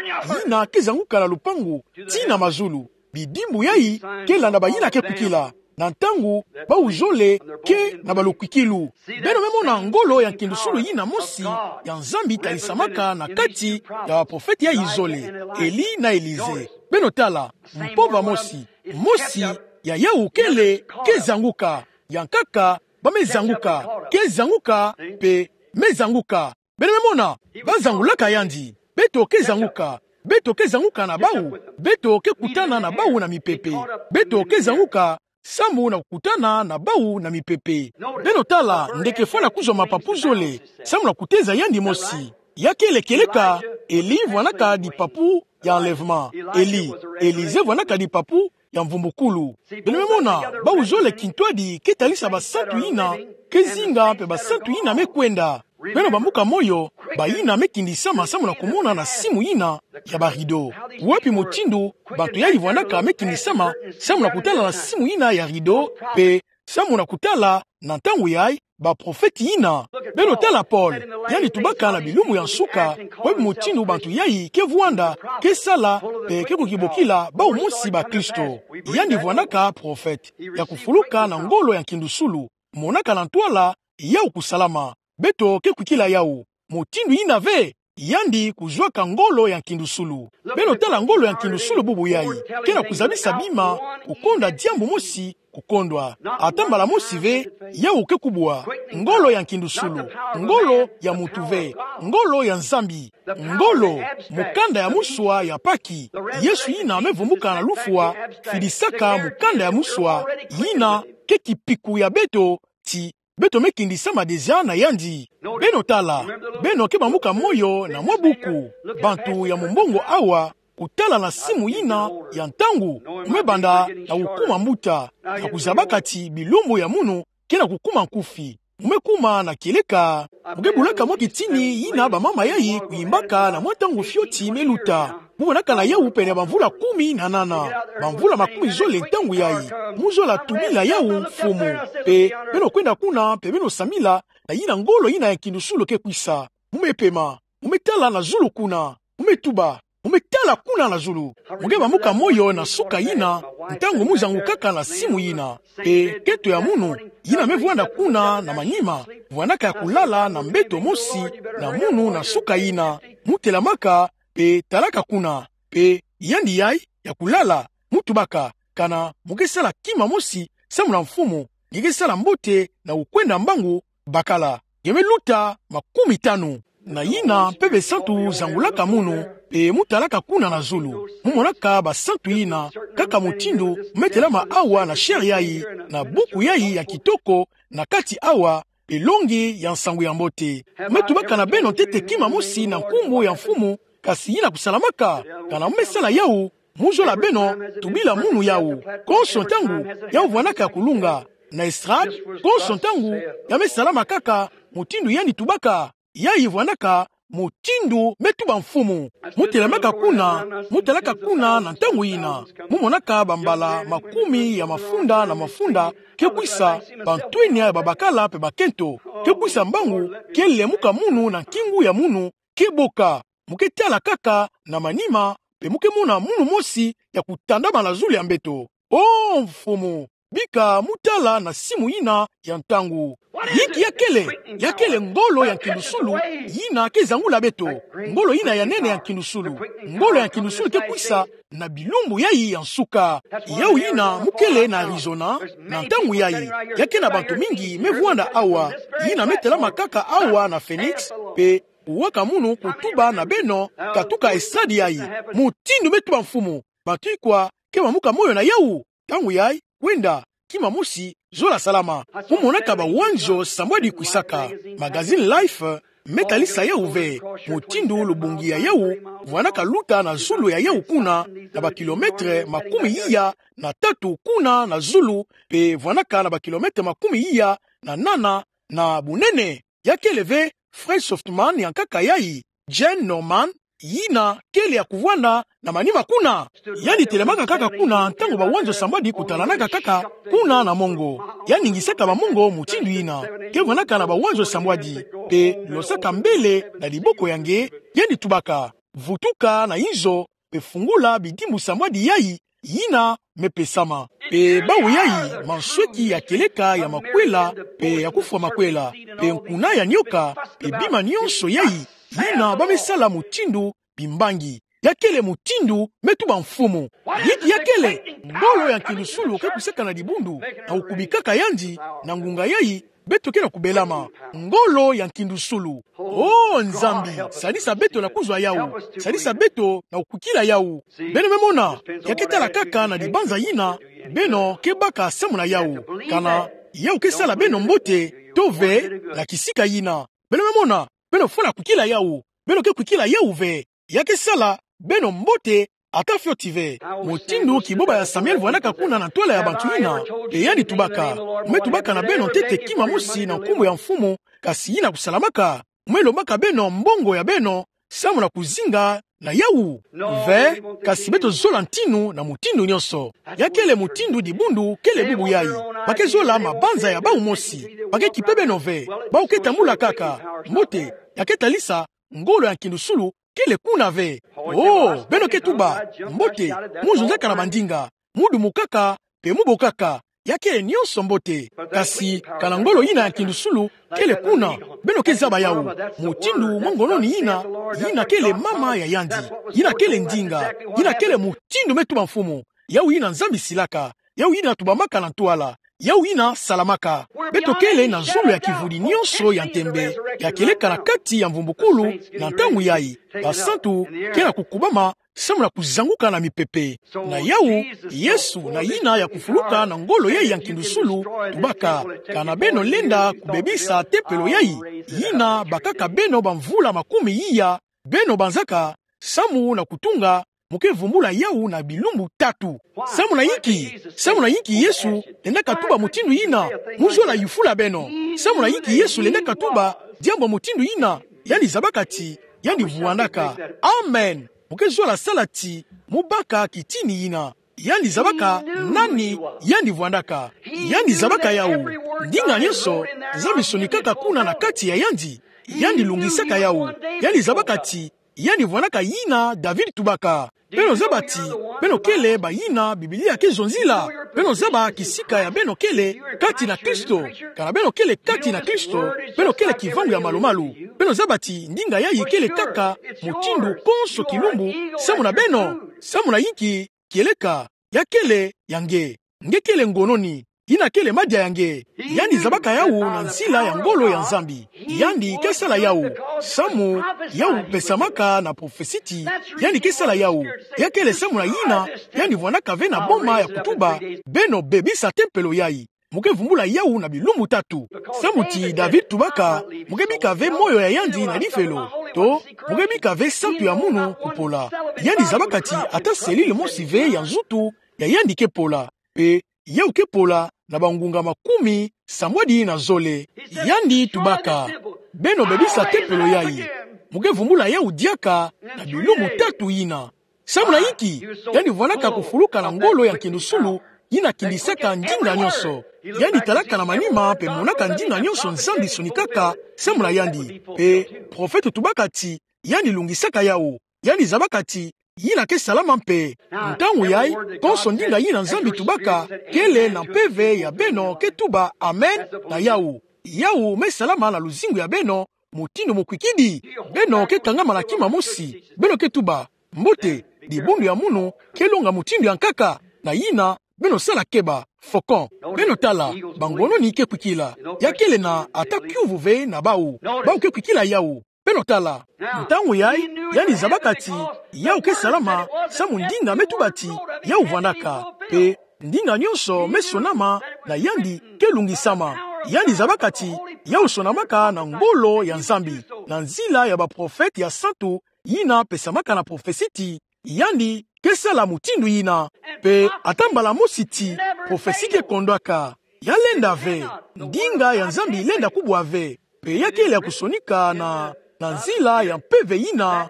yina ke zanguka na lupangu tii na mazulu. Bidimbu yayi ke landa bayina ke kwikila. Na ntangu bau zole ke na balukwikilu. Beno me mona ngolo ya nkindusulu yina mosi ya Nzambi talisamaka na kati ya baprofete yayi zole, Eli na Elize. Beno tala, mpova mosi, mosi ya yawu kele ke zanguka, ya nkaka ba me zanguka, ke zanguka, pe me zanguka. Beno me mona, ba zangulaka yandi. Beto ke zanguka. Beto ke zanguka na bau. Beto ke kutana na bau na mipepe. Beto ke zanguka samu na kutana na bau na mipepe. Beno tala, ndeke fwana kuzwa mapapu zole samu na kuteza yandi mosi. Ya kele kieleka, Eli vwanaka dipapu ya enlèvement. Eli, Elize vwanaka dipapu ya mvumbukulu. Beno me mona, bau zole kintwadi ke talisa basantu yina ke zinga pe basantu yina me kwenda. Beno bambuka moyo, bayina me kindisama samu na kumona na simu yina ya ba rideau. Wapi mutindu bantu yayi vwandaka me kindisama samu na kutala na simu yina ya rideau, mpe samu na kutala na ntangu yayi baprofete yina? Beno tala Paul, yandi tubaka na bilumbu ya nsuka, wapi mutindu bantu yayi ke vwanda, ke sala, mpe ke kukibokila bawu mosi bakristo. Yandi vwandaka profete ya kufuluka na ngolo ya nkindusulu. Monaka na ntwala yawu kusalama. Beto ke kwikila yawu mutindu yina ve, yandi kuzwaka ngolo ya nkindusulu. Beno tala ngolo ya nkindusulu bubu yayi, ke na kuzabisa bima kukonda diambu mosi kukondwa. Ata mbala mosi ve, yawu ke kubwa. Ngolo ya nkindusulu, ngolo ya mutu ve, ngolo ya Nzambi. Ngolo, mukanda ya muswa ya Paki. Yesu yina me vumbuka na lufwa, fidisaka mukanda ya muswa, yina ke kipiku ya beto, ti beto me kindisama deja na yandi. Beno tala, beno ke bambuka moyo na mwa buku, Bantu ya mumbongo awa, kutala na simu yina ya ntangu, mu me banda na kukuma mbuta, na kuzabaka ti bilumbu ya munu ke na kukuma nkufi. Mu me kuma na kieleka, mu ke bulaka mwa kitini yina bamama yayi kuyimbaka na mwa ntangu fioti me luta. Mu monaka na yawu pene bamvula kumi na nana, bamvula makumi zole ntangu yayi. Mu zola tubila yawu mfumu. Mpe beno kwenda kuna, mpe beno sambila na yina ngolo yina ya nkindusulu ke kwisa. Mu me pema, mu me tala na zulu kuna, mu me tuba, mu me tala kuna na zulu. Mu ke bambuka moyo na nsuka yina, ntangu mu zangukaka na simu yina. Mpe keto ya munu yina me vwanda kuna na manima, vwandaka ya kulala na mbeto mosi na munu na nsuka yina. Mu telamaka, mpe talaka kuna, mpe yandi yayi ya kulala, mu tubaka: Kana mu ke sala kima mosi samu na mfumu, nge ke sala mbote na kukwenda mbangu, bakala nge me luta makumi tanu. Na yina mpeve santu zangulaka munu, mpe mu talaka kuna na zulu, mu monaka basantu yina, kaka mutindu mu me telama awa na chaire yayi, na buku yayi ya kitoko, na kati awa, mpe longi ya nsangu ya mbote. Mu me tubaka na beno ntete kima mosi na nkumbu ya mfumu, kasi yina kusalamaka? Kana mu me sala yawu, mu zola beno tubila munu yawu. Konso ntangu, yawu vwandaka ya kulunga. Na estrade, konso ntangu, ya me salama kaka mutindu yandi tubaka. Yayi vwandaka mutindu me tuba mfumu. Mu telamaka kuna, mu talaka kuna na ntangu yina, mu monaka bambala makumi ya mafunda na mafunda ke kwisa, bantwenia ya babakala mpe bakento ke kwisa, mbangu ke lemuka munu na nkingu ya munu ke boka. Mu ke tala kaka na manima, mpe mu ke mona munu mosi ya kutandama na zulu ya mbeto. O mfumu, bika mu tala na simu yina ya ntangu. Yinki ya kele? Ya kele ngolo ya nkindusulu yina ke zangula beto. Ngolo yina ya nene ya nkindusulu. Ngolo ya nkindusulu ke kwisa na bilumbu yayi ya nsuka. Yawu yina mu kele na Arizona na ntangu yayi. Ya ke na bantu mingi me vwanda awa, yina me telama kaka awa na Phoenix, mpe kuwaka munu kutuba na beno, katuka estrade yayi. Mutindu me tuba mfumu. Bantu ikwa ke bambuka moyo na yawu? Ntangu yayi, kwenda, kima mosi, zola salama. Mu monaka bawanzo sambwadi kwisaka. Magazine Life me talisa yawu ve, mutindu lubungi ya yawu vwandaka luta na zulu ya yawu kuna, na bakilometre makumi iya na tatu kuna na zulu, mpe vwandaka na bakilometre makumi iya na nana na bunene. Ya kele ve Fred Softman ya nkaka yayi, Gene Norman, yina kele ya kuvwanda na manima kuna. Yandi telamaka kaka kuna ntangu bawanzo sambwadi kutalanaka kaka kuna na mongo. Yandi ngisaka bamongo mutindu yina. Ke vwandaka na bawanzo sambwadi, mpe losaka mbele na liboko ya nge, yandi tubaka: Vutuka na inzo, mpe fungula bidimbu sambwadi yayi yina me pesama. Mpe bawu yayi mansweki ya kieleka ya makwela, mpe ya kufwa makwela, mpe nkuna ya nioka, mpe bima nionso yayi, yina ba me sala mutindu bimbangi. Ya kele mutindu me tuba mfumu. Yinki ya kele? Ngolo ya nkindusulu ke kwisaka na dibundu, na kukubikaka yandi, na ngunga yayi, beto ke na kubelama. Ngolo ya nkindusulu. O Nzambi, sadisa beto na kuzwa yawu. Sadisa beto na kukwikila yawu. Beno me mona, ya ke tala kaka na dibanza yina beno ke baka samu na yawu. Kana yawu ke sala beno mbote to ve na kisika yina. Beno me mona, beno fwana kwikila yawu. Beno ke kwikila yawu ve. Ya ke sala beno mbote ata fioti ve. Mutindu kiboba ya Samuel vwandaka kuna na ntwala ya bantu yina, mpe yandi tubaka: Mu me tubaka na beno ntete kima mosi na nkumbu ya mfumu, kasi yina kusalamaka? me lombaka beno mbongo ya beno, samu na kuzinga na yawu? Ve, kasi beto zola ntinu na mutindu nyonso. Ya kele mutindu dibundu kele bubu yayi. Ba ke zola mabanza ya bawu mosi. Ba ke kipe beno ve. Bawu ke tambula kaka. Mbote, ya ke talisa, ngolo ya nkindusulu kele kuna ve. Oh, beno ke tuba, mbote, mu zonzaka na mandinga, mu dumukaka, mpe mu bokaka, ya kele nyonso mbote. Kasi, kana ngolo yina ya nkindusulu kele kuna, beno ke zaba yawu. Mutindu mwa ngononi yina, yina kele mama ya yandi. Yina kele ndinga, yina kele mutindu me tuba mfumu. Yawu yina Nzambi silaka, yawu yina tubamaka na ntwala, yawu yina salamaka. Beto kele na zulu ya kivudi nyonso ya ntembe, ya kieleka na kati ya mvumbukulu na ntangu yayi. Basantu ke na kukubama samu na kuzanguka na mipepe. Na yawu, Yesu na yina ya kufuluka na ngolo yayi ya nkindusulu, tubaka, kana beno lenda kubebisa tempelo yayi, yina bakaka beno bamvula makumi iya, beno banzaka, samu na kutunga, mu ke vumbula yawu na bilumbu tatu. Samu na yinki, samu na yinki Yesu lendaka tuba mutindu yina? Mu zola yufula beno. Samu na yinki Yesu lendaka tuba diambu mutindu yina? Yandi zabaka ti yandi vwandaka. Amen. Mu ke zola sala ti mu baka kitini yina. Yandi zabaka nani yandi vwandaka. Yandi zabaka yawu. Ndinga nyonso, Nzambi sonikaka kuna na kati ya yandi. Yandi lungisaka yawu. Yandi zabaka ti yandi vwandaka yina David tubaka. Beno zaba ti beno kele bayina Biblia ke zonzila. Beno zaba kisika ya beno kele kati na Kristo. Kana beno kele kati na Kristo, beno kele kivangu ya malumalu. Beno zaba ti ndinga yayi kele kaka mutindu konso kilumbu, samu na beno, samu na yinki kieleka, ya kele ya nge. Nge kele ngononi, yina kele madia ya nge. Yandi zabaka yawu na nzila ya ngolo ya Nzambi. Yandi ke sala yawu, samu yawu pesamaka na profesi ti yandi ke sala yawu. Ya kele samu na yina yandi vwandaka ve na boma ya kutuba: Beno bebisa tempelo yayi. Mu ke vumbula yawu na bilumbu tatu. Samu ti David tubaka: Mu ke bika ve moyo ya yandi na lifelo, to, mu ke bika ve santu ya munu kupola. Yandi zabaka ti ata selile mosi ve ya nzutu ya yandi ke pola. Mpe yawu ke pola na bangunga makumi sambwadi na zole. Yandi tubaka: Beno bebisa tempelo yayi. Mu ke vumbula yawu diaka na bilumbu tatu yina. Samu na yinki? Yandi vwandaka kufuluka na ngolo ya nkindusulu yina kindisaka ndinga nyonso. Yandi talaka na manima mpe monaka ndinga nyonso Nzambi sonikaka samu na yandi. Mpe profete tubaka ti yandi lungisaka yawu. Yandi zabaka ti yina ke salama mpe. Ntangu yayi, konso ndinga yina Nzambi tubaka kele na mpeve ya beno ke tuba amen na yawu. Yawu me salama na luzingu ya beno, mutindu mukwikidi. Beno ke kangama na kima mosi. Beno ke tuba: Mbote, dibundu ya munu ke longa mutindu ya nkaka. Na yina, beno sala keba, fokon. Beno tala, bangononi ke kwikila. Ya kele na ata kiuvu ve na bawu. Bawu ke kwikila yawu. Beno tala. Ntangu yayi, yandi zabaka ti yawu ke salama, samu ndinga me tuba ti yawu vwandaka. Mpe ndinga nyonso me sonama na yandi ke lungisama. Yandi zabaka ti yawu sonamaka na ngolo ya Nzambi, na nzila ya baprofete ya santu yina pesamaka na profesi ti yandi ke sala mutindu yina. Mpe ata mbala mosi ti profesi ke kondwaka. Ya lenda ve, ndinga ya Nzambi lenda kubwa ve. Mpe ya kele ya kusonika na, na nzila ya mpeve yina.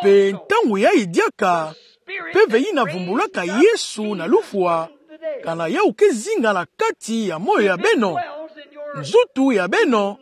Mpe ntangu yayi diaka, mpeve yina vumbulaka Yesu na lufwa, kana yawu ke zinga na kati ya moyo ya beno, nzutu ya beno,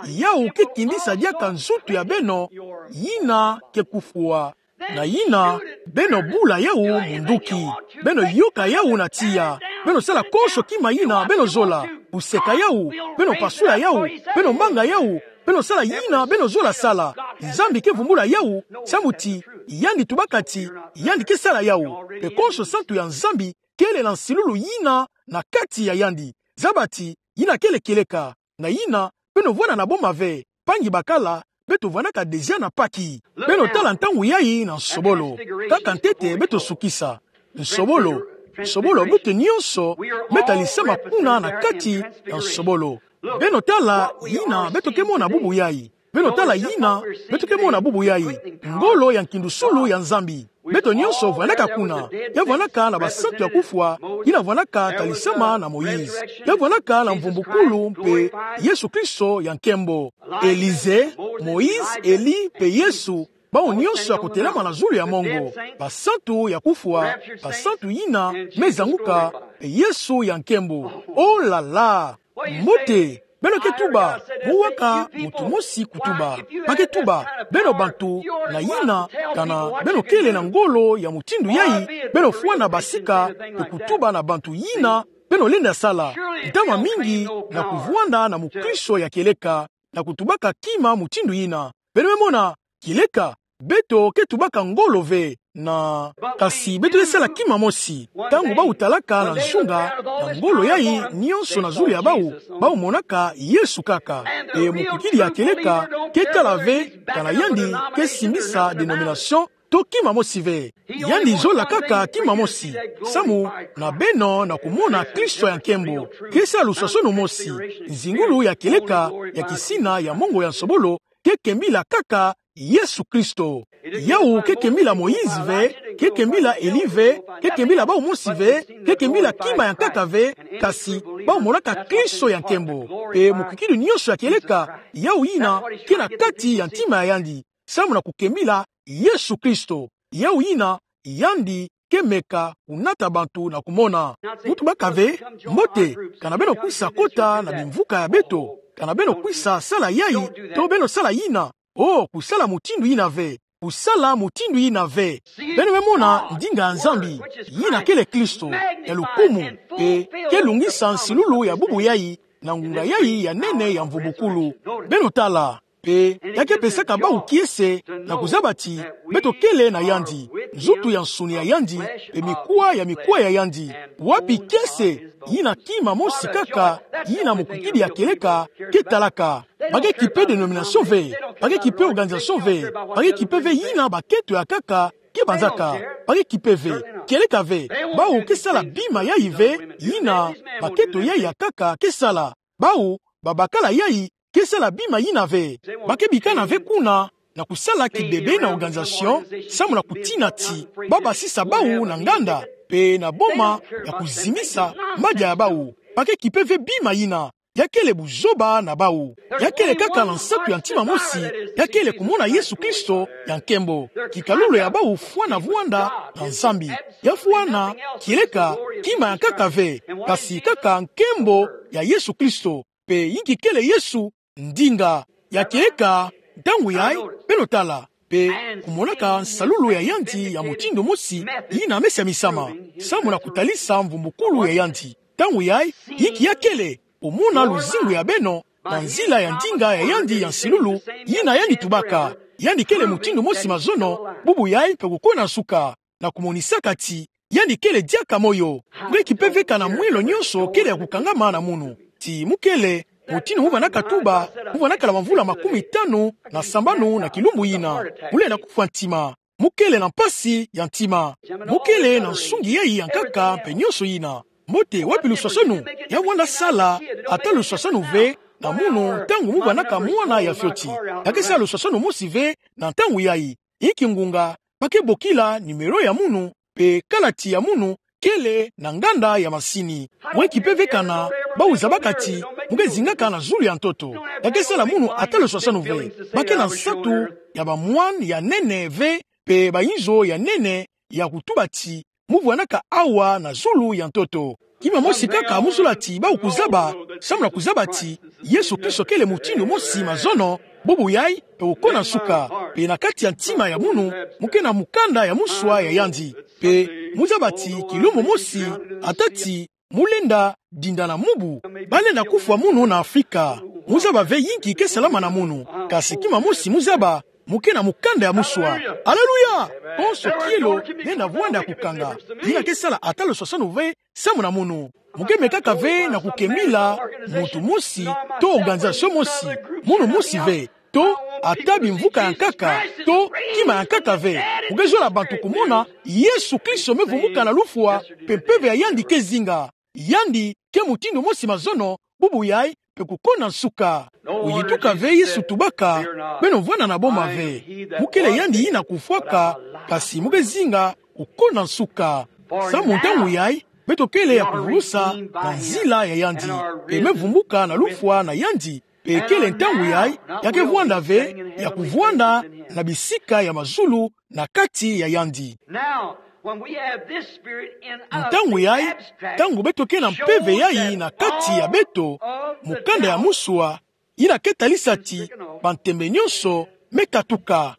yawu ke kindisa diaka nzutu ya beno yina ke kufwa. Na yina, beno bula yawu munduki. Beno yoka yawu na tiya. Beno sala konso kima yina beno zola. Kuseka yawu, beno pasula yawu, beno manga yawu, beno sala yina beno zola sala. Nzambi ke vumbula yawu, samu ti yandi tubaka ti yandi ke sala yawu. Mpe konso santu ya Nzambi kele na nsilulu yina na kati ya yandi. Zaba ti yina kele kieleka. Na yina, beno vwanda na boma ve, mpangi bakala, beto vwandaka deja na Paki. Beno tala ntangu yayi na nsobolo. Kaka ntete beto sukisa. Nsobolo, nsobolo, beto nyonso me talisama kuna na kati na nsobolo. Beno tala yina beto ke mona bubu yayi. Beno tala yina beto ke mona bubu yayi. Ngolo ya nkindusulu ya Nzambi. Beto nyonso vwandaka kuna. Ya vwandaka na basantu ya kufwa, yina vwandaka talisama na Moïse. Ya vwandaka na mvumbukulu mpe Yesu Kristo ya nkembo. Élisée, Moïse, Élie mpe Yesu, bawu nyonso ya kotelama na zulu ya mongo. Basantu ya kufwa, basantu yina me zanguka, mpe Yesu ya nkembo. Oh là là! Mbote, beno ke tuba, mu waka mutu mosi kutuba. Ba ke tuba, beno bantu na yina, kana beno kele na ngolo ya mutindu yayi, beno fwana basika, mpe kutuba na bantu yina, beno lenda sala. Ntama mingi na kuvwanda na mukristo ya kieleka, na kutubaka kima mutindu yina. Beno me mona, kieleka, beto ke tubaka ngolo ve, na, kasi beto ke sala kima mosi. Ntangu bawu talaka na nzunga, na ngolo yayi nyonso na zulu ya bawu, bawu monaka Yesu kaka. Mpe mukikidi ya kieleka ke kala ve, kana yandi ke simbisa dénomination, to kima mosi ve. Yandi zola kaka kima mosi. Samu na beno na kumona Kristo ya nkembo, ke sala luswaswanu mosi, nzingulu ya kieleka ya kisina ya mongo ya nsobolo, ke kembila kaka Yesu Kristo. Yawu ke kembila Moïse ve, ke kembila Élie ve, ke kembila bawu mosi ve, ke kembila kima ya nkaka ve, kasi bawu monaka Kristo ya nkembo. Mpe mukikidi nyonso ya kieleka, yawu yina ke na kati ya ntima ya yandi, samu na kukembila Yesu Kristo. Yawu yina yandi ke meka kunata bantu na kumona. Mu tubaka ve, mbote, kana beno kwisa kota na bimvuka ya beto, kana beno kwisa sala yayi, to beno sala yina. Oh, kusala mutindu yina ve. Kusala mutindu yina ve. Beno me mona ndinga ya Nzambi, yina kele Kristo, ya lukumu, mpe ke lungisa nsilulu ya bubu yayi, na ngunga yayi ya nene ya mvumbukulu. Beno tala, mpe ya ke pesaka bawu kiese na kuzaba ti beto kele na yandi, nzutu ya nsuni ya yandi, mpe mikuwa ya mikuwa ya yandi. Wapi kiese? Yina kima mosi kaka, yina mukikidi ya kieleka ke talaka. Ba ke kipe dénomination ve, ba ke kipe organisation ve, ba ke kipe ve yina bakento ya nkaka ke banzaka. Ba ke kipe ve, kieleka ve. Bawu ke sala bima yayi ve, yina bakento yayi ya nkaka ke sala. Bawu babakala yayi ke sala bima yina ve. Ba ke bikana ve kuna na kusala kibebe na organisation, samu na kutina ti ba basisa bawu na nganda, mpe na boma ya kuzimisa madia ya bawu. Ba ke kipe ve bima yina. Ya kele buzoba na bawu. Ya kele kaka na nsatu ya ntima mosi, ya kele kumona Yesu Kristo ya nkembo. Kikalulu ya bawu fwana vwanda na Nzambi. Ya fwana kieleka kima ya nkaka ve, kasi kaka nkembo ya Yesu Kristo. Mpe yinki kele Yesu, ndinga. Ya kieleka, ntangu yayi, beno tala, mpe kumonaka nsalulu ya yandi ya mutindu mosi, yina me siamisama, samu na kutalisa mvumbukulu ya yandi. Ntangu yayi, yinki ya kele, omona luzingu ya beno, na nzila ya ndinga ya yandi ya nsilulu, yina yandi tubaka. Yandi kele mutindu mosi mazono, bubu yayi mpe kukona nsuka, na kumonisaka ti yandi kele diaka moyo. Mu ke kipe ve kana mwelo nyonso kele ya kukangama na munu. Ti mu kele, mutindu mu vwandaka tuba, mu vwandaka na bamvula makumi tanu na sambanu na kilumbu yina. Mu lenda kufwa ntima. Mu kele na mpasi ya ntima. Mu kele na nsungi yayi ya nkaka mpe nyonso yina. Mbote, wapi luswaswanu? Ya vwanda sala ata luswaswanu ve na munu ntangu mu vwandaka mwana ya fioti. Ya ke sala luswaswanu mosi ve na ntangu yayi. Inki ngunga? Ba ke bokila nimero ya munu, mpe kalati ya munu kele na nganda ya masini. Mu ke kipe ve kana bawu zabaka ti mu ke zingaka na zulu ya ntoto. Ya ke sala munu ata luswaswanu ve. Ba ke na nsatu ya bamwani ya nene ve, mpe bayinzo ya nene ya kutuba ti mu vwandaka awa na zulu ya ntoto. Kima mosi kaka mu zola ti bawu kuzaba, samu na kuzaba ti Yesu Kristo kele mutindu mosi mazono, bubu yayi, mpe kukona nsuka, mpe na kati ya ntima ya munu, mu ke na mukanda ya muswa ya yandi. Mpe mu zaba ti kilumbu mosi, ata ti mu lenda dinda na mubu, ba lenda kufwa munu na Afrika. Mu zaba ve yinki ke salama na munu, kasi kima mosi mu zaba, mu ke na mukanda ya muswa. Aleluya! Konso kielo lenda vwanda ya kukanga. Yina ke sala ata luswaswanu ve samu na munu. Mu ke mekaka ve na kukembila muntu mosi, to organisation mosi, munu mosi ve, to ata bimvuka ya nkaka, to kima ya nkaka ve. Mu ke zola bantu kumona Yesu Kristo me vumuka na lufwa, mpe mpeve ya yandi ke zinga. Yandi ke mutindu mosi mazono, bubu yayi, pe kukona nsuka. Oyi tuka ve Yesu tubaka: Beno vwanda na boma ve. Mukele yandi yina kufwaka, kasi muke zinga kukona nsuka. Samu ntangu yayi, beto kele ya kuvulusa na nzila ya yandi. Pe me vumbuka na lufwa na yandi. Pe kele ntangu yayi, ya ke vwanda ve, ya kuvwanda na bisika ya mazulu na kati ya yandi. Now, when we have this spirit in us, ntangu yayi, ntangu beto ke na mpeve yayi na kati ya beto, mukanda ya musua yina ke talisa ti bantembe nyonso me katuka.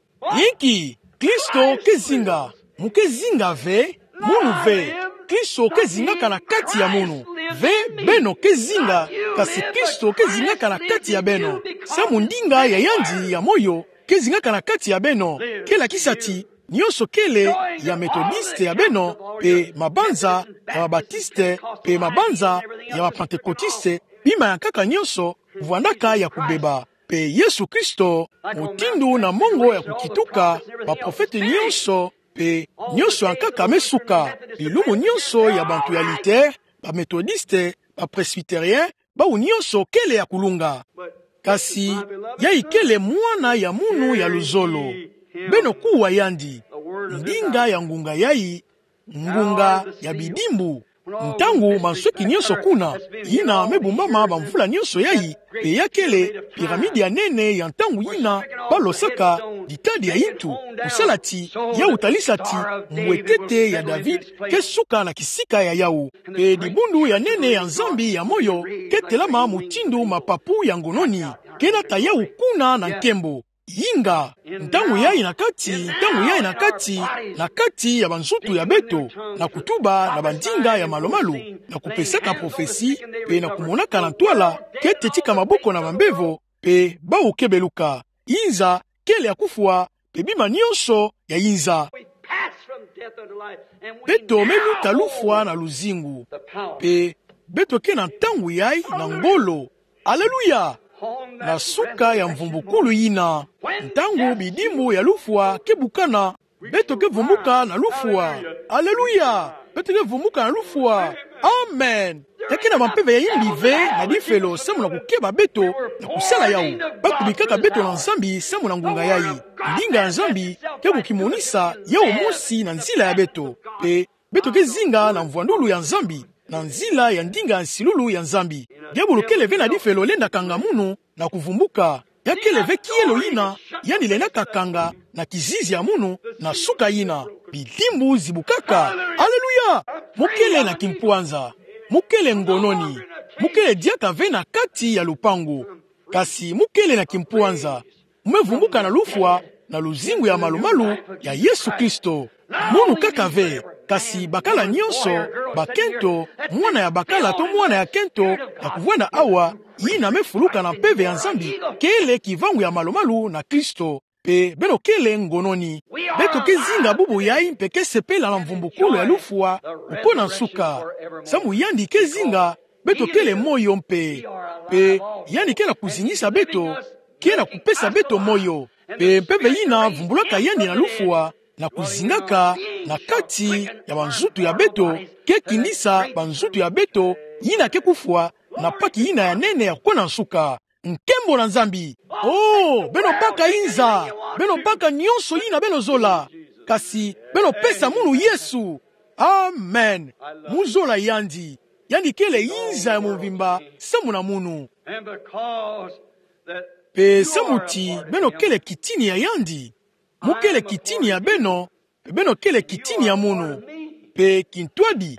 Inki? Kristo ke zinga. Muke zinga ve, munu ve. Kristo ke zingaka na kati ya munu. Ve, beno ke zinga, kasi Kristo ke zingaka na kati ya beno. Samu ndinga ya yandi ya moyo ke zingaka na kati ya beno. Ke lakisa ti nyonso kele ya Metodiste ya beno, pe mabanza ya Mabatiste, pe mabanza ya Mapantekotiste, bima ya nkaka nyonso vwandaka ya kubeba. Pe Yesu Kristo, mutindu na mongo ya kukituka, baprofete nyonso, pe nyonso ya nkaka me suka. Bilumbu nyonso ya bantu ya Luther, ba Metodiste, ba Presbytérien, bawu nyonso kele ya kulunga. Kasi yayi kele mwana ya munu ya luzolo. Beno kuwa yandi. Ndinga ya ngunga yayi, ngunga ya bidimbu. Ntangu mansweki nyonso kuna, yina me bumbama bamvula nyonso yayi, pe ya kele pyramide ya nene ya ntangu yina balosaka ditadi ya yintu, kusala ti yawu talisa ti mbwetete ya David ke suka na kisika ya yawu. Pe dibundu ya nene ya Nzambi ya moyo ke telama mutindu mapapu ya ngononi, ke nata yawu kuna na nkembo. Inga, ntangu yayi na kati, ntangu yayi na kati, na kati ya banzutu ya beto, na kutuba na bandinga ya malumalu, na kupesaka prophetie, pe na kumonaka na ntwala, ke tetika maboko na bambevo, pe bawu ke beluka. Inza kele ya kufwa, pe bima nyonso ya inza. Beto me luta lufwa na luzingu. Pe beto ke na ntangu yayi na ngolo. Aleluya! Na suka ya mvumbukulu yina, ntangu bidimbu ya lufwa ke bukana, beto ke vumbuka na lufwa. Aleluya! Beto ke vumbuka na lufwa. Amen. Ya ke na bampeve ya yimbi ve na difelo samu na kukeba beto na kusala yawu. Bakubikaka beto na Nzambi samu na ngunga yayi. Ndinga ya Nzambi ke kukimonisa yawu mosi na nzila ya beto. Pe beto ke zinga na mvwandulu ya Nzambi, na nzila ya ndinga ya nsilulu ya Nzambi. Diabulu kele ve na difelo lenda kanga munu na kuvumbuka. Ya kele ve kielo yina yandi lenda kakanga na kizizi ya munu na suka yina. Bidimbu zibukaka. Aleluya! Mu kele na kimpwanza. Mu kele ngononi. Mu kele diaka ve na kati ya lupangu. Kasi mu kele na kimpwanza. Mu me vumbuka na lufwa na luzingu ya malumalu ya Yesu Kristo. Munu kaka ve, kasi bakala nyonso, bakento, mwana ya bakala to mwana ya kento, ya kuvwanda awa, yina me fuluka na mpeve ya Nzambi, kele kivangu ya malumalu na Kristo. Pe beno kele ngononi. Beto ke zinga bubu yayi mpe ke sepela na mvumbukulu ya lufwa, kukona nsuka. Samu yandi ke zinga, beto kele moyo mpe. Pe yandi ke na kuzingisa beto, ke na kupesa beto moyo. Pe mpeve yina vumbulaka yandi na lufwa, na kuzingaka na kati ya banzutu ya beto, ke kindisa banzutu ya beto yina ke kufwa, na paki yina ya nene ya kukona nsuka. Nkembo na Nzambi. Oh, beno baka inza, beno baka nyonso yina beno zola. Kasi beno pesa munu Yesu. Amen. Mu zola yandi. Yandi kele inza ya mvimba samu na munu. Pe samu ti beno kele kitini ya yandi, mu kele kitini ya beno, pe beno kele kitini ya munu. Pe kintwadi,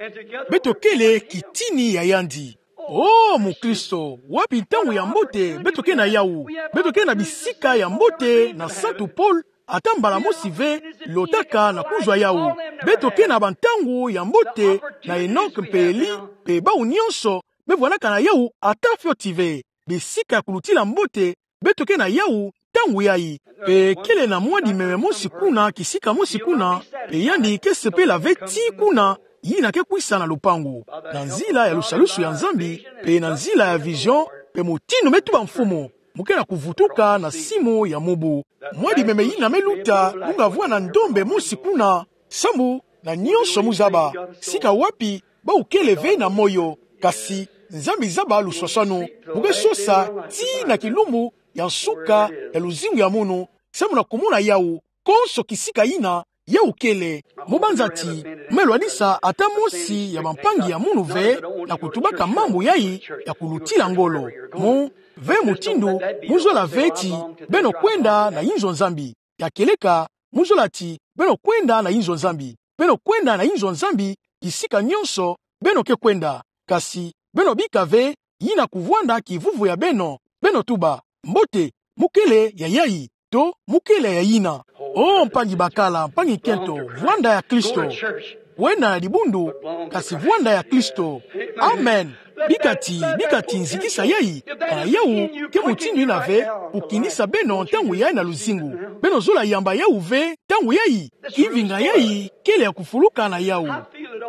beto kele kitini ya yandi. Oh, mukristo, wapi ntangu ya mbote beto ke na yawu? Beto ke na bisika ya mbote na Santu Paul, ata mbala mosi ve lotaka na kuzwa yawu. Beto ke na bantangu ya mbote na Enoch mpe Elie, pe bawu nyonso me vwandaka na yawu ata fioti ve. Bisika ya kulutila mbote, beto ke na yawu ntangu yayi. Pe kele na mwa dimeme mosi kuna, kisika mosi kuna, pe yandi ke sepela ve tii kuna, yina ke kwisa na lupangu. Na nzila ya lusalusu ya Nzambi, pe na nzila ya vision, pe mutindu me tuba Mfumu, mu ke na kuvutuka na simu ya mubu. Mwa dimeme yina me luta, mu nga vwa na ndombe mosi kuna, samu na nyonso mu zaba, sika wapi bawu kele ve na moyo, Kasi Nzambi zaba luswaswanu, mu ke sosa tii na kilumbu ya nsuka ya luzingu ya munu, samu na kumona yawu, konso kisika yina yawu kele. Mu banza ti, me lwadisa ata mosi ya bampangi ya munu ve na kutubaka mambu yayi ya kulutila ngolo. Mu ve mutindu, mu zola ve ti beno kwenda na inzo Nzambi. Ya kieleka, mu zola ti beno kwenda na inzo Nzambi. Beno kwenda na inzo Nzambi, kisika nyonso beno ke kwenda. Kasi beno bika ve yina kuvwanda kivuvu ya beno. Beno tuba: Mbote, mu kele ya yayi, to mu kele ya yina? O mpangi bakala, mpangi nkento, vwanda ya Kristo. Wena ya dibundu, kasi vwanda ya Kristo. Amen. Bika ti, bika ti nzikisa yayi, kana yawu ke mutindu yina ve kukinisa beno ntangu yayi na luzingu. Beno zola yamba yawu ve ntangu yayi. Kivinga yayi kele ya kufuluka na yawu.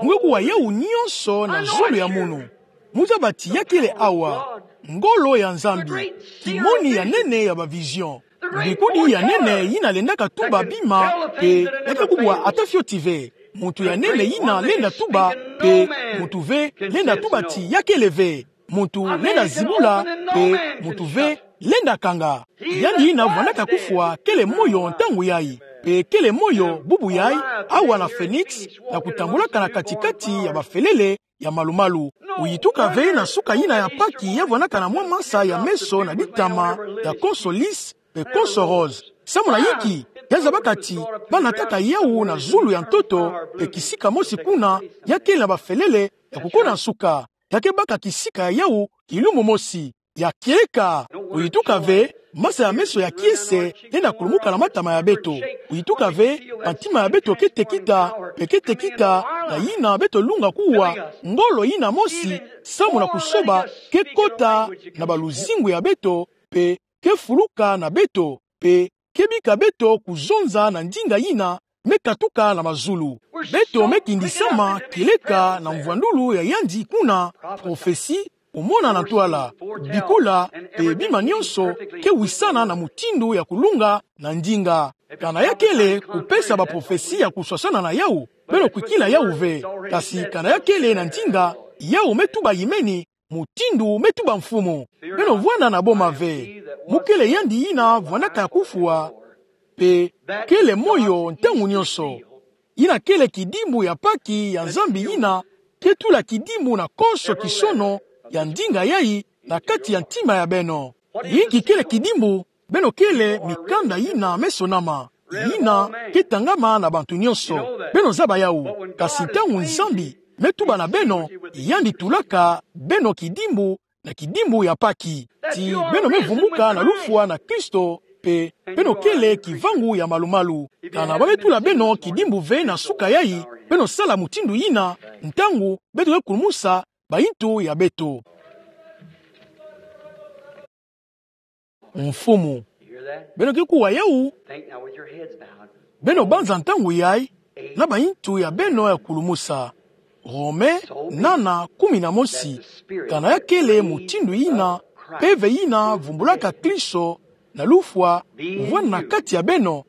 Mu ke kuwa yawu nyonso na zulu ya munu. Mu zaba ti ya kele awa ngolo ya Nzambi, kimoni ya nene ya ba vision. Mbikudi ya nene yina lendaka tuba bima, mpe ya ke kubwa ata fioti ve. Muntu ya nene yina lenda tuba, mpe muntu ve lenda tuba ti ya kele ve. Muntu lenda zibula, mpe muntu ve lenda kanga. Yandi yina vwandaka kufwa kele moyo ntangu yayi, mpe kele moyo bubu yayi, awa na Phoenix, na kutambulaka na kati-kati ya bafelele ya malumalu. Oyituka ve na suka yina ya Paki ya vwandaka na mwa masa ya meso na ditama ya konso lisse mpe konso rose. Samu na inki? Ya zabaka ti ba nataka yawu na zulu ya ntoto, mpe kisika mosi kuna ya kele na bafelele ya kukoda nsuka. Ya ke baka kisika ya yawu kilumbu mosi. Ya kieleka, oyituka ve, masa ya meso ya kiese lenda kulumuka na matama ya beto. Oyituka ve, bantima ya beto ke tekita, mpe ke tekita na yina beto lunga kuwa ngolo yina mosi, samu na kusoba ke kota na baluzingu ya beto, mpe ke fuluka na beto, mpe ke bika beto kuzonza na ndinga yina me katuka na mazulu. Beto me kindisama kieleka na mvwandulu ya yandi kuna, prophetie, omona na ntwala, bikula, mpe bima nyonso ke wisana na mutindu ya kulunga na ndinga. Kana ya kele kupesa baprophetie ya kuswaswana na yawu, beno kwikila yawu ve. Kasi kana ya kele na ndinga, yawu me tuba yimeni, mutindu me tuba Mfumu. Beno vwanda na boma ve. Mu kele yandi yina vwandaka kufwa, mpe kele moyo ntangu nyonso. Yina kele kidimbu ya Paki ya Nzambi yina ke tula kidimbu na konso kisono ya ndinga yayi na kati ya ntima ya beno. Inki kele kidimbu? Beno kele mikanda yina me sonama, yina ke tangama na bantu nyonso. Beno zaba yawu. Kasi ntangu Nzambi me tuba na beno, yandi tulaka beno kidimbu na kidimbu ya Paki, ti beno me vumbuka na lufwa na Kristo, mpe beno kele kivangu ya malumalu. Kana ba me tula beno kidimbu ve na suka yayi, beno sala mutindu yina ntangu beto ke kulumusa bayintu ya beto. Mfumu. Beno ke kuwa yawu? Beno banza ntangu yayi na bayintu ya beno ya kulumusa. Rome nana, kumi na mosi. Kana ya kele mutindu yina mpeve yina vumbulaka Kristo na lufwa vwanda na kati ya beno,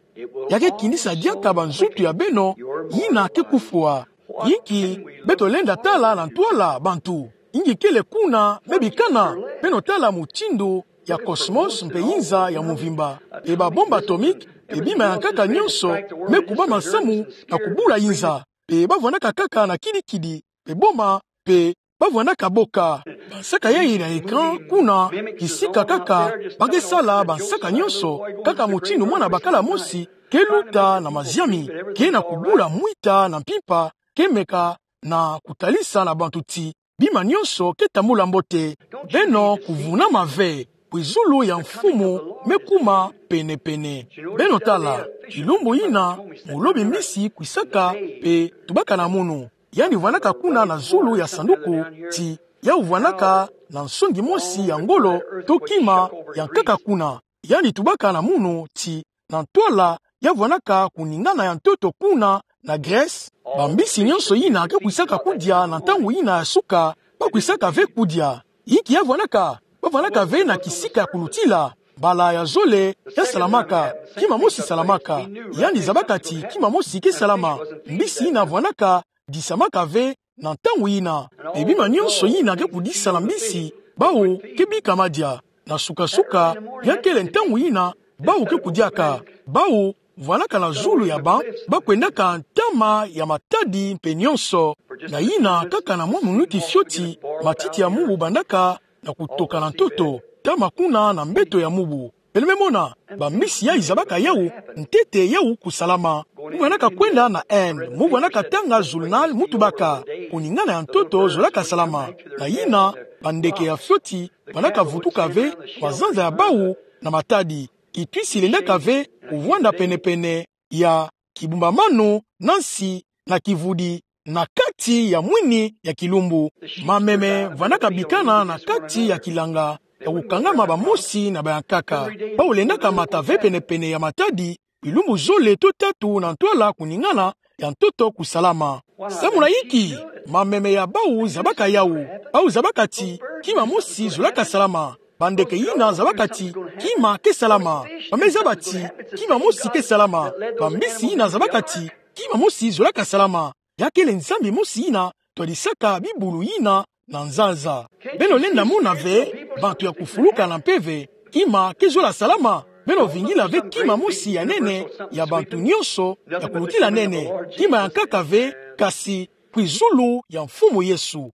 ya ke kinisa diaka banzutu ya beno yina ke kufwa. Inki beto lenda tala na ntwala, bantu? Inki kele kuna me bikana? Beno tala mutindu ya cosmos mpe yinza ya mvimba, mpe ba bombe atomique, mpe bima ya nkaka nyonso me kubama samu na kubula yinza, mpe ba vwandaka kaka na kidi-kidi, mpe boma, mpe ba vwandaka boka. Bansaka yayi na écran kuna, kisika kaka ba ke sala bansaka nyonso, kaka mutindu mwana bakala mosi ke luta na maziami, ke na kubula mwita na mpimpa, ke meka na kutalisa na bantu ti bima nyonso ke tambula mbote. Beno kuvunama ve, bwe zulu ya Mfumu me kuma pene-pene. Beno tala, kilumbu yina, mulobi mbisi kwisaka mpe tubaka na munu. Yandi vwandaka kuna na zulu ya sanduku, ti yawu vwandaka na nsongi mosi ya ngolo to kima ya nkaka kuna. Yandi tubaka na munu ti na ntwala ya vwandaka kuningana ya ntoto kuna na Grèce, bambisi nyonso yina ke kwisaka kudia na ntangu yina ya suka, ba kwisaka ve kudia. Inki ya vwandaka? Ba vwandaka ve na kisika ya kulutila. Mbala ya zole ya salamaka, kima mosi salamaka. Yandi zabaka ti kima mosi ke salama. Mbisi yina vwandaka disamaka ve na ntangu yina. Mpe bima nyonso yina ke kudisa na mbisi, bawu ke bika madia. Na suka-suka, ya kele ntangu yina, bawu ke kudiaka. Bawu vwandaka na zulu ya ba, ba kwendaka ntama ya matadi mpe nyonso. Na yina kaka na mwa minuti fioti, matiti ya mubu bandaka na kutoka na ntoto, ntama kuna na mbeto ya mubu. Peleme mona, bambisi yayi zabaka yawu, ntete yawu kusalama. Mu vwandaka kwenda na Inde, mu vwandaka tanga journal, mu tubaka, kuningana ya ntoto zolaka salama. Na yina, bandeke ya fioti, vwandaka vutuka ve, mazanza ya bawu, na matadi. Kituisi lendaka ve, kuvwanda pene-pene, ya kibumbamanu, na nsi, na kivudi, na kati ya mwini ya kilumbu. Mameme vwandaka bikana na kati ya kilanga, ya kukangama bamosi na bayankaka. Bawu lendaka mata ve pene-pene ya matadi, bilumbu zole to tatu na ntwala kuningana ya ntoto kusalama. Samu na inki, mameme ya bawu zabaka yawu. Bawu zabaka ti, kima mosi zolaka salama. Bandeke yina zabaka ti, kima ke salama. Ba me zaba ti, kima mosi ke salama. Bambisi yina zabaka ti, kima mosi zolaka salama. Ya kele Nzambi mosi yina twadisaka bibulu yina na nzanza. Beno lenda mona ve, bantu ya kufuluka na mpeve, kima ke zola salama. Beno vingila ve kima mosi ya nene, ya bantu nyonso, ya kulutila nene. Kima ya nkaka ve, kasi kwizulu ya Mfumu Yesu.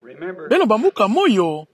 Beno bambuka moyo,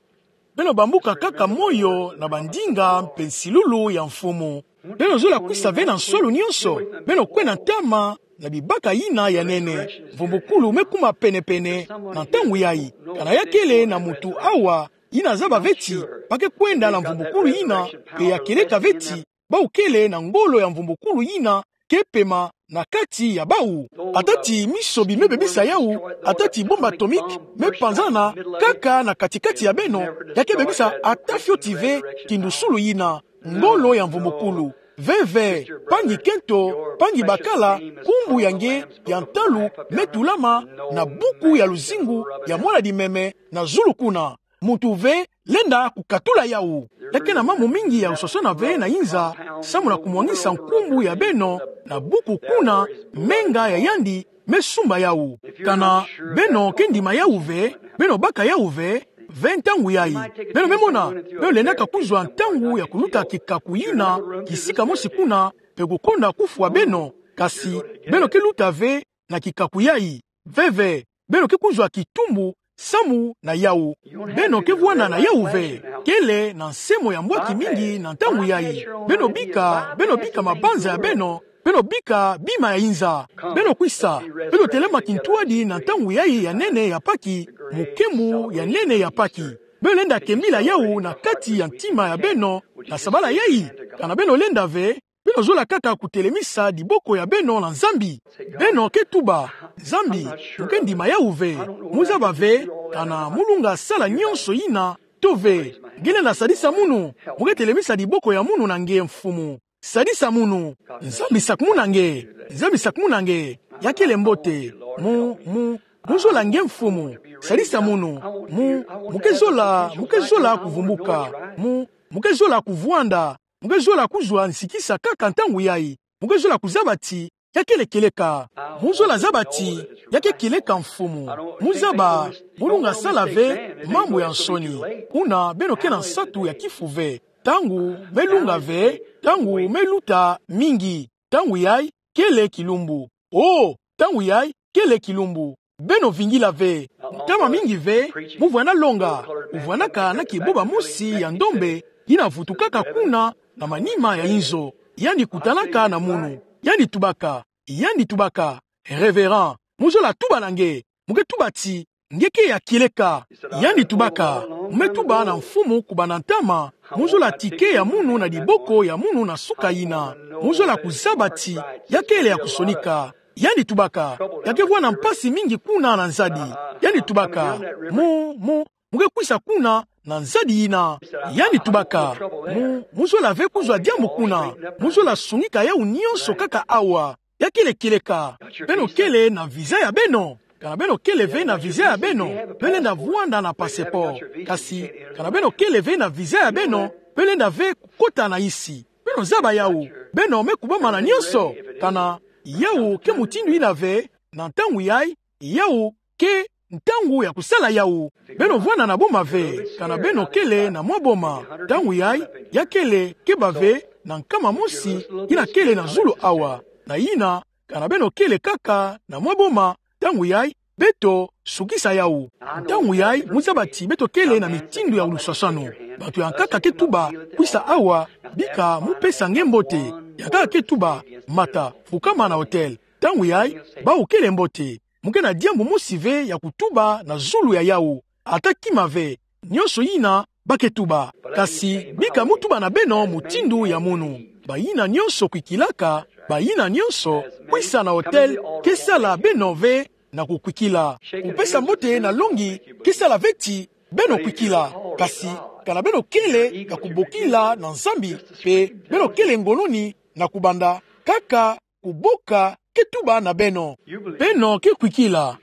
beno bambuka kaka moyo na bandinga mpe nsilulu ya Mfumu. Beno zola kwisa ve na nswalu nyonso, beno kwenda ntama na bibaka yina ya nene. Mvumbukulu me kuma pene-pene na ntangu yayi. Kana ya kele na muntu awa, yina zaba ve ti, ba ke kwenda na mvumbukulu yina, mpe ya kieleka ve ti, bawu kele na ngolo ya mvumbukulu yina ke pema na kati ya bawu. Ata ti misobi me bebisa yawu, ata ti bombe atomique me panzana kaka na kati-kati ya beno, ya ke bebisa ata fioti ve kindusulu yina, ngolo ya mvumbukulu. Veve, mpangi kento, mpangi bakala, nkumbu ya nge ya ntalu me tulama na buku ya luzingu ya Mwana-Dimeme na zulu kuna. Muntu ve lenda kukatula yawu. Ya ke na mambu mingi ya kusosola ve na inza, samu na kumwangisa nkumbu ya beno na buku kuna, menga ya yandi me sumba yawu. Kana beno ke ndima yawu ve, beno baka yawu ve, ve ntangu yayi. Beno me mona, beno lendaka kuzwa ntangu ya kuluta kikaku yina kisika mosi kuna, mpe kukonda kufwa beno, kasi beno ke luta ve na kikaku yayi. Veve, beno ke kuzwa kitumbu samu na yawu. Beno ke vwanda na yawu ve. Kele na nse mo ya mbwaki mingi na ntangu yayi. Beno bika, beno bika mabanza ya beno, beno bika bima ya inza. Beno kwisa, beno telema kintwadi na ntangu yayi ya nene ya Paki, mukembu ya nene ya Paki. Beno lenda kembila yawu na kati ya ntima ya beno na sabala yayi. Kana beno lenda ve, beno zola kaka kutelemisa diboko ya beno na Nzambi. Beno ke tuba: Nzambi, mu ke ndima yawu ve. Mu zaba ve kana mu lunga sala nyonso yina to ve. Nge lenda sadisa munu. Mu ke telemisa diboko ya munu na nge, Mfumu. Sadisa munu. Nzambi sakumuna nge. Nzambi sakumuna nge. Ya kele mbote. Mu, mu, mu zola nge, Mfumu. Sadisa munu. Mu, mu ke zola, mu ke zola kuvumbuka. Mu, mu ke zola kuvwanda. Mu ke zola kuzwa nsikisa kaka ntangu yayi. Mu ke zola kuzaba ti ya kele kieleka. Mu zola zaba ti ya ke kieleka, Mfumu. Mu zaba, mu lunga sala ve mambu ya nsoni. Kuna beno ke na nsatu ya kifu ve. Ntangu me lunga ve, ntangu me luta mingi. Ntangu yayi kele kilumbu. Oh, ntangu yayi kele kilumbu. Beno vingila ve. Ntama mingi ve, mu vwanda longa, mu vwandaka na kiboba mosi ya ndombe, yina vutukaka kuna na manima ya inzo. Yandi kutanaka na munu. Yandi tubaka. Yandi tubaka: Révérend, mu zola tuba na nge. Mu ke tuba ti nge ke ya kieleka. Yandi tubaka: Mu me tuba na Mfumu kubanda ntama. Mu zola tike ya munu na diboko ya munu na suka yina. Mu zola kuzaba ti ya kele ya kusonika. Yandi tubaka: Ya ke vwanda mpasi mingi kuna na nzadi. Yandi tubaka: Mu, mu, mu ke kwisa kuna na nzadi yina. Yandi tubaka: Mu, mu zola ve kuzwa diambu kuna. Mu zola sungika yawu nyonso kaka awa. Ya kele kieleka. Beno kele na visa ya beno. Kana beno kele ve na visa ya beno, beno lenda vwanda na passeport. Kasi kana beno kele ve na visa ya beno, beno lenda ve kukota na isi. Beno zaba yawu. Beno me kubama na nyonso. Kana yawu ke mutindu yina ve, na ntangu yayi, yawu ke ntangu ya kusala yawu. Beno vwanda na boma ve, kana beno kele na mwa boma, ntangu yayi, ya kele keba ve na nkama mosi yina kele na zulu awa. Na yina, kana beno kele kaka na mwa boma, ntangu yayi, beto sukisa yawu. Ntangu yayi, mu zaba ti beto kele na mitindu ya luswaswanu. Bantu ya nkaka ke tuba, kwisa awa, bika mu pesa nge mbote. Ya nkaka ke tuba, mata, fukama na hôtel. Ntangu yayi, bawu kele mbote. Mu ke na diambu mosi ve ya kutuba na zulu ya yawu. Ata kima ve, nionso yina ba ke tuba. Kasi bika mu tuba na beno mutindu ya munu. Bayina nionso kwikilaka, bayina nionso, kwisa na hôtel, ke sala beno ve na kukwikila. Kupesa mbote na longi, ke sala ve ti beno kwikila. Kasi, kana beno kele ya kubokila na Nzambi, mpe beno kele ngolo ni na kubanda, kaka kuboka ke tuba na beno. Beno ke kwikila.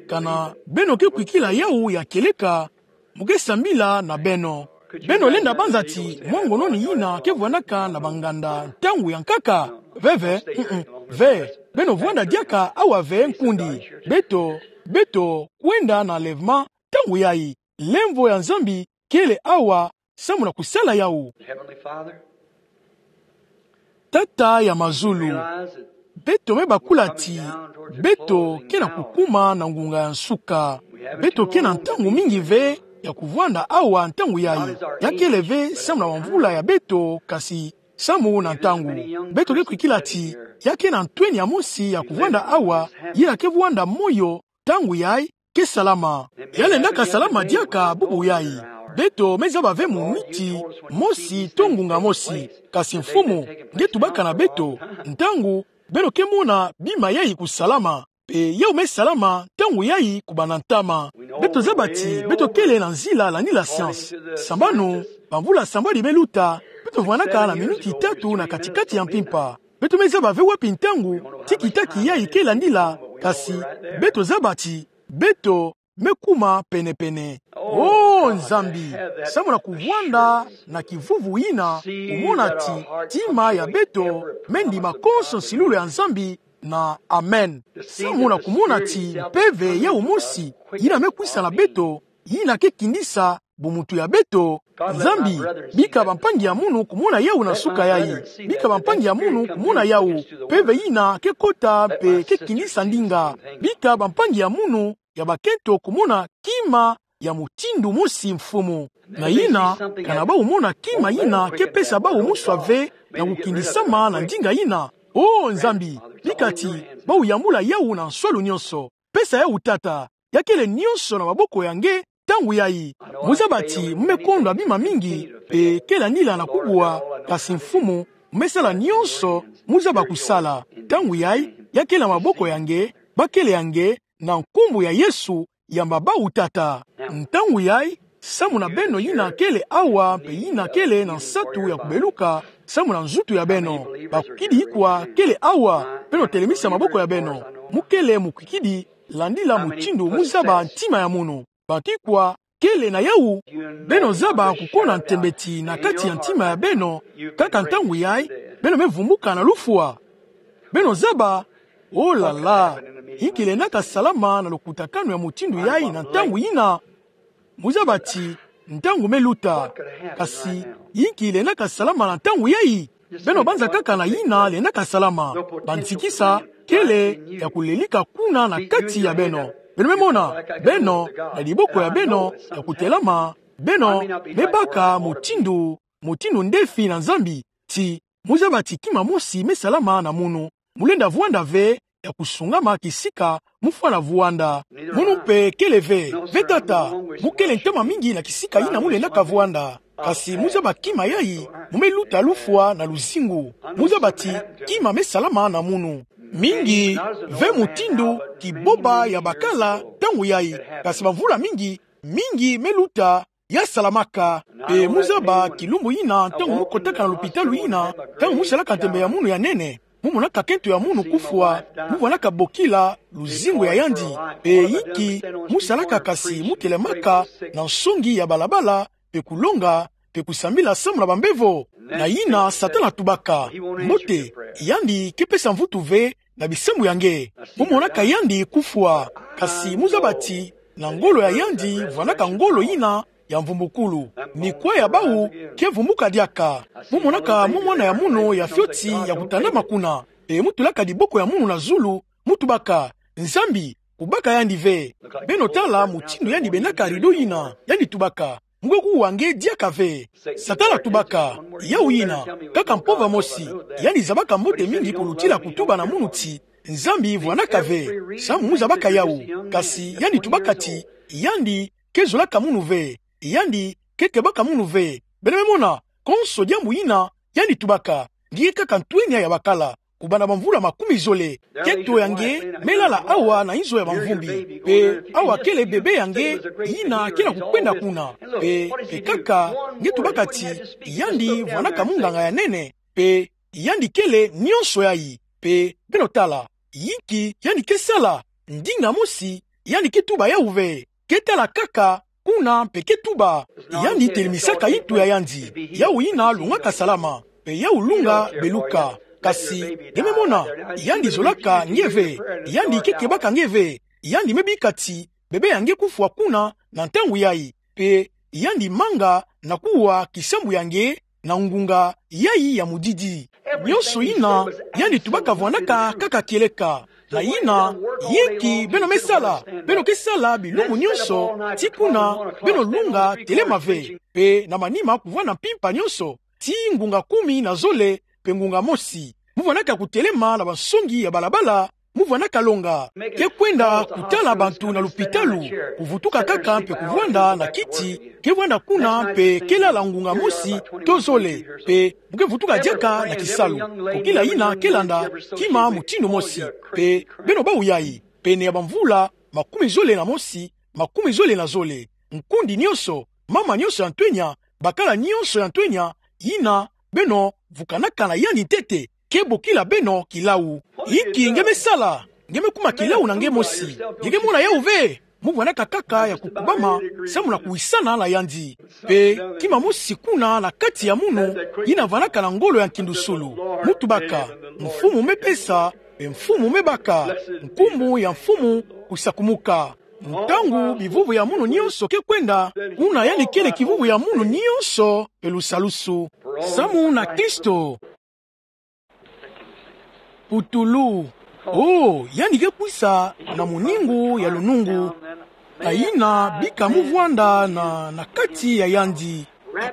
Kana beno ke kwikila yawu ya kieleka, mu ke sambila na beno. Beno lenda banza ti mwa ngono ni yina ke vwandaka na banganda ntangu ya nkaka? Veve, mm-mm, ve. Beno vwanda diaka awa ve nkundi. Beto, beto kwenda na enlèvement ntangu yayi. Lemvo ya Nzambi kele awa samu na kusala yawu. Heavenly Father, Tata ya mazulu, realize that beto me bakula ti beto ke na kukuma na ngunga ya nsuka. Beto ke na ntangu mingi ve ya kuvwanda awa ntangu yayi. Ya kele ve samu na bamvula ya beto, kasi samu na ntangu. Beto ke kwikila ti ya ke na ntweni ya mosi ya kuvwanda awa, yina ke vwanda moyo ntangu yayi ke salama. Ya lendaka salama diaka bubu yayi. Beto me zaba ve muniti mosi to ngunga mosi. Kasi Mfumu, nge tubaka na beto, ntangu beno ke mona bima yayi kusalama. Mpe yawu me salama ntangu yayi kubanda ntama. Beto zaba ti beto kele na nzila landila science. Sambanu, bamvula sambwadi me luta, beto vwandaka na minuti tatu na kati-kati ya mpimpa. Beto me zaba ve wapi ntangu tiki-taki yayi ke landila, kasi beto zaba ti beto me kuma pene-pene. Oh Nzambi, samu na kuvwanda na kivuvu yina, kumona ti ntima ya beto me ndima konso nsilulu ya Nzambi, na amen. Samu na kumona ti mpeve yawu mosi yina me kwisa na beto, yina ke kindisa bumuntu ya beto. Nzambi, bika bampangi ya munu kumona yawu na nsuka yayi. Bika bampangi ya munu kumona yawu. Mpeve yina ke kota mpe ke kindisa ndinga. Bika bampangi ya munu ya bakento kumona kima ya mutindu mosi, Mfumu. Na yina, kana bawu mona kima yina ke pesa bawu muswa ve na kukindisama na ndinga yina. Oh Nzambi, bika ti bawu yambula yawu na nswalu nionso. Pesa yawu, Tata. Ya kele nionso na maboko ya nge ntangu yayi. Mu zaba ti mu me kondwa bima mingi, mpe ke landila na kubwa, kasi Mfumu, mu me sala nionso mu zaba kusala. Ntangu yayi, ya kele na maboko ya nge, bakele ya nge, na nkumbu ya Yesu, yamba bawu, Tata. Ntangu yayi, samu na beno yina kele awa mpe yina kele na nsatu ya kubeluka samu na nzutu ya beno. Bakwikidi ikwa kele awa, beno telemisa maboko ya beno. Mu kele mukwikidi, landila mutindu mu zaba ntima ya munu. Bantu ikwa kele na yawu? Beno zaba kukona ntembe ti na kati ya ntima ya beno, kaka ntangu yayi, beno me vumbuka na lufwa. Beno zaba? Oh là là! Inki lendaka salama na lukutakanu ya mutindu yayi na ntangu yina? Mu zaba ti ntangu me luta. Kasi inki lendaka salama na ntangu yayi? Beno banza kaka na yina lendaka salama. Bansikisa kele ya kulenika kuna na kati ya beno. Beno me mona, beno, na diboko ya beno ya kutelama, beno me baka mutindu, mutindu ndefi na Nzambi, ti mu zaba ti kima mosi me salama na munu. Mu lenda vwanda ve ya kusungama kisika mu fwana vwanda. Munu mpe kele ve, ve tata, mu kele ntama mingi na kisika yina mu lendaka vwanda. Kasi mu zaba kima yayi, mu me luta lufwa na luzingu. Mu zaba ti kima me salama na munu. Mingi ve mutindu kiboba ya bakala ntangu yayi. Kasi bamvula mingi, mingi me luta, ya salamaka. Mpe mu zaba kilumbu yina, ntangu mu kotaka na lupitalu yina, ntangu mu salaka ntembe ya munu ya nene, mu monaka kento ya munu kufwa, mu vwandaka bokila luzingu ya yandi. Mpe inki mu salaka? Kasi mu telemaka na nsongi ya balabala, mpe kulonga, mpe kusambila samu na bambevo. Na yina Satana atubaka. Mbote, yandi ke pesa mvutu ve na bisambu ya nge. Mu monaka yandi kufwa. Kasi mu zaba ti na ngolo ya yandi vwanaka ngolo yina ya mvumbukulu. Mikwa ya bawu ke vumbuka diaka. Mu monaka mu mwana ya munu ya fioti ya kutandama kuna. Pe mu tulaka diboko ya munu na zulu, mu tubaka: Nzambi, kubaka yandi ve. Beno tala mutindu yandi bendaka rideau yina, yandi tubaka: Mu ke kuwa nge diaka ve. Satana tubaka: Yawu yina, kaka mpova mosi. Yandi zabaka mbote mingi kulutila kutuba na munu ti Nzambi vwanaka ve, samu mu zabaka yawu. Kasi yandi tubaka ti yandi ke zolaka munu ve, yandi ke kebaka munu ve. Beno me mona, konso diambu yina yandi tubaka, nge kaka ntwenia ya bakala, kubanda bamvula makumi zole. Keto ya nge me lala awa na inzo ya bamvumbi. Pe awa kele bebe ya nge yina ke na kukwenda kuna. Pe, pe kaka, nge tubaka ti yandi vwanaka munganga ya nene. Pe yandi kele nionso yayi. Pe beno tala, yinki yandi ke sala? Ndinga mosi, yandi ke tuba yawu ve. Ke tala kaka kuna pe ke tuba. Yandi telimisaka intu ya yandi. Yawu yina lungaka salama, pe yawu lunga beluka. Kasi nge me mona, yandi zolaka nge ve. Yandi ke kebaka nge ve. Yandi me bika ti bebe ya nge kufwa kuna na ntangu yayi. Pe yandi manga na kuwa kisambu ya nge na ngunga yayi ya mudidi. Nionso yina yandi tubaka vwanaka kaka kieleka. Na yina, yinki beno me sala? Beno ke sala bilumbu nionso, ti kuna beno lunga telema ve. Pe na manima kuvwanda mpimpa nionso, ti ngunga kumi na zole, pe ngunga mosi. Mu vwanaka kutelema na bansongi ya balabala, mu vwanaka longa. Ke kwenda kutala bantu na lupitalu, kuvutuka kaka mpe kuvwanda na kiti, ke vwanda kuna mpe ke lala ngunga mosi to zole, pe mu ke vutuka diaka na kisalu. Kokila yina ke landa kima mutindu mosi, pe beno bawu yayi, pene ya bamvula makumi zole na mosi, makumi zole na zole. Nkundi nionso, mama nionso ya ntwenya, bakala nionso ya ntwenya, yina beno vukanaka na yandi ntete, ke bokila beno kilawu. Yinki nge me sala? Nge me kuma kilawu na nge mosi. Nge ke mona yawu ve? Mu vwanaka kaka ya kukubama, samu na kuwisana na yandi. Pe kima mosi kuna na kati ya munu, yina vwanaka na ngolo ya nkindusulu. Mu tubaka: Mfumu me pesa, pe Mfumu me baka. Nkumbu ya Mfumu kusakumuka. Ntangu bivuvu ya munu nionso ke kwenda, kuna yandi kele kivuvu ya munu nionso pe lusalusu. Samu na Kristo. Putulu. O, yandi ke kwisa na muningu ya lunungu. Na yina bika mu vwanda na, na kati ya yandi.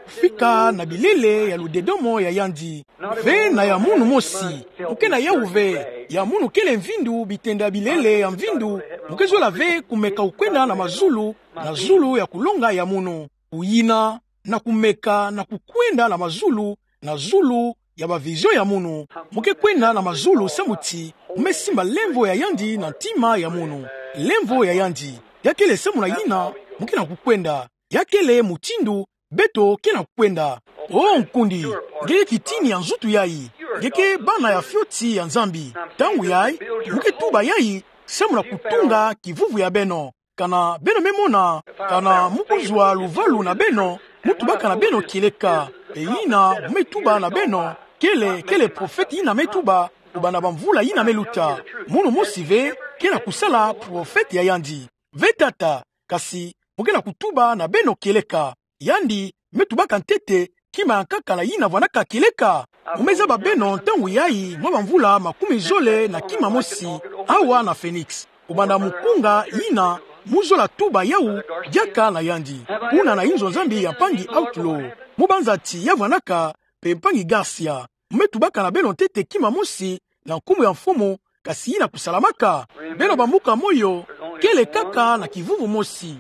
Kufika na bilele ya ludedomo ya yandi. Ve na ya munu mosi. Mu ke na yawu ve. Ya munu kele mvindu, bitenda bilele ya mvindu. Mu ke zola ve kumeka kukwenda na mazulu, na zulu ya kulonga ya munu. Kuyina, na kumeka na kukwenda na mazulu, na zulu ya ba vision ya munu. Mu ke kwenda na mazulu samu ti mu me simba lemvo ya yandi na ntima ya munu. Lemvo ya yandi. Ya kele samu na yina mu ke na kukwenda. Ya kele mutindu beto ke na kukwenda. O nkundi, nge ke kitini ya nzutu yayi. Nge ke bana ya fioti ya Nzambi. Ntangu yayi, mu ke tuba yayi, samu na kutunga kivuvu ya beno. Kana beno me mona, kana mu kuzwa luvalu na beno, mu tubaka na beno kieleka. Pe yina mu me tuba na beno, kele, kele profete yina me tuba, kubanda bamvula yina me luta. Munu mosi ve ke na kusala profete ya yandi. Ve tata, kasi mu ke na kutuba na beno kieleka. Yandi me tubaka ntete kima ya nkaka na yina vwanaka kieleka. Mu me zaba beno ntangu yayi mwa bamvula makumi zole na kima mosi, awa na Phoenix. Kubanda mukunga yina, mu zola tuba yawu diaka na yandi. Kuna na inzo Nzambi ya mpangi Outlaw. Mu banza ti ya vwanaka, pe mpangi Garcia. Mu me tubaka na beno ntete kima mosi, na nkumbu ya Mfumu, kasi yina kusalamaka. Beno bambuka moyo, kele kaka na kivuvu mosi.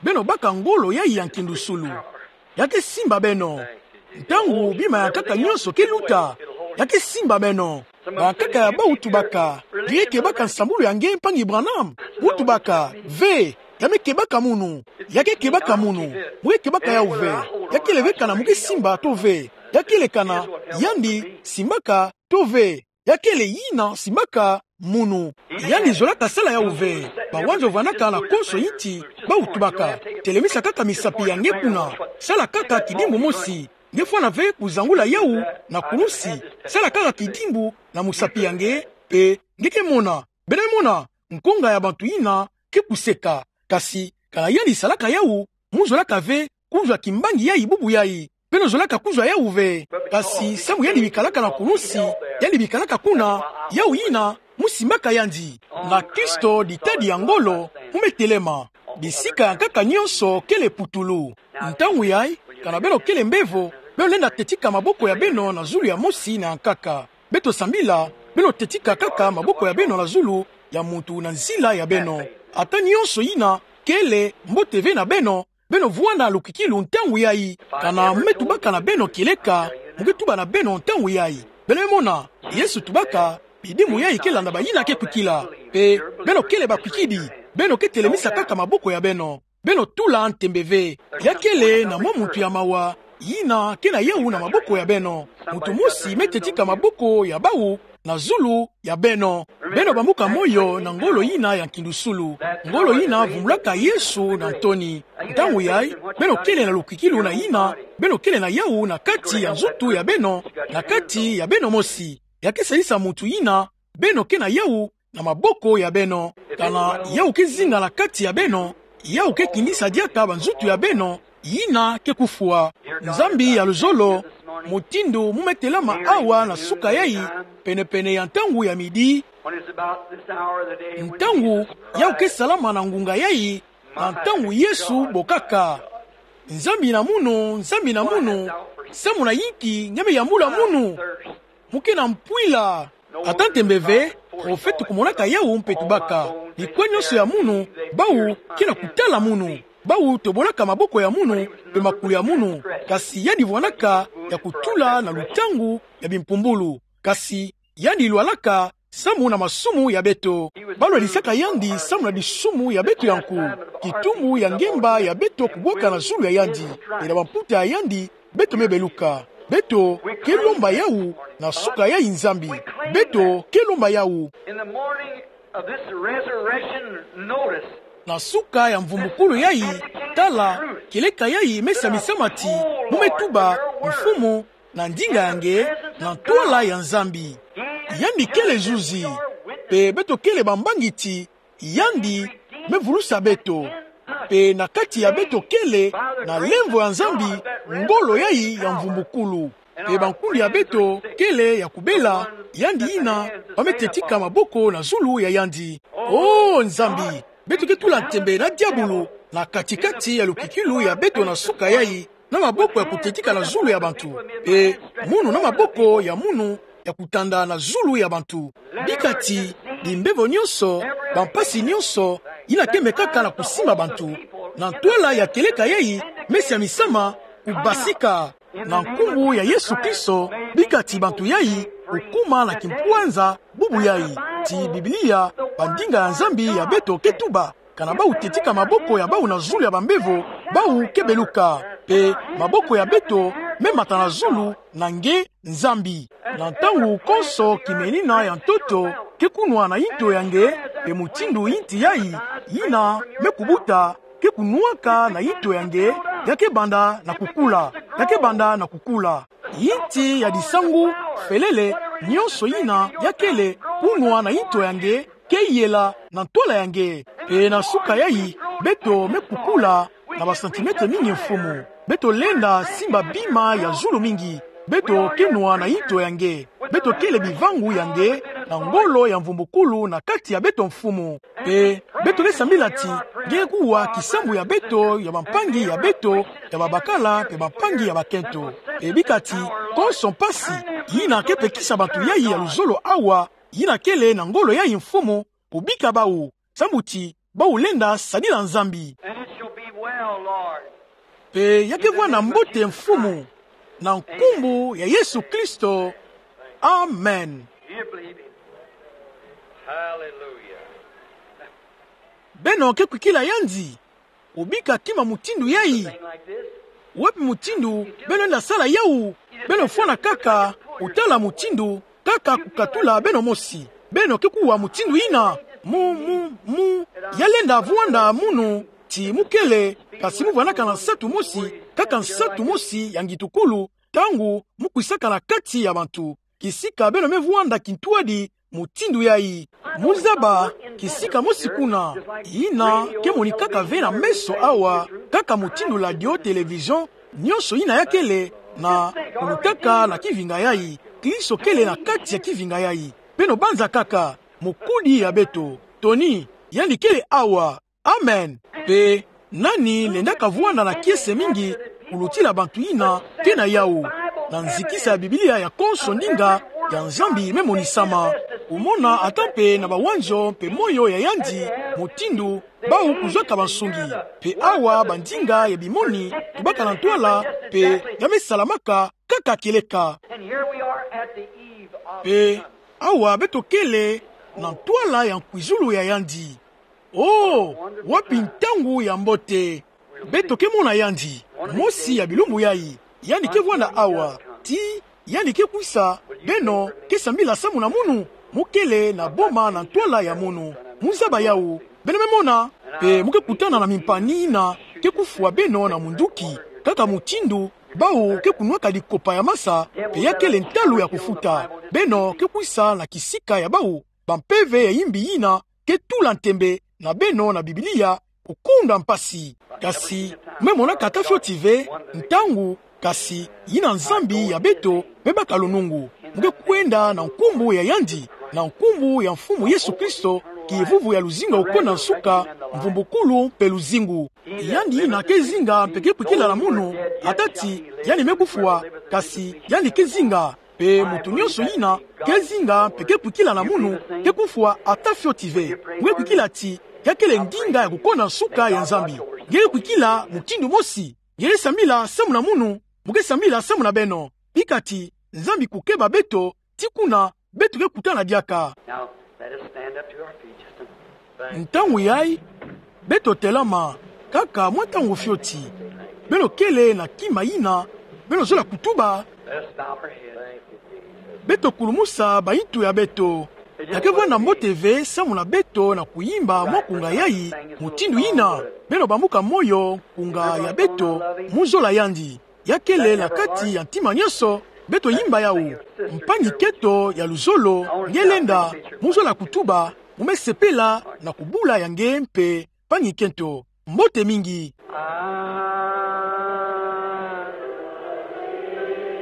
Beno baka ngolo yayi ya nkindusulu. Ya ke simba beno. Ntangu bima ya nkaka nionso ke luta, ya ke simba beno. Bankaka ya bawu tubaka: Nge ke baka nsambulu ya nge, mpangi Branham? Mu tubaka: Ve, ya me kebaka munu. Ya ke kebaka munu. Mu ke kebaka yawu ve. Ya kele ve kana mu ke simba to ve. Ya kele kana yandi simbaka to ve. Ya kele yina simbaka munu. Yandi zolaka sala yawu ve. Bawanzo vwanaka na konso inti, bawu tubaka: Telemisa kaka misapi ya nge kuna. Sala kaka kidimbu mosi. Nge fwana ve kuzangula yawu na kulusi. Sala kaka kidimbu na musapi ya nge, pe nge ke mona. Beno me mona, nkonga ya bantu yina ke kuseka. Kasi kana yandi salaka yawu, muzolaka ve kuzwa kimbangi yayi bubu yayi. Beno zolaka kuzwa yawu ve. Kasi samu yandi bikalaka na kulusi, yandi bikalaka kuna, yawu yina, musimbaka yandi. Na Kristo ditadi ya ngolo, mumetelema. Bisika ya nkaka nyonso kele putulu. Ntangu yayi, kana beno kele mbevo, beno lenda tetika maboko ya beno na zulu ya mosi na ya nkaka. Beto sambila, beno tetika kaka maboko ya beno na zulu ya muntu na nzila ya beno. Ata nyonso yina kele mbote ve na beno, beno vwanda na lukwikilu ntangu yayi. Kana mumetubaka na beno kieleka, muke tuba na beno ntangu yayi. Beno mona, Yesu tubaka, bidimbu yayi ke landa bayina ke kwikila. Pe, beno kele bakwikidi, beno ke telemisa kaka maboko ya beno. Beno tula ntembe ve. Ya kele na mwa muntu ya mawa, yina ke na yawu na maboko ya beno. Muntu mosi me tetika maboko ya bawu na zulu ya beno. Beno bambuka moyo na ngolo yina ya nkindusulu. Ngolo yina vumbulaka Yesu na ntoni. Ntangu yayi, beno kele na lukwikilu na yina, beno kele na yawu na kati ya nzutu ya beno, na kati ya beno mosi. Ya ke salisa muntu yina, beno ke na yawu na maboko ya beno. Kana yawu ke zinga na kati ya beno, yawu ke kindisa diaka banzutu ya beno, yina ke kufwa. Nzambi ya luzolo, mutindu mumetelama awa na suka yayi, penepene ya ntangu ya midi. Ntangu yawu ke salama na ngunga yayi, na ntangu Yesu bokaka: Nzambi na munu, Nzambi na munu, samu na yinki nge me yambula munu? Muke na mpwila. Ata ntembe ve, profete kumonaka yawu mpe tubaka: Bikwa nyonso ya munu, bawu ke na kutala munu. Bawu tobolaka maboko ya munu, pe makulu ya munu. Kasi yandi vwandaka ya kutula na lutangu ya bimpumbulu. Kasi yandi lwalaka samu na masumu ya beto. Balwadisaka yandi samu na disumu ya beto ya nku. Kitumbu ya ngemba ya beto kubwaka na zulu ya yandi. Pe na bamputa ya yandi, beto me beluka. Beto ke lomba yawu na suka yayi Nzambi. Beto ke lomba yawu. In the morning of this resurrection, notice. Na suka ya mvumbukulu yayi, tala, kieleka yayi me samisama ti, mumetuba, Mfumu, na ndinga ya nge, na ntwala ya Nzambi. Yandi kele zuzi, pe beto kele bambangi ti, yandi me vulusa beto. Pe na kati ya beto kele na lemvo ya Nzambi, ngolo yayi ya mvumbukulu. Pe bankundi ya beto kele ya kubela, yandi yina ba me tetika maboko na zulu ya yandi. O Nzambi, beto ke tula ntembe na diabulu na kati-kati ya lukwikilu ya beto na suka yayi, na maboko ya kutetika na zulu ya bantu. Pe munu na maboko ya munu ya kutanda na zulu ya bantu. Bika ti bimbevo nyonso, bampasi nyonso, yina ke mekaka na kusimba bantu na ntwala ya kieleka yayi, me samisama, kubasika. Na nkumbu ya Yesu Kristo, bika ti bantu yayi kukuma na kimpwanza bubu yayi. Ti Biblia, bandinga ya Nzambi ya beto ke tuba: Kana bawu tetika maboko ya bawu na zulu ya bambevo, bawu ke beluka. Pe maboko ya beto me mata na zulu na nge Nzambi. Na ntangu konso kimenina ya ntoto ke kunwa na yinto ya nge, pe mutindu yinti yayi, yina me kubuta, ke kunwaka na yinto ya nge, ya ke banda na kukula, ya ke banda na kukula. Yinti ya disangu, felele, nyonso yina ya kele kunwa na yinto ya nge, ke yela na ntwala ya nge. Pe na suka yayi, beto me kukula na basantimetre mingi, Mfumu. Beto lenda simba bima ya zulu mingi. Beto ke nwa na yinto ya nge. Beto kele bivangu ya nge na ngolo ya mvumbukulu na kati ya beto, Mfumu. Pe beto ke sambila ti nge ke kuwa kisambu ya beto, ya bampangi ya beto, ya babakala pe bampangi ya bakento. Pe bika ti konso mpasi yina ke pekisa bantu yayi ya luzolo awa, yina kele na ngolo yayi, Mfumu, kubika bawu, sambu ti bawu lenda sadila Nzambi. And it shall be well, Lord. Pe ya ke vwanda mbote, Mfumu, na nkumbu ya Yesu Kristo. Amen. Do you believe him? Hallelujah. Beno ke kwikila yandi? Kubika kima mutindu yayi. Wapi mutindu beno lenda sala yawu? Beno fwana kaka, kutala mutindu, kaka kukatula beno mosi. Beno ke kuwa mutindu yina. Mu, mu, mu, ya lenda vwanda munu, ti mu kele, kasi mu vwandaka na nsatu mosi, kaka nsatu mosi ya ngitukulu, ntangu mu kwisaka na kati ya bantu. Kisika beno me vwanda kintwadi, mutindu yayi. Muzaba kisika mosi kuna, yina ke monikaka ve na meso awa, kaka mutindu ladio, television, nionso yina ya kele, na kulutaka na kivinga yayi. Kristo kele na kati ya kivinga yayi. Beno banza kaka, mokudi ya beto. Toni, yandi kele awa. Amen. Mpe nani lenda kavwanda na kiese mingi kulutila bantu yina ke na yawu? Na nzikisa ya Biblia ya konso ndinga ya Nzambi me monisama. Omona ata mpe na bawanzo mpe moyo ya yandi, mutindu bawu kuzwaka bansungi. Mpe awa bandinga ya bimoni tubaka na ntwala, mpe ya me salamaka kaka kieleka. And here we are at the eve of Mpe awa beto kele na ntwala ya nkwizulu ya yandi. Oh, wapi ntangu ya mbote! Beto ke mona yandi, mosi ya bilumbu yayi, yandi ke vwanda awa, tii yandi ke kwisa. Beno ke sambila samu na munu? Mu kele na boma na ntwala ya munu. Muzaba yawu, beno me mona, mpe mu ke kutana na mimpani yina ke kufwa beno na munduki, kaka mutindu bawu ke kunwaka dikopa ya masa, mpe ya kele ntalu ya kufuta. Beno ke kwisa na kisika ya bawu bampeve ya yimbi yina ke tula ntembe na beno na Biblia, kukunda mpasi. Kasi mu me monaka ata fioti ve ntangu, kasi yina Nzambi ya beto me baka lunungu. Mu ke kwenda na nkumbu ya yandi, na nkumbu ya Mfumu Yesu Kristo, kivuvu ya luzingu ya kukona nsuka, mvumbukulu mpe luzingu. Yandi yina ke zinga mpe ke kwikila na munu, ata ti yandi me kufwa, kasi yandi ke zinga, mpe muntu nionso yina ke zinga mpe ke kwikila na munu ke kufwa ata fioti ve. Mu ke kwikila ti ya kele ndinga ya kukona nsuka ya Nzambi. Nge ke kwikila mutindu mosi. Nge ke sambila samu na munu, mu ke sambila samu na beno. Bika ti Nzambi kukeba beto, ti kuna beto ke kutana diaka. Now, let us stand up to our feet just a moment. Ntangu yayi, beto telama kaka mwa ntangu fioti. Beno kele na kima yina beno zola kutuba. Let us bow our heads. Beto kulumusa bayitu ya beto. Ya ke vwanda mbote ve samu na beto na kuyimba mwa nkunga yayi mutindu yina. Beno bambuka moyo, nkunga ya beto, mu zola yandi. Ya kele na kati ya ntima nionso, beto yimba yawu. Mpangi-kento ya luzolo, nge lenda, mu zola kutuba, mu me sepela na kubula ya nge mpe mpangi-kento. Mbote mingi. I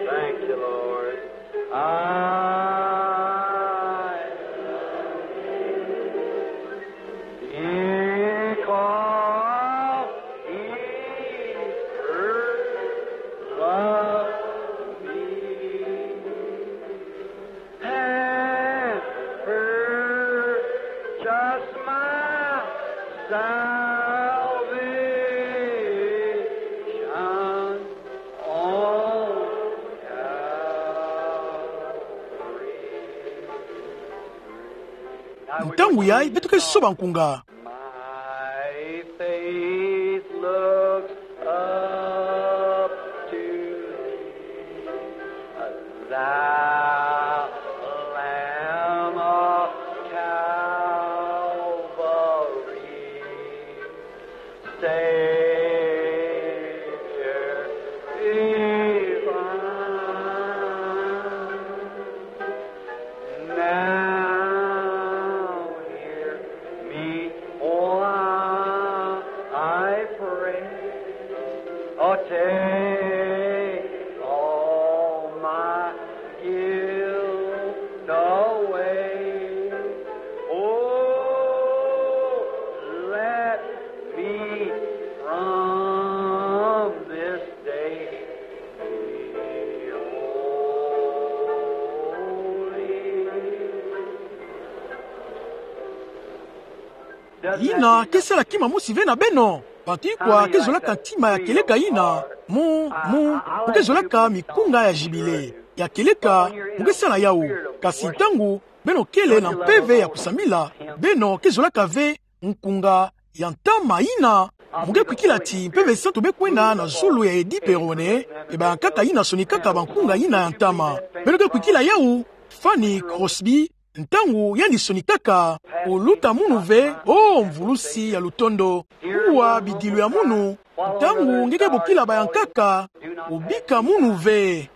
thank you, Lord. I Because he first loved me and purchased my salvation on Calvary. Ntangu yayi beto ke soba nkunga. My faith looks up to thee, thou Lamb of Calvary. Savior divine, now hear me while I pray. Oh, take all my guilt away. Oh, let me from this day be holy. Yina ke sala kima mosi ve na beno. Bantu ikwa ke zolaka ntima ya kieleka yina, mu, mu, mu ke zolaka mikunga ya jibile ya kieleka, mu ke sala yawu. Kasi ntangu beno kele na mpeve ya kusambila, beno ke zolaka ve nkunga ya ntama yina. Mu ke kwikila ti Mpeve Santu me kwenda na zulu ya Eddy Perrone, mpe bayankaka yina sonikaka bankunga yina ya ntama. Beno ke kwikila yawu, Fanny Crosby, ntangu yandi sonikaka: O luta munu ve, o Mvulusi ya lutondo, kuwa bidilu ya munu. Ntangu nge ke bokila bayankaka, obika munu ve.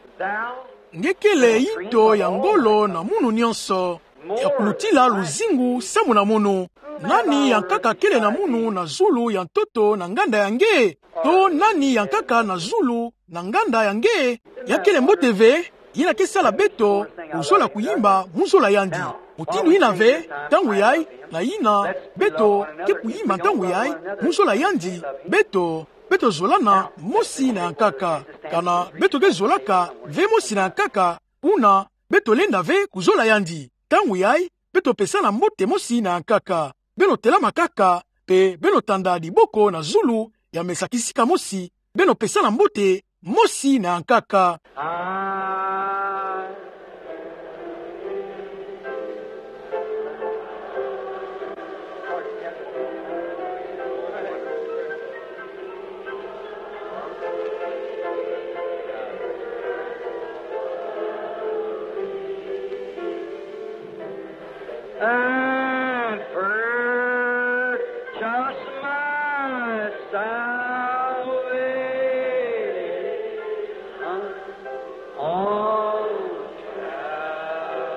Nge kele yinto ya ngolo na munu nionso. ya kulutila luzingu samu na munu. Nani ya nkaka kele na munu na zulu ya ntoto na nganda ya nge? To nani ya nkaka na zulu na nganda ya nge? Ya kele mbote ve, yina ke sala beto kuzola kuyimba muzola yandi. Mutindu yina ve, ntangu yayi, na yina beto ke kuyimba ntangu yayi muzola yandi, beto, beto zolana mosi na ya nkaka. Kana beto ke zolaka ve mosi na ya nkaka, buna beto lenda ve kuzola yandi. Ntangu yayi, beto pesana mbote mosi na ya nkaka. Beno telama kaka, pe beno tanda diboko na zulu ya mesa kisika mosi, beno pesana mbote mosi na ya nkaka. And purchase my salvation on Calvary.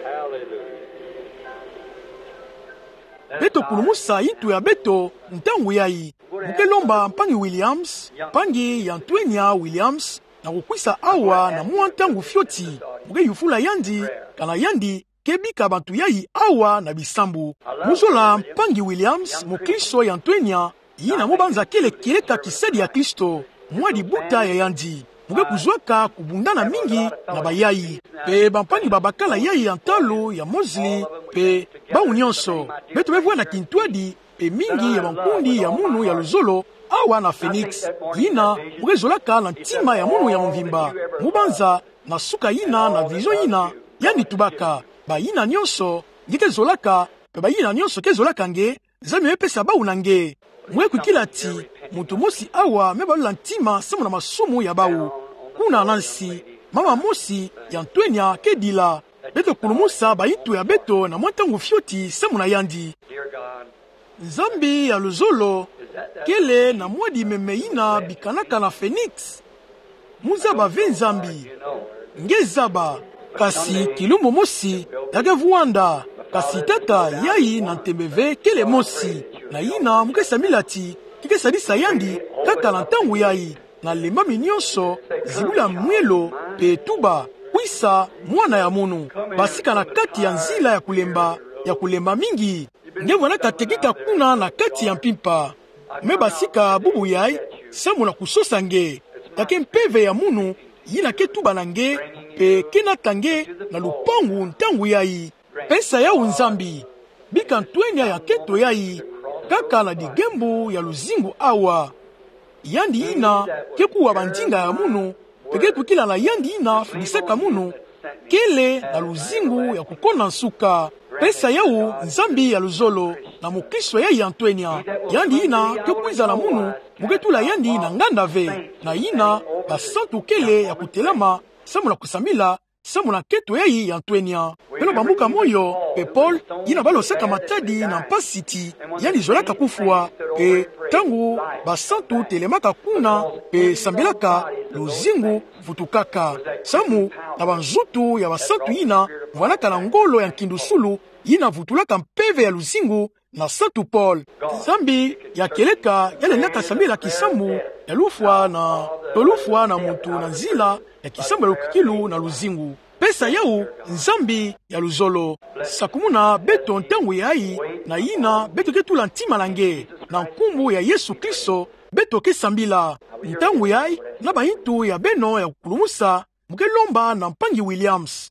Hallelujah. Beto kulumusa yintu ya beto ntangu yayi. Mu ke lomba mpangi Williams, mpangi ya Ntwenya Williams, na kukwisa awa na mwa ntangu fioti. Mu ke yufula yandi, kana yandi ke bika bantu yayi awa na bisambu. Muzola mpangi Williams, mukristo ya Ntwenya, yina mu banza kele kieleka kisadi ya Kristo, mwa dibuta ya yandi. Mu ke kuzwaka kubundana mingi na bayayi. Pe bampangi babakala yayi ya ntalu ya Mosley, pe bawu nyonso. Beto me vwanda kintwadi, pe mingi ya bankundi ya munu ya luzolo, awa na Phoenix. Yina, mu ke zolaka na ntima ya munu ya mvimba. Mu banza, na suka yina, na vision yina, yandi tubaka: Bayina nyonso nge ke zolaka, pe bayina nyonso ke zolaka nge, Nzambi me pesa bawu na nge. Mu ke kwikila ti, muntu mosi awa me balula ntima samu na masumu ya bawu. Kuna na nsi, mama mosi ya Ntwenya ke dila. Beto kulumusa bayintu ya beto na mwa ntangu fioti samu na yandi. Nzambi ya luzolo, kele na mwadi meme yina bikanaka na Phoenix? Mu zaba ve Nzambi. Nge zaba. Kasi kilumbu mosi, ya ke vwanda. Kasi tata yayi na ntembe ve kele mosi. Na yina mu ke sambila ti, ki ke sadisa yandi, kaka na ntangu yayi, na lembami nyonso, zibula mwelo, pe tuba: Kwisa, mwana ya munu. Basika na kati ya nzila ya kulemba, ya kulemba mingi. Nge vwandaka tekika kuna na kati ya mpimpa. Me basika bubu yayi, samu na kusosa nge. Ya ke mpeve ya munu, yina ke tuba na nge, pe ke nata nge na lupangu ntangu yayi. Pesa yawu Nzambi. Bika Ntwenya ya nkento yayi, kaka na digembu ya luzingu awa. Yandi yina ke kuwa bandinga ya munu, pe ke kwikila na yandi yina fidisaka munu, kele na luzingu ya kukonda nsuka. Pesa yawu Nzambi ya luzolo, na mukristo yayi ya Ntwenya. Yandi yina ke kwiza na munu, mu ke tula yandi na nganda ve. Na yina, basantu kele ya kutelama, samu na kusambila, samu na nkento yayi ya Ntwenya. Beno bambuka moyo, pe pole yina balosaka matadi na mpasi ti, yandi zolaka kufwa, pe ntangu basantu telemaka kuna, pe sambilaka, luzingu vutukaka. Samu na banzutu ya basantu yina vwandaka na ngolo ya nkindusulu, yina vutulaka mpeve ya luzingu, na Santu Pole. Nzambi ya kieleka ya lendaka sambila kisambu ya lufwa na, to lufwa na muntu na nzila ya kisambu ya lukwikilu na luzingu. Pesa yawu Nzambi ya luzolo. Sakumuna beto ntangu yayi, na yina beto ke tula ntima na nge. Na nkumbu ya Yesu Kristo, beto ke sambila. Ntangu yayi, na bayintu ya beno ya kukulumusa, mu ke lomba na mpangi Williams.